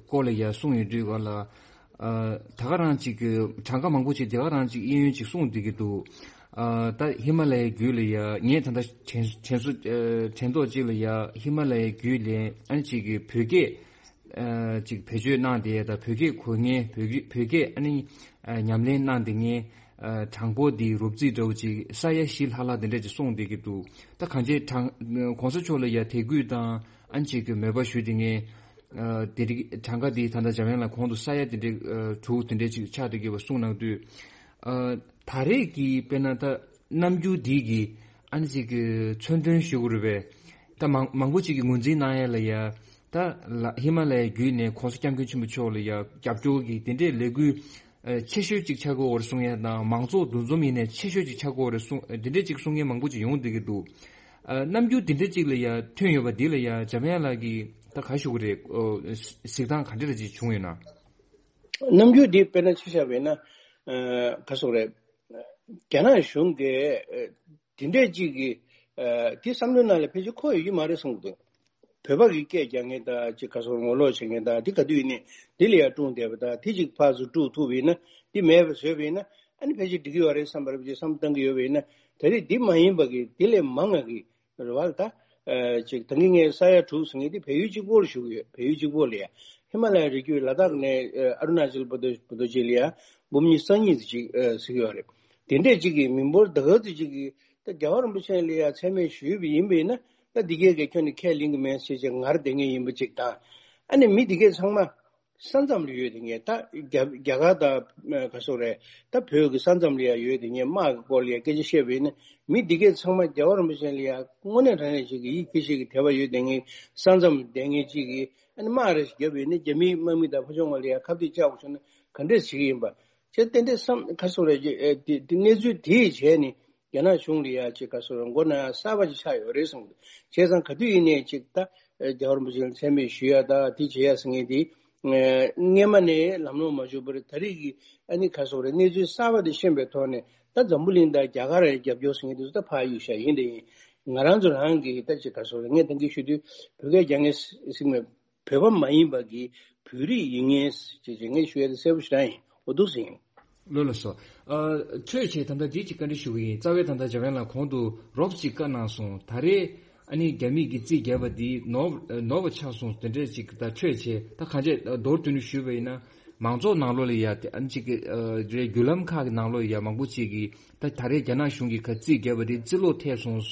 སྐོར་ལ་ཡ་གསུངས་ཡོད་དུས་ག་ལ། ཨ་ད་ག་རང་ཅིག་གི་གྲངས་ཀ་མང་པོ་ཅིག་དེ་ག་རང་ཅིག་གཡས་གཡོན་ཅིག་གསུངས་བསྡད་ཀྱི་འདུག་ཨ་ད་ཧི་མ་ལ་ཡའི་རྒྱུད་ལ་ཡ་ངས་ད་ལྟ་དྲན་དྲན་གསོ་ཨ་དྲན་ཐོག་ཅིག་ལ་ཡ་ཧི་མ་ལ་ཡའི་རྒྱུད་ལ་ཨ་ནི་ཅིག་གི་བོད་སྐད་ཨ་ཅིག་བེད་སྤྱོད་གནང་བསྡད་ཡ་དང་བོད་སྐད་གོ་མཁན་བོད་སྐད་བོད་སྐད་ཨ་ནི་ཨ་ཉམས་ལེན་གནང་བསྡད་མཁན། ཨ་གྲངས་འབོར་འདི་རོབ་རྩིས་འདྲ་བོ་ཅིག་ས་ཡ་བཞི་ལྷག་ལྷག་དེ་འདྲ་ཅིག་གསུངས་བསྡད་ཀྱི་འདུག་ད་གང་ཅི་གྲངས་གོང་ས་མཆོག་ལ་ཡ་དད་གུས་དང་ཨ་ནི་ཅིག་གི་མོས་པ་ཞུ་བསྡད་མཁན། ཨ་དེ་རིགས་གྲངས་ཀ་འདི་ད་ལྟ་འཇམ་དབྱངས་ལགས་གོང་དུ་ས་ཡ་དེ་འདྲ་ཨ་དྲུག་དེ་འདྲ་ཅིག་ཆགས་བསྡད་ཀྱི་ཡོད་པ་གསུངས་གནང་དུས། ཨ་ད་རེས་ཀྱི་དཔེར་ན་ད་རྣམ་འགྱུར་འདི་གི་ཨ་ནི་ཅིག་གི་མཚོན་དོན་ཞུ་དགོས་རེད་པས། ད་མང་མང་པོ་ཅིག་གིས་ངོས་འཛིན་གནང་ཡ་ལ་ཡ། ད་ལ་ཧི་མ་ལ་ཡའི་བརྒྱུད་ནས་གོང་ས་སྐྱབས་མགོན་ཆེན་པོ་མཆོག་ལ་ཡ་རྒྱབ་སྐྱོར་གྱི་དེ་འདྲའི་ལས་འགུལ་ཨ་ཆེ་ཤོས་ཅིག་ཆགས་ཀྱི་ཡོད་རེད་གསུང་ཡ་དང་། མང་ཚོགས་འདུ་འཛོམས་ཡིན་ནའི་ཆེ་ཤོས་ཅིག་ཆགས་ཀྱི་ཡོད་རེད་གསུང་ཨ་དེ་འདྲ་ཅིག་གསུང་མཁན་མང་པོ་ཅིག་ཡོང་བསྡད་ཀྱི་འདུག་ཨ་རྣམ་འགྱུར་དེ་འདྲ་ཅིག་ལ་ཡ་ཐོན་ཡོད་པ་འདི་ལ་ཡ་འཇམ་དབྱངས་ལགས་ཀྱིས་ད་ག་ཞུ་གི་རེད། ཨོ་གཟིགས་སྟངས་ག་འདྲ་ཅིག་བྱུང་ཡོད་ན། རྣམ་འགྱུར་འདི་དཔེར་ན་ཆ་བཞག་པ་ཡིན་ན་ཨ་ག་སོག་རེད། རྒྱ་ནག་གཞུང་གིས་ཨ་དེ་འདྲས་ཅིག་གིས་ཨ་དེ་བསམ་བློའི་ནང་ལ་ཕལ་ཆེར་འཁོར་ཡོད་ཀྱི་མ་རེད་གསུངས་འདུག་བོད་པ་གི་སྐད་རྒྱག་མཁན་དང་ཅིག་ག་སོག་ངོ་ལོག་བྱེད་མཁན་དང་དེ་ག་དུས་ཡིན་ནའི་དེ་ལ་ཡར་དཀྲུགས་བསྡད་པ་དང་། དེ་ཅིག་ཕར་ཚུར་དཀྲུགས་ཐུབ་པ་ཡིན་ན་དེ་མེད་པ་བཟོས་པ་ཡིན་ན་ཨ་ནི་ཕལ་ཆེར་འགྲིག་གི་ཡོད་རེད་བསམ་པ་རེད་ཅེས་བསམ་བཏང་གི་ཡོད་པ་ཡིན་ན། ད་རེས་འདི་མ་ཡིན་པ་གི་དེ་ལས་མང་བ་གི་རེད་བ་ལ་ད། ཨ་ཅིག་ད་གིན་ངས་ས་ཡ་དྲུག་ཟེར་མཁན་དེ་བལ་ཡུལ་གཅིག་པོར་ཞུ་གི་ཡོད། བལ་ཡུལ་གཅིག་པོ་ལ་ཡ་ཧི་མ་ལ་ཡའི་རི་རྒྱུད་ལ་དྭགས་ནས་ཨ་ཨ་རུ་ན་ཅལ་བར་དུ་བར་དུ་ཅིག་ལ་ཡ་འབུམ་ཉི་ཤུ་རྩ་གཉིས་ཅིག་ཨ་ཟེར་གི་ཡོད་རེད། དེ་འདྲས་ཅིག་གི་མི་འབོར་ད་ག་ཚོད་ཅིག་གི་ད་རྒྱལ་བ་རིན་པོ་ཆེ་ལ་ཡ་མཚན་སྨད་ཞུས་པ་ཡིན་པས་ན་ད་འདི་གས་ཀྱི་ཁྱོན་ནས་ཁས་ལེན་གི་མེད་ཟེར་བྱས་ངར་བསྡད་མཁན་ཡིན་པ་ཅིག་དང་། ཨ་ནི་མི་འདི་གས་ཚང་མ། ས་མཚམས་ལ་ཡོད་དེ་ངས་ད་རྒྱ་རྒྱ་གར་དང་ག་སོག་རེད། ད་བོད་ཀྱི་ས་མཚམས་ལ་ཡང་ཡོད་དེ་ངས་དམག་གི་སྐོར་ལ་ཡང་སྐད་ཆ་བཤད་པ་ཡིན་ན་མི་འདི་གས་ཚང་མ་རྒྱལ་བ་རིན་པོ་ཆེ་ལ་ཡང་དངོས་གནས་དྲང་གནས་ཅིག་གི་ཡིད་ཁྱེད་ཤེས་ཀྱི་དད་པ་ཡོད་དེ་ངས་ས་མཚམས་བསྡད་མཁན་ཅིག་གིས་ཨ་ནི་དམག་རེ་ཞིག་བརྒྱབ་པ་ཡིན་ན་རྒྱ་མིའི་དམག་མི་དང་ཕར་ཕྱོགས་ལ་ཡང་ཁ་གཏད་བཅག་དགོས་བྱུང་ན་ག་འདྲས་བྱེད་ཀྱི་ཡིན་པ་བྱས་ཏན་ཏན་བསམ་ག་སོག་རེད་ཀྱི་ཨེ་དེ་དེ་གནས་ཚུལ་དེའི་བྱས་ནས། རྒྱ་ནག་གཞུང་ལ་ཡ་ཅིག་ག་སོག་རེད་མགོ་ན་ཡ་གསར་པ་ཅིག་ཆགས་ཡོད་རེད་གསུངས་འདུག་བྱས་ཙང་ག་དུས་ཡིན་ནའི་ཅིག་ད་རྒྱལ་བ་རིན་པོ་ཆེ་ལ་མཚན་སྨད་ཞུ་ཡ་ད་དེ་བྱེད་ཡ་ཟེར་མཁན་དེ་སྔས་མ་ནས་ལམ་ལྷོང་མ་བྱུང་བར་ད་རེས་ཀྱི་ཨ་ནི་ག་སོག་རེད་གནས་ཚུལ་གསར་པ་དེ་ཤེས་པའི་ཐོག་ནས་ད་འཛམ་བུ་གླིང་དང་རྒྱ་གར་ཡང་རྒྱབ་སྐྱོར་ཟེར་མཁན་དེ་ཚོ་ད་ཕར་གཡུག་བཞག་ཡིན་དེ་ཡིན། ང་རང་ཚོ་རང་གི་ད་ཅིག་ག་སོག་རེད་ངས་ད་གིན་ཞུ་དུས་བོད་སྐད་རྒྱག་མཁན་ཟེར་མཁན། བོད་པ་མ་ཡིན་པ་གི་བོད་རིགས་ཡིན་ངེས་ཅེས་ངས་ཞུ་ཡ་དེ་གསལ་པོ་ཞེ་དྲག་ཡིན། འོ་འདུག་སེ་ཡིན། ལགས་ལགས་སོ། ཨ་འཕྲོས་བྱས་ད་ལྟ་འདི་གཅིག་བཀའ་འདྲི་ཞུ་གི་ཡིན། རྩ་བའི་ད་ལྟ་འཇམ་དབྱངས་ལགས་གོང་དུ་རོབ་ཅིག་བཀའ་གནང་སོང་། ད་རེས་ཨ་ནི་རྒྱ་མིས་ཀྱི་རྩིས་བརྒྱབ་པ་འདི་ནོར་ནོར་བ་ཆགས་སོང་དེ་འདྲས་ཅིག་ད་འཕྲོས་བྱས་ད་གང་བྱས་མདོར་བསྡུས་ནས་ཞུས་པ་ཡིན་ན་མང་ཚོགས་ནང་ལོགས་ལ་ཡ་དེ་ཨ་ནི་ཅིག་གི་ཨ་རེད་བརྒྱུད་ལམ་ཁག་གི་ནང་ལོགས་ཡ་མང་པོ་ཅིག་གིས་ད་ད་རེས་རྒྱ་ནག་གཞུང་གིས་ག་རྩིས་བརྒྱབ་པ་འདི་རྩིས་ལོག་ཐེབས་སོང་།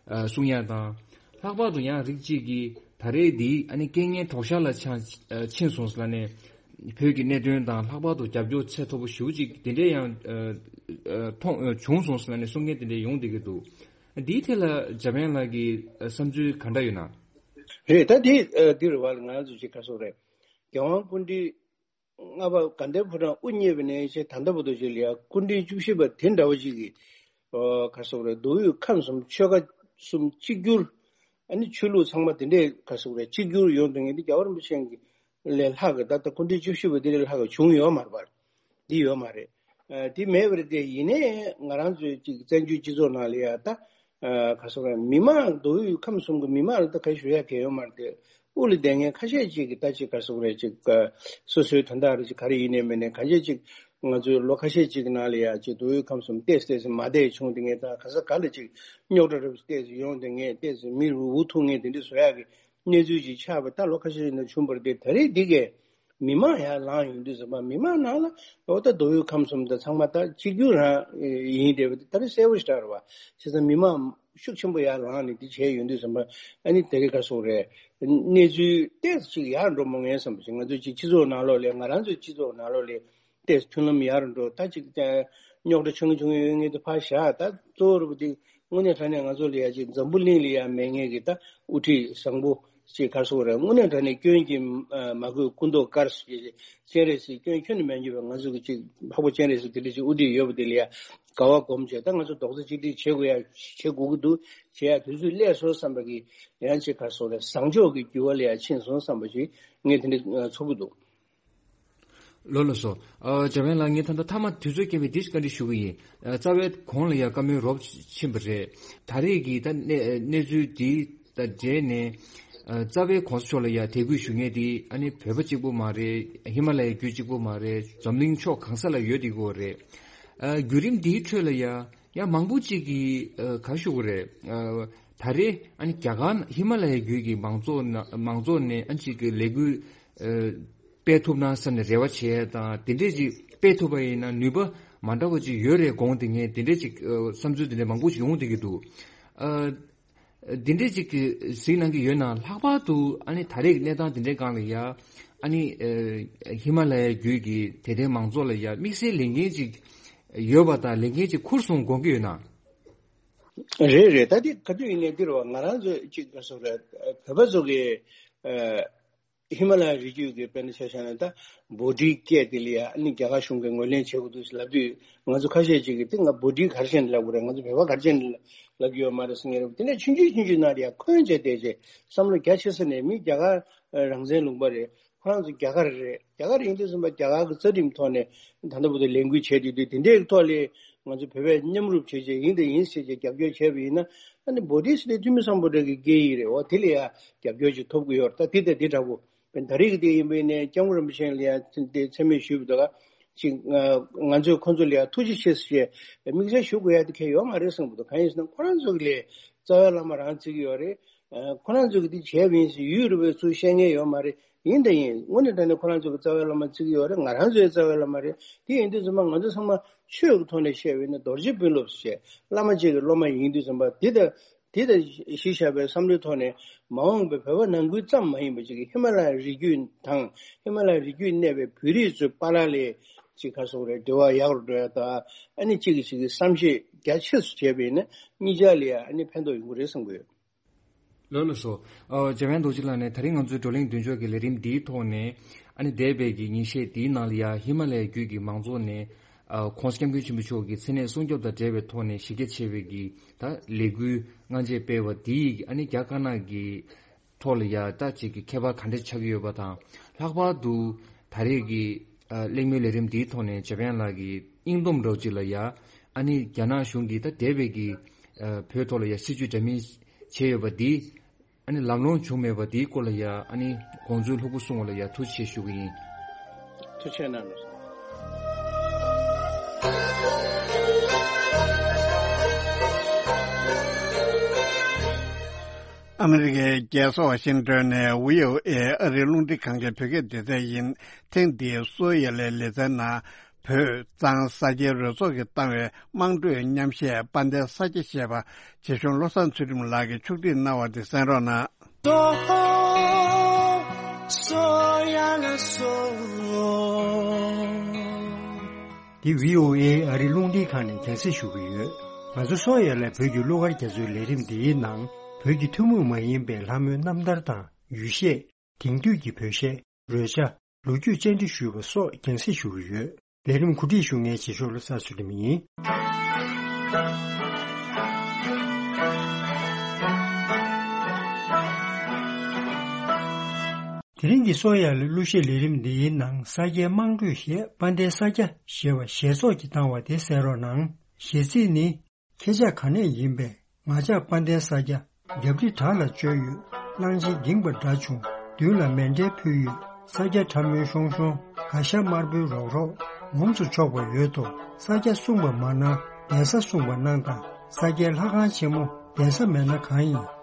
ཨ་གསུང་ཡ་དང་། ལྷག་པར་དུ་ཡང་རིགས་གཅིག་གིས་ད་རེས་འདི་ཨ་ནི་རྐྱེན་ངན་དོག་ཤར་ལ་ཆ་ཨ་ཕྱིན་སོང་ཟེར་ལབ་ནས་བོད་ཀྱི་གནད་དོན་དང་ལྷག་པར་དུ་རྒྱབ་སྐྱོར་ཚད་མཐོ་པོ་ཞེ་པོ་ཅིག་དེ་འདྲས་ཡང་ཨ་ཨ་མཐོང་ཨ་བྱུང་སོང་ཟེར་ལབ་ནས་གསུང་མཁན་དེ་འདྲས་ཡོང་བསྡད་ཀྱི་འདུག་འདིའི་ཐད་ལ་འཇམ་དབྱངས་ལགས་ཀྱི་ཨ་བསམ་ཚུལ་ག་འདྲ་ཡོད་ན། རེད་ད་འདི་ཨ་འདི་རེད་བ་ལ་ང་ཚོ་ཅིག་ག་སོག་རེད། རྒྱལ་དབང་སྐུ་ཕྲེང་ལྔ་པ་དགའ་ལྡན་ཕོ་བྲང་དབུ་བརྙེས་པ་ནས་བྱས་ད་ལྟ་བར་དུ་ཅིག་ལ་ཡ་སྐུ་ཕྲེང་བཅུ་བཞི་པ་དེ་འདྲ་བ་ཅིག་གིས་ཨོ་ག་སོག་རེད་མདོ་དབུས་ཁམས་གསུམ་ཆོལ་ཁ་གསུམ་གཅིག་གྱུར་ ཨ་ནི་ཆོས་ལུགས་ཚང་མ་དེ་འདྲའི་ག་རེ་ཟེར་དགོས་རེད། གཅིག་གྱུར་ཡོང་དུས་ངས་འདི་རྒྱལ་བ་རིན་པོ་ཆེ་གི་ལས་ལྷག་གི་ད་ལྟ་སྐུ་ཕྲེང་བཅུ་བཞི་པ་དེ་ལས་ལྷག་གི་བྱུང་ཡོད་མ་རེད་པ། འདི་ཡོད་མ་རེད། ཨ། དེ་མེད་པ་རེད་དེ། ཡིན་ནའི་ང་རང་ཚོའི་ཅིག་བཙན་བྱོལ་སྤྱི་ཚོགས་ནང་ལ་ཡ་ད། ཨ། ག་རེ་ཟེར་དགོས་རེད། མི་མང་མདོ་དབུས་ཁམས་གསུམ་གྱི་མི་མང་ལ་ད་ག་རེ་ཞུ་ཡ་གང་ཡང་ཡོད་མ་རེད་དེ། དབུ་ལ་བསྡད་མཁན་ཁ་ཤས་ཅིག་གིས་ད་ཅིག་ག་རེ་ཟེར་དགོས་རེད། ཅིག་སོ་སོའི་དོན་དག་རེད། ཅིག་ག་རེ་ཡིན་ནའི་མིན་ནའི་གང་ཅི་ཅིག་ང་ཚོའི་ལོ་ཁ་ཤས་ཅིག་གི་ནང་ལ་ཡ་ཅིག་མདོ་དབུས་ཁམས་གསུམ་ཏོག་ཙམ་ཏོག་ཙམ་མ་བདེ་བྱུང་དེ་ངས་ད་ག་ས་ག་ལ་ཅིག་རྙོག་དྲ་རབ་ཏོག་ཙམ་ཡོང་དེ་ངས་ཏོག་ཙམ་མི་རུ་འུ་ཐུག་མཁན་དེ་འདྲ་བཟོ་ཡག་གི་གནས་ཚུལ་ཅིག་ཆགས་པ་ད་ལོ་ཁ་ཤས་ནང་བྱུང་བ་རེད་དེ། ད་རེས་འདི་གས་མི་མང་ཡར་ལངས་ཡོང་དུས་ཙམ་པ་མི་མང་ནང་ལ་འོ་ད་མདོ་དབུས་ཁམས་གསུམ་དང་ཚང་མ་ད་གཅིག་གྱུར་རང་ཡིན་བསྡད་པ་དེ་ད་རེས་གསལ་པོ་ཞེ་དྲག་རེད་པ། བྱས་ཙང་མི་མང་ཤུགས་ཆེན་པོ་ཡར་ལངས་ནས་འདི་བྱས་ཡོང་དུས་ཙམ་པ་ཨ་ནི་དེ་རིང་ག་རེ་ཟེར་དགོས་རེད། གནས་ཚུལ་ཏོག་ཙམ་ཅིག་ཡར་འགྲོ་མ་ངེས་བསམ་པ་ཅིག་ང་ཚོའི་ཅིག་སྤྱི་ཚོགས་ནང་ལོགས་ལ་ང་རང་ཚོའི་སྤྱི་ཚོགས་ནང་ལོགས་ལ་ཏོག་ཙམ་མཐུན་ལམ་ཡར་འགྲོ། ད་ཅིག་རྙོག་དྲ་ཆུང་ཆུང་ཡོད་མཁན་དེ་ཕར་བཞག་ད་གཙོ་བོ་རུ་དེ་དངོས་གནས་དྲང་གནས་ང་ཚོ་ལ་ཡ་ཅིག་འཛམ་བུ་གླིང་ལ་ཡ་མེད་མཁན་གྱི་ད་དབུ་ཁྲིད་བཟང་པོ་ཅིག་ག་རེ་ཟེར་དགོས་རེད། དངོས་གནས་དྲང་གནས་སྐྱོན་གྱིས་མ་གོས་སྐུ་མདོག་དཀར་ཟེར་གྱི་སྤྱན་རས་གཟིགས་སྐྱོན་ཁྱོན་ནས་མེད་རྒྱུ་བའི་ང་ཚོ་གི་ཅིག་འཕགས་པ་སྤྱན་རས་གཟིགས་དེ་འདྲ་ཅིག་དབུ་ཁྲིད་ཡོད་པ་དེ་ལ་ཡ་དགའ་བ་སྒོམ་བྱས། ད་ང་ཚོ་རྡོག་རྩ་གཅིག་སྒྲིལ་བྱེད་དགོས་ཡ་བྱེད་དགོས་ཀྱི་འདུག་བྱེད་ཡ་དུས་ཚོད་སླེབས་སོང་བསམ་པ་གི་ཡང་ཅིག་ག་རེ་ཟེར་དགོས་རེད། བཟང་ཕྱོགས་ཀྱི་འགྱུར་བ་ལ་ཡ་ཕྱིན་སོང་བསམ་པ་ཞིག་ངས་དེ་འདྲ་ཚོར་གྱི་འདུག་ལགས་ལགས་སོ། ཨ། འཇམ་དབྱངས་ལགས། ངས་ད་ལྟ་མཐའ་མ་དུས་ཚོད་རྐྱེན་པས་འདི་ཞིག་བཀའ་འདྲི་ཞུ་གི་ཡིན། ཨ། རྩ་བའི་གོང་ལ་ཡང་བཀའ་མོལ་རོབ་ཕྱིན་པ་རེད། ད་རེས་ཀྱི་ད་གནས་གནས་ཚུལ་འདི་དང་འབྲེལ་ནས། ཨ། རྩ་བའི་གོང་ས་མཆོག་ལ་ཡང་དད་གུས་ཞུ་མཁན་འདི་ཨ་ནི་བོད་པ་གཅིག་པོ་མ་རེད། ཧི་མ་ལ་ཡའི་རྒྱུད་གཅིག་པོ་མ་རེད། འཛམ་གླིང་ཕྱོགས་གང་ས་ལ་ཡོད་བསྡད་ཀྱི་ཡོད་རེད། ཨ། བརྒྱུད་རིམ་འདིའི་ཁྲོད་ལ་ཡང་ཡང་མང་པོ་གཅིག་གིས། ཨ། ག་རེ་ཞུ་དགོས་རེད། ཨ། ད་རེས་ཨ་ནི་རྒྱ་གར་ཧི་མ་ལ་ཡའི་རྒྱུད་ཀྱི་མང་ཚོགས་ནང་མང་ཚོགས་ནས་ཨ་ནི་གཅིག་གི་ལས་འགུལ། ཨ། སྤེལ་ཐུབ་ན་བསམ་ནས་རེ་བ་བྱས་དང་། དེ་འདྲས་ཅིག་སྤེལ་ཐུབ་པ་ཡིན་ན་ནུས་པ་མ་འདྲ་བ་ཅིག་ཡོད་རེད་དགོངས་ཏེ། ངས་དེ་འདྲས་ཅིག་ཨ། བསམ་ཚུལ་དེ་འདྲས་མང་པོ་ཅིག་ཡོང་བསྡད་ཀྱི་འདུག་ཨ། དེ་འདྲས་ཅིག་གཟིགས་གནང་གི་ཡོད་ན། ལྷག་པར་དུ་ཨ་ནི་ད་རེས་ཀྱི་གནས་སྟངས་དེ་འདྲའི་སྒང་ལ་ཡ་ཨ་ནི། ཨ། ཧི་མ་ལ་ཡའི་རྒྱུད་ཀྱི་དད་ལྡན་མང་ཚོགས་ལ་ཡ་དམིགས་བསལ་ལས་འགན་ཅིག་ཡོད་པ་དང་ལས་འགན་ཅིག་འཁུར་སོང་དགོངས་ཀྱི་ཡོད་ན། རེད་རེད། ད་དེ་ག་དུས་ཡིན་ནའི་འདིར་བ་ང་རང་ཚོས་ཅིག་ག་རེ་ཟེར་དགོས་རེད། བོད་པ་ཚོ་གི། ཨ། ཧི་མ་ལ་ཡའི་རི་རྒྱུད་ཀྱི་དཔེར་ན་ཆ་བཞག་ན་ད་བྷོ་ཊའི་སྐད་དེ་ལ་ཡ་ཨ་ནི་རྒྱ་གར་གཞུང་གིས་ངོས་ལེན་བྱེད་དགོས་འདུག་ཟེར་ལབ་དུས། ང་ཚོ་ཁ་ཤས་ཅིག་གིས་དེ་ང་བྷོ་ཊའི་ག་རེ་བྱས་ནས་ལབ་དགོས་རེད། ང་ཚོ་བོད་པ་ག་རེ་བྱས་ནས་ལབ་ཀྱི་ཡོད་མ་རེད་ཟེར་མཁན་རེད། དེ་ནས་ཆུང་ཆུང་ཆུང་ཆུང་ནང་ལ་ཡ་འཁོན་བྱས་བསྡད་བྱས་བསམ་བློ་རྒྱ་ཆེ་ས་ནས། མི་རྒྱ་གར་རང་བཙན་ལུང་པ་རེད། ཁོ་རང་ཚོ་རྒྱ་གར་རེད། རྒྱ་གར་ཡིན་དུས་ཙམ་པ་རྒྱ་གར་གྱི་རྩ་ཁྲིམས་ཐོག་ནས་ད་ལྟ་བར་དུ་ལས་འགུལ་བྱས་བསྡད་དུས། དེ་འདྲའི་ཐོག་ལ་ང་ཚོ་བོད་པས་མཉམ་རུབ་བྱས་བྱས་ཡིན་དང་ཡིན་ཟེར་བྱས་རྒྱབ་སྐྱོར་བྱས་པ་ཡིན་ན། ཨ་ནི་བྷོ་ཊི་ཟེར་དེ་ཐུ་མི་སམ་བྷོ་ཊ་གི་སྐད་ཡིག་རེད། འོ་དེ་ལ་ཡ་རྒྱབ་སྐྱོར་ཅིག་ཐོབ་ཀྱི་ཡོད་རེད། ད་དེ་དང་དེ་འདྲ་པོ། ད་རེས་ཀྱི་དེ་ཡིན་པ་ཡིན་ནའི་སྐྱབས་མགོན་རིན་པོ་ཆེ་ལ་ཡ་དེ་མཚན་སྨད་ཞུས་པ་དང་ཅིག་ང་ང་ཚོས་ཁོང་ཚོ་ལ་ཡ་ཐུགས་རྗེ་ཆེ་ཟེར་བྱས་དམིགས་བསལ་ཞུ་དགོས་ཡ་དེ་གང་ཡང་ཡོད་མ་རེད་བསམ་གྱི་འདུག་གང་ཡིན་ཟེར་ན་ཁོ་རང་ཚོ་གི་ལས་རྩ་བའི་བླ་མ་རང་བརྩི་གི་ཡོད་རེད། ཁོ་རང་ཚོ་གིས་འདི་བྱས་པ་ཡིན་ཟེར་ཡུལ་རུ་བའི་ཚུལ་བཤད་མཁན་ཡོད་མ་རེད། ཡིན་དང་ཡིན། དངོས་གནས་དྲང་གནས་ཁོ་རང་ཚོ་གི་རྩ་བའི་བླ་མ་བརྩི་གི་ཡོད་རེད། ང་རང་ཚོའི་རྩ་བའི་བླ་མ་རེད། དེ་ཡིན་དུས་ཙམ་པ་ང་ཚོ་ཚང་མ་ཆོས་ཀྱི་ཐོག་ནས་བཤད་པ་ཡིན་ན་རྡོ་རྗེ་དཔོན་སློབ་ཟེར་བྱས་བླ་མ་གཅིག་གི་སློབ་མ་ཡིན་དུས་ཙམ་པ་དེ་ལྟ། དེ་ལྟ་གཞི་བཞག་པའི་བསམ་བློའི་ཐོག་ནས་མ་འོངས་པའི་བོད་པ་ནང་ཁུལ་ཙམ་མ་ཡིན་པ་ཅིག་གིས་ཧི་མ་ལ་ཡའི་རི་རྒྱུད་དང་ཧི་མ་ལ་ཡའི་རི་རྒྱུད་གནས་པའི་བོད་རིགས་ཚོའི་བར་ལ་ཅིག་ག་རེ་ཟེར་དགོས་རེད། འབྲེལ་བ་ཡག་རུ་འགྲོ་ཡ་དང་། ཨ་ནི་གཅིག་གིས་གཅིག་གི་བསམ་ཤེས་རྒྱ་ཆེ་རུ་བྱས་པ་ཡིན་ན་གཉིས་ཆར་ལ་ཡ་ཨ་ནི་ཕན་ཐོགས་ཡོང་གི་རེད་བསམ་གྱི་ཡོད། ལགས་ལགས་སོ། ཨ། འཇམ་དབྱངས་རྡོ་རྗེ་ལགས་ནས་ད་རིང་ང་ཚོའི་བགྲོ་གླེང་མདུན་ལྕོག་གི་ལས་རིམ་འདིའི་ཐོག་ནས། ཨ་ནི་འདས་པའི་གི་ཉིན་ཤས་འདིའི་ནང་ལ་ཡ་ཧི་མ་ལ་ཡའི་རྒྱུད་ཀྱི་མང་ཚོགས་ནས། ཨ། ྋགོང་ས་ྋསྐྱབས་མགོན་ཆེན་པོ་མཆོག་གི་མཚན་གནས་སྲུང་སྐྱོབ་དང་འབྲེལ་བའི་ཐོག་ནས་གཞི་རྒྱ་ཆེ་བའི་གི་ད་ལས་འགུལ་སྔ་རྗེས་སྤེལ་བ་འདིས། ཨ་ནི་རྒྱ་དཀར་ནག་གི་ཐོག་ལ་ཡ་ད་ཅིག་གི་ཁྱད་པར་ག་འདྲ་ཆགས་ཀྱི་ཡོད་པ་དང་། ལྷག་པར་དུ་ད་རེས་ཀྱི་ཨ། གླེང་མོལ་ལས་རིམ་འདིའི་ཐོག་ནས་འཇམ་དབྱངས་ལགས་ཀྱིས་སྙིང་སྟོབས་འདྲ་བོ་ཅིག་ལ་ཡ། ཨ་ནི་རྒྱ་ནག་གཞུང་གིས་ད་འདས་པའི་གི་ཨ། བོད་ཐོག་ལ་ཡ་སྲིད་བྱུས་འདྲ་མིན་བྱས་ཡོད་པ་འདི། ཨ་ནི་ལམ་ལྷོང་བྱུང་མེད་པ་འདིའི་སྐོར་ལ་ཡ། ཨ་ནི་དགོངས་ཚུལ་ལྷུག་པོ་གསུངས་པ་ལ་ཡ་ཐུགས་རྗེ་ཆེ་ཞུ་གི་ཡིན། ཐུགས་རྗེ་གནང་རོགས། ཨ་མི་རི་ཀའི་རྒྱལ་ས་ཝ་ཤིང་ཏོན་ནས་བྷི་ཨོ་ཨེ་ཨ་རིའི་རླུང་འཕྲིན་ཁང་གི་བོད་སྐད་སྡེ་ཚན་ཡིན། ཐེངས་འདིའི་གསོལ་ཡ་ལའི་ལེ་ཚན་ནང་། བོད་གཙང་ས་སྐྱའི་རོལ་ཚོགས་ཀྱིས་བཏང་བའི་དམངས་ཁྲོད་མཉམ་གཞས་དཔལ་ལྡན་ས་སྐྱ་ཞེས་པ་རྗེ་གཞུང་བློ་བཟང་ཚུལ་ཁྲིམས་ལགས་ཀྱིས་ཕྱོགས་སྒྲིག་གནང་བ་དེ་གསན་རོགས་གནང་། འདི་བྷི་ཨོ་ཨེ་ཨ་རིའི་རླུང་འཕྲིན་ཁང་ནས་རྒྱང་སྲིང་ཞུ་གི་ཡོད། ང་ཚོ་གསོལ་ཡ་ལའི་བོད་ཀྱི་གླུ་གར་རྒྱ་མཚོའི་ལས་རིམ་འདིའི་ནང་། བོད་ཀྱི་ཐུན་མོང་མ་ཡིན་པའི་ལྷ་མོའི་རྣམ་ཐར་དང་ཡུལ་གཞས། དེང་དུས་ཀྱི་བོད་གཞས། རོལ་ཆ། ལོ་རྒྱུས་བཅར་འདྲི་ཞུས་པ་སོགས་རྒྱང་སྲིང་ཞུ་གི་ཡོད། ལས་རིམ་གོ་སྒྲིག་ཞུ་མཁན་རྗེ་ཤོར་བློ་བཟང་ཚུལ་ཁྲིམས་ཡིན། དེ་རིང་གི་གསོ་ཡ་ལི་གླུ་གཞས་ལས་རིམ་འདིའི་ནང་ས་སྐྱའི་དམངས་ཁྲོད་གཞས་དཔལ་ལྡན་ས་སྐྱ་ཞེས་པ་ཞེས་ཚོགས་ཀྱིས་བཏང་བ་དེ་གསན་རོགས་གནང་། གཞས་ཚིག་ནི། ཁྱེད་ཅག་ག་ནས་ཡིན་པས། ང་ཅག་དཔལ་ལྡན་ས་སྐྱ། རྒྱབ་རི་བྲག་ལ་བཅོལ་ཡོད། གླང་ཆེན་འགྱིང་པ་འདྲ་བྱུང་། མདུན་ལ་མཎྜལ་ཕུལ་ཡོད། ས་སྐྱ་ཁྲ་མོའི་ཤོང་ཤོང་། ག་ཤ་དམར་པོའི་རོག་རོག་ངོམས་སུ་ཆོག་པ་ཡོད་དོ། ས་སྐྱ་གསུངས་པ་མ་གནང་། གདན་ས་གསུངས་པ་གནང་དང་། ས་སྐྱའི་ལྷ་ཁང་ཆེན་མོ་གདན་ས་མེད་ན་གང་ཡིན།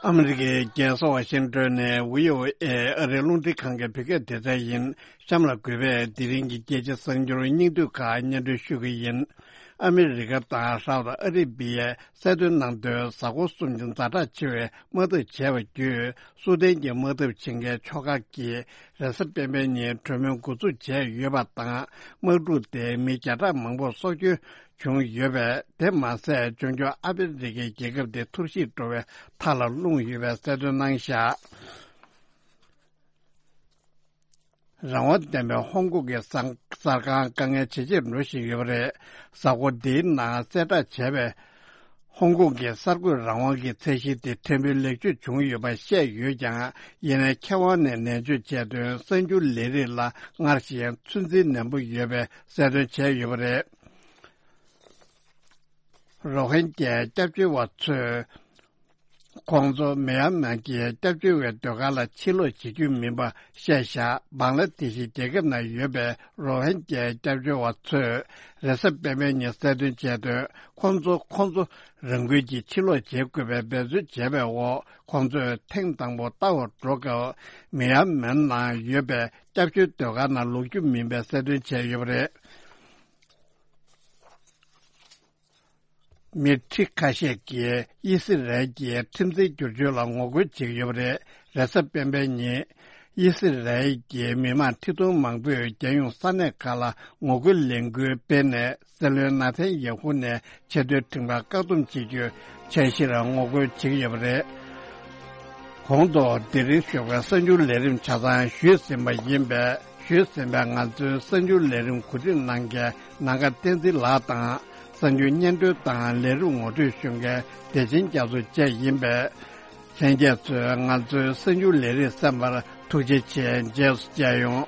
ཨ་མི་རི་ཀའི་རྒྱལ་ས་ཝ་ཤིང་ཏོན་ནས་བྷི་ཨོ་ཨེ་ཨ་རིའི་རླུང་འཕྲིན་ཁང་གི་བོད་སྐད་སྡེ་ཚན་ཡིན། གཤམ་ལ་གུས་པས་དེ་རིང་གི་རྒྱལ་སྤྱི་གསར་འགྱུར་སྙིང་བསྡུས་ཁག་སྙན་སྒྲོན་ཞུ་གི་ཡིན། ཨ་མི་རི་ཀ་དང་ཧྲའོ་ཏ་ཨ་རི་བི་ཡས་གསལ་སྟོན་གནང་དོན། གཟའ་འཁོར་གསུམ་གྱི་ཛ་དྲག་ཆེ་བའི་དམག་འཐབ་བྱས་པ་བརྒྱུད། སུའུ་ཏན་གྱི་དམག་འཐབ་བྱེད་མཁན་ཕྱོགས་ཁག་གིས་རེས་གཟའ་སྤེན་པའི་ཉིན་གྲོས་མོལ་འགོ་འཛུགས་བྱས་ཡོད་པ་དང་། དམག་འཁྲུག་དེ་མི་བརྒྱ་ཕྲག་མང་པོར་སྲོག་སྐྱོན་བྱུང་ཡོད་པས། དེ་མ་ཟད། འབྱུང་འགྱུར་ཨ་ཧྥེ་རི་ཁའི་རྒྱལ་ཁབ་དེ་འཐོར་ཞིག་འགྲོ་བའི་མཐའ་ལ་ལྷུང་ཡོད་པའི་གསལ་སྟོན་གནང་བཞག་རང་དབང་ལྡན་པའི་ཧོང་ཀོང་གི་གསར་གསར་ཁང་དཀའ་ངལ་ཇེ་ཆེར་འགྲོ་བཞིན་ཡོད་པ་རེད། གཟའ་འཁོར་འདིའི་ནང་གསལ་བསྒྲགས་བྱས་པའི། ཧོང་ཀོང་གི་གསར་འགོད་རང་དབང་གི་ཚད་གཞི་དེ་ཕྲན་བུ་ལེགས་བཅོས་བྱུང་ཡོད་པ་བཤད་ཡོད་ཀྱང་། ཡིན་ནའི་མཁས་དབང་ནས་ནན་བརྗོད་བྱས་དོན། གསར་འགྱུར་ལས་རིགས་ལ་སྔར་བཞིན་ཚོད་འཛིན་ནན་པོ་ཡོད་པའི་གསལ་སྟོན་བྱས་ཡོད་པ་རེད། རོ་ཧིན་གྱའི་སྐྱབས་བཅོལ་བ་ཚོས། ཁོང་ཚོ་མི་ཡན་མར་གྱི་སྐྱབས་བཅོལ་བའི་སྡོད་སྒར་ལ་ཕྱིར་ལོག་བྱེད་རྒྱུ་མིན་པ་བཤད་བཞག་བང་ལ་དེ་ཤི་རྒྱལ་ཁབ་ནང་ཡོད་པའི་རོ་ཧིན་གྱའི་སྐྱབས་བཅོལ་བ་ཚོས་རེས་གཟའ་སྤེན་པའི་ཉིན་གསལ་སྟོན་བྱས་དོན། ཁོང་ཚོ་ཁོང་ཚོ་རང་འགུལ་གྱིས་ཕྱིར་ལོག་བྱེད་དགོས་པའི་འབད་རྩོལ་བྱས་པའི་འོག་ཁོང་ཚོས་ཐེངས་དང་པོ་ལྟ་བར་འགྲོ་སྐབས། མི་ཡན་མར་ནང་ཡོད་པའི་སྐྱབས་བཅོལ་སྡོད་སྒར་ནང་ལོག་རྒྱུ་མིན་པའི་གསལ་སྟོན་བྱས་ཡོད་པ་རེད། མི་ཁྲི་ཁ་ཤས་ཀྱིས་དབྱི་སི་རལ་གྱི་ཁྲིམས་འཛིན་བསྒྱུར་བཅོས་ལ་ངོ་རྒོལ་བྱེད་ཀྱི་ཡོད་པ་རེད། རེས་གཟའ་སྤེན་པའི་ཉིན། དབྱི་སི་རལ་གྱི་མི་མང་ཁྲི་སྟོང་མང་པོས་རྒྱལ་ཡོངས་ས་གནས་ཁག་ལ་ངོ་རྒོལ་ལས་འགུལ་སྤེལ་ནས། སྲིད་བློན་ནཱ་ཐན་ཡེ་ཧུ་ནས་ཆེས་མཐོའི་ཁྲིམས་ཁང་བཀག་སྡོམ་བྱེད་རྒྱུའི་འཆར་གཞིར་ངོ་རྒོལ་བྱེད་ཀྱི་ཡོད་པ་རེད། གོང་དུ་དེ་རིང་ཞོགས་པའི་གསར་འགྱུར་ལས་རིམ་ཆ་ཚང་ཞུས་ཟིན་པ་ཡིན་པས། ཞུས་ཟིན་པའི་ང་ཚོའི་གསར་འགྱུར་ལས་རིམ་གོ་སྒྲིག་གནང་མཁན་ནམ་མཁའ་བསྟན་འཛིན་ལགས་དང་། གསར་འགྱུར་སྙན་སྒྲོན་དང་ལས་རིམ་ངོ་སྤྲོད་ཞུ་མཁན་བདེ་ཆེན་རྒྱ་མཚོ་བཅས་ཡིན་པས། ལྷན་རྒྱས་ཚོས་ང་ཚོའི་གསར་འགྱུར་ལས་རིམ་གསན་པར་ཐུགས་རྗེ་ཆེ། རྗེས་སུ་མཇལ་ཡོང་།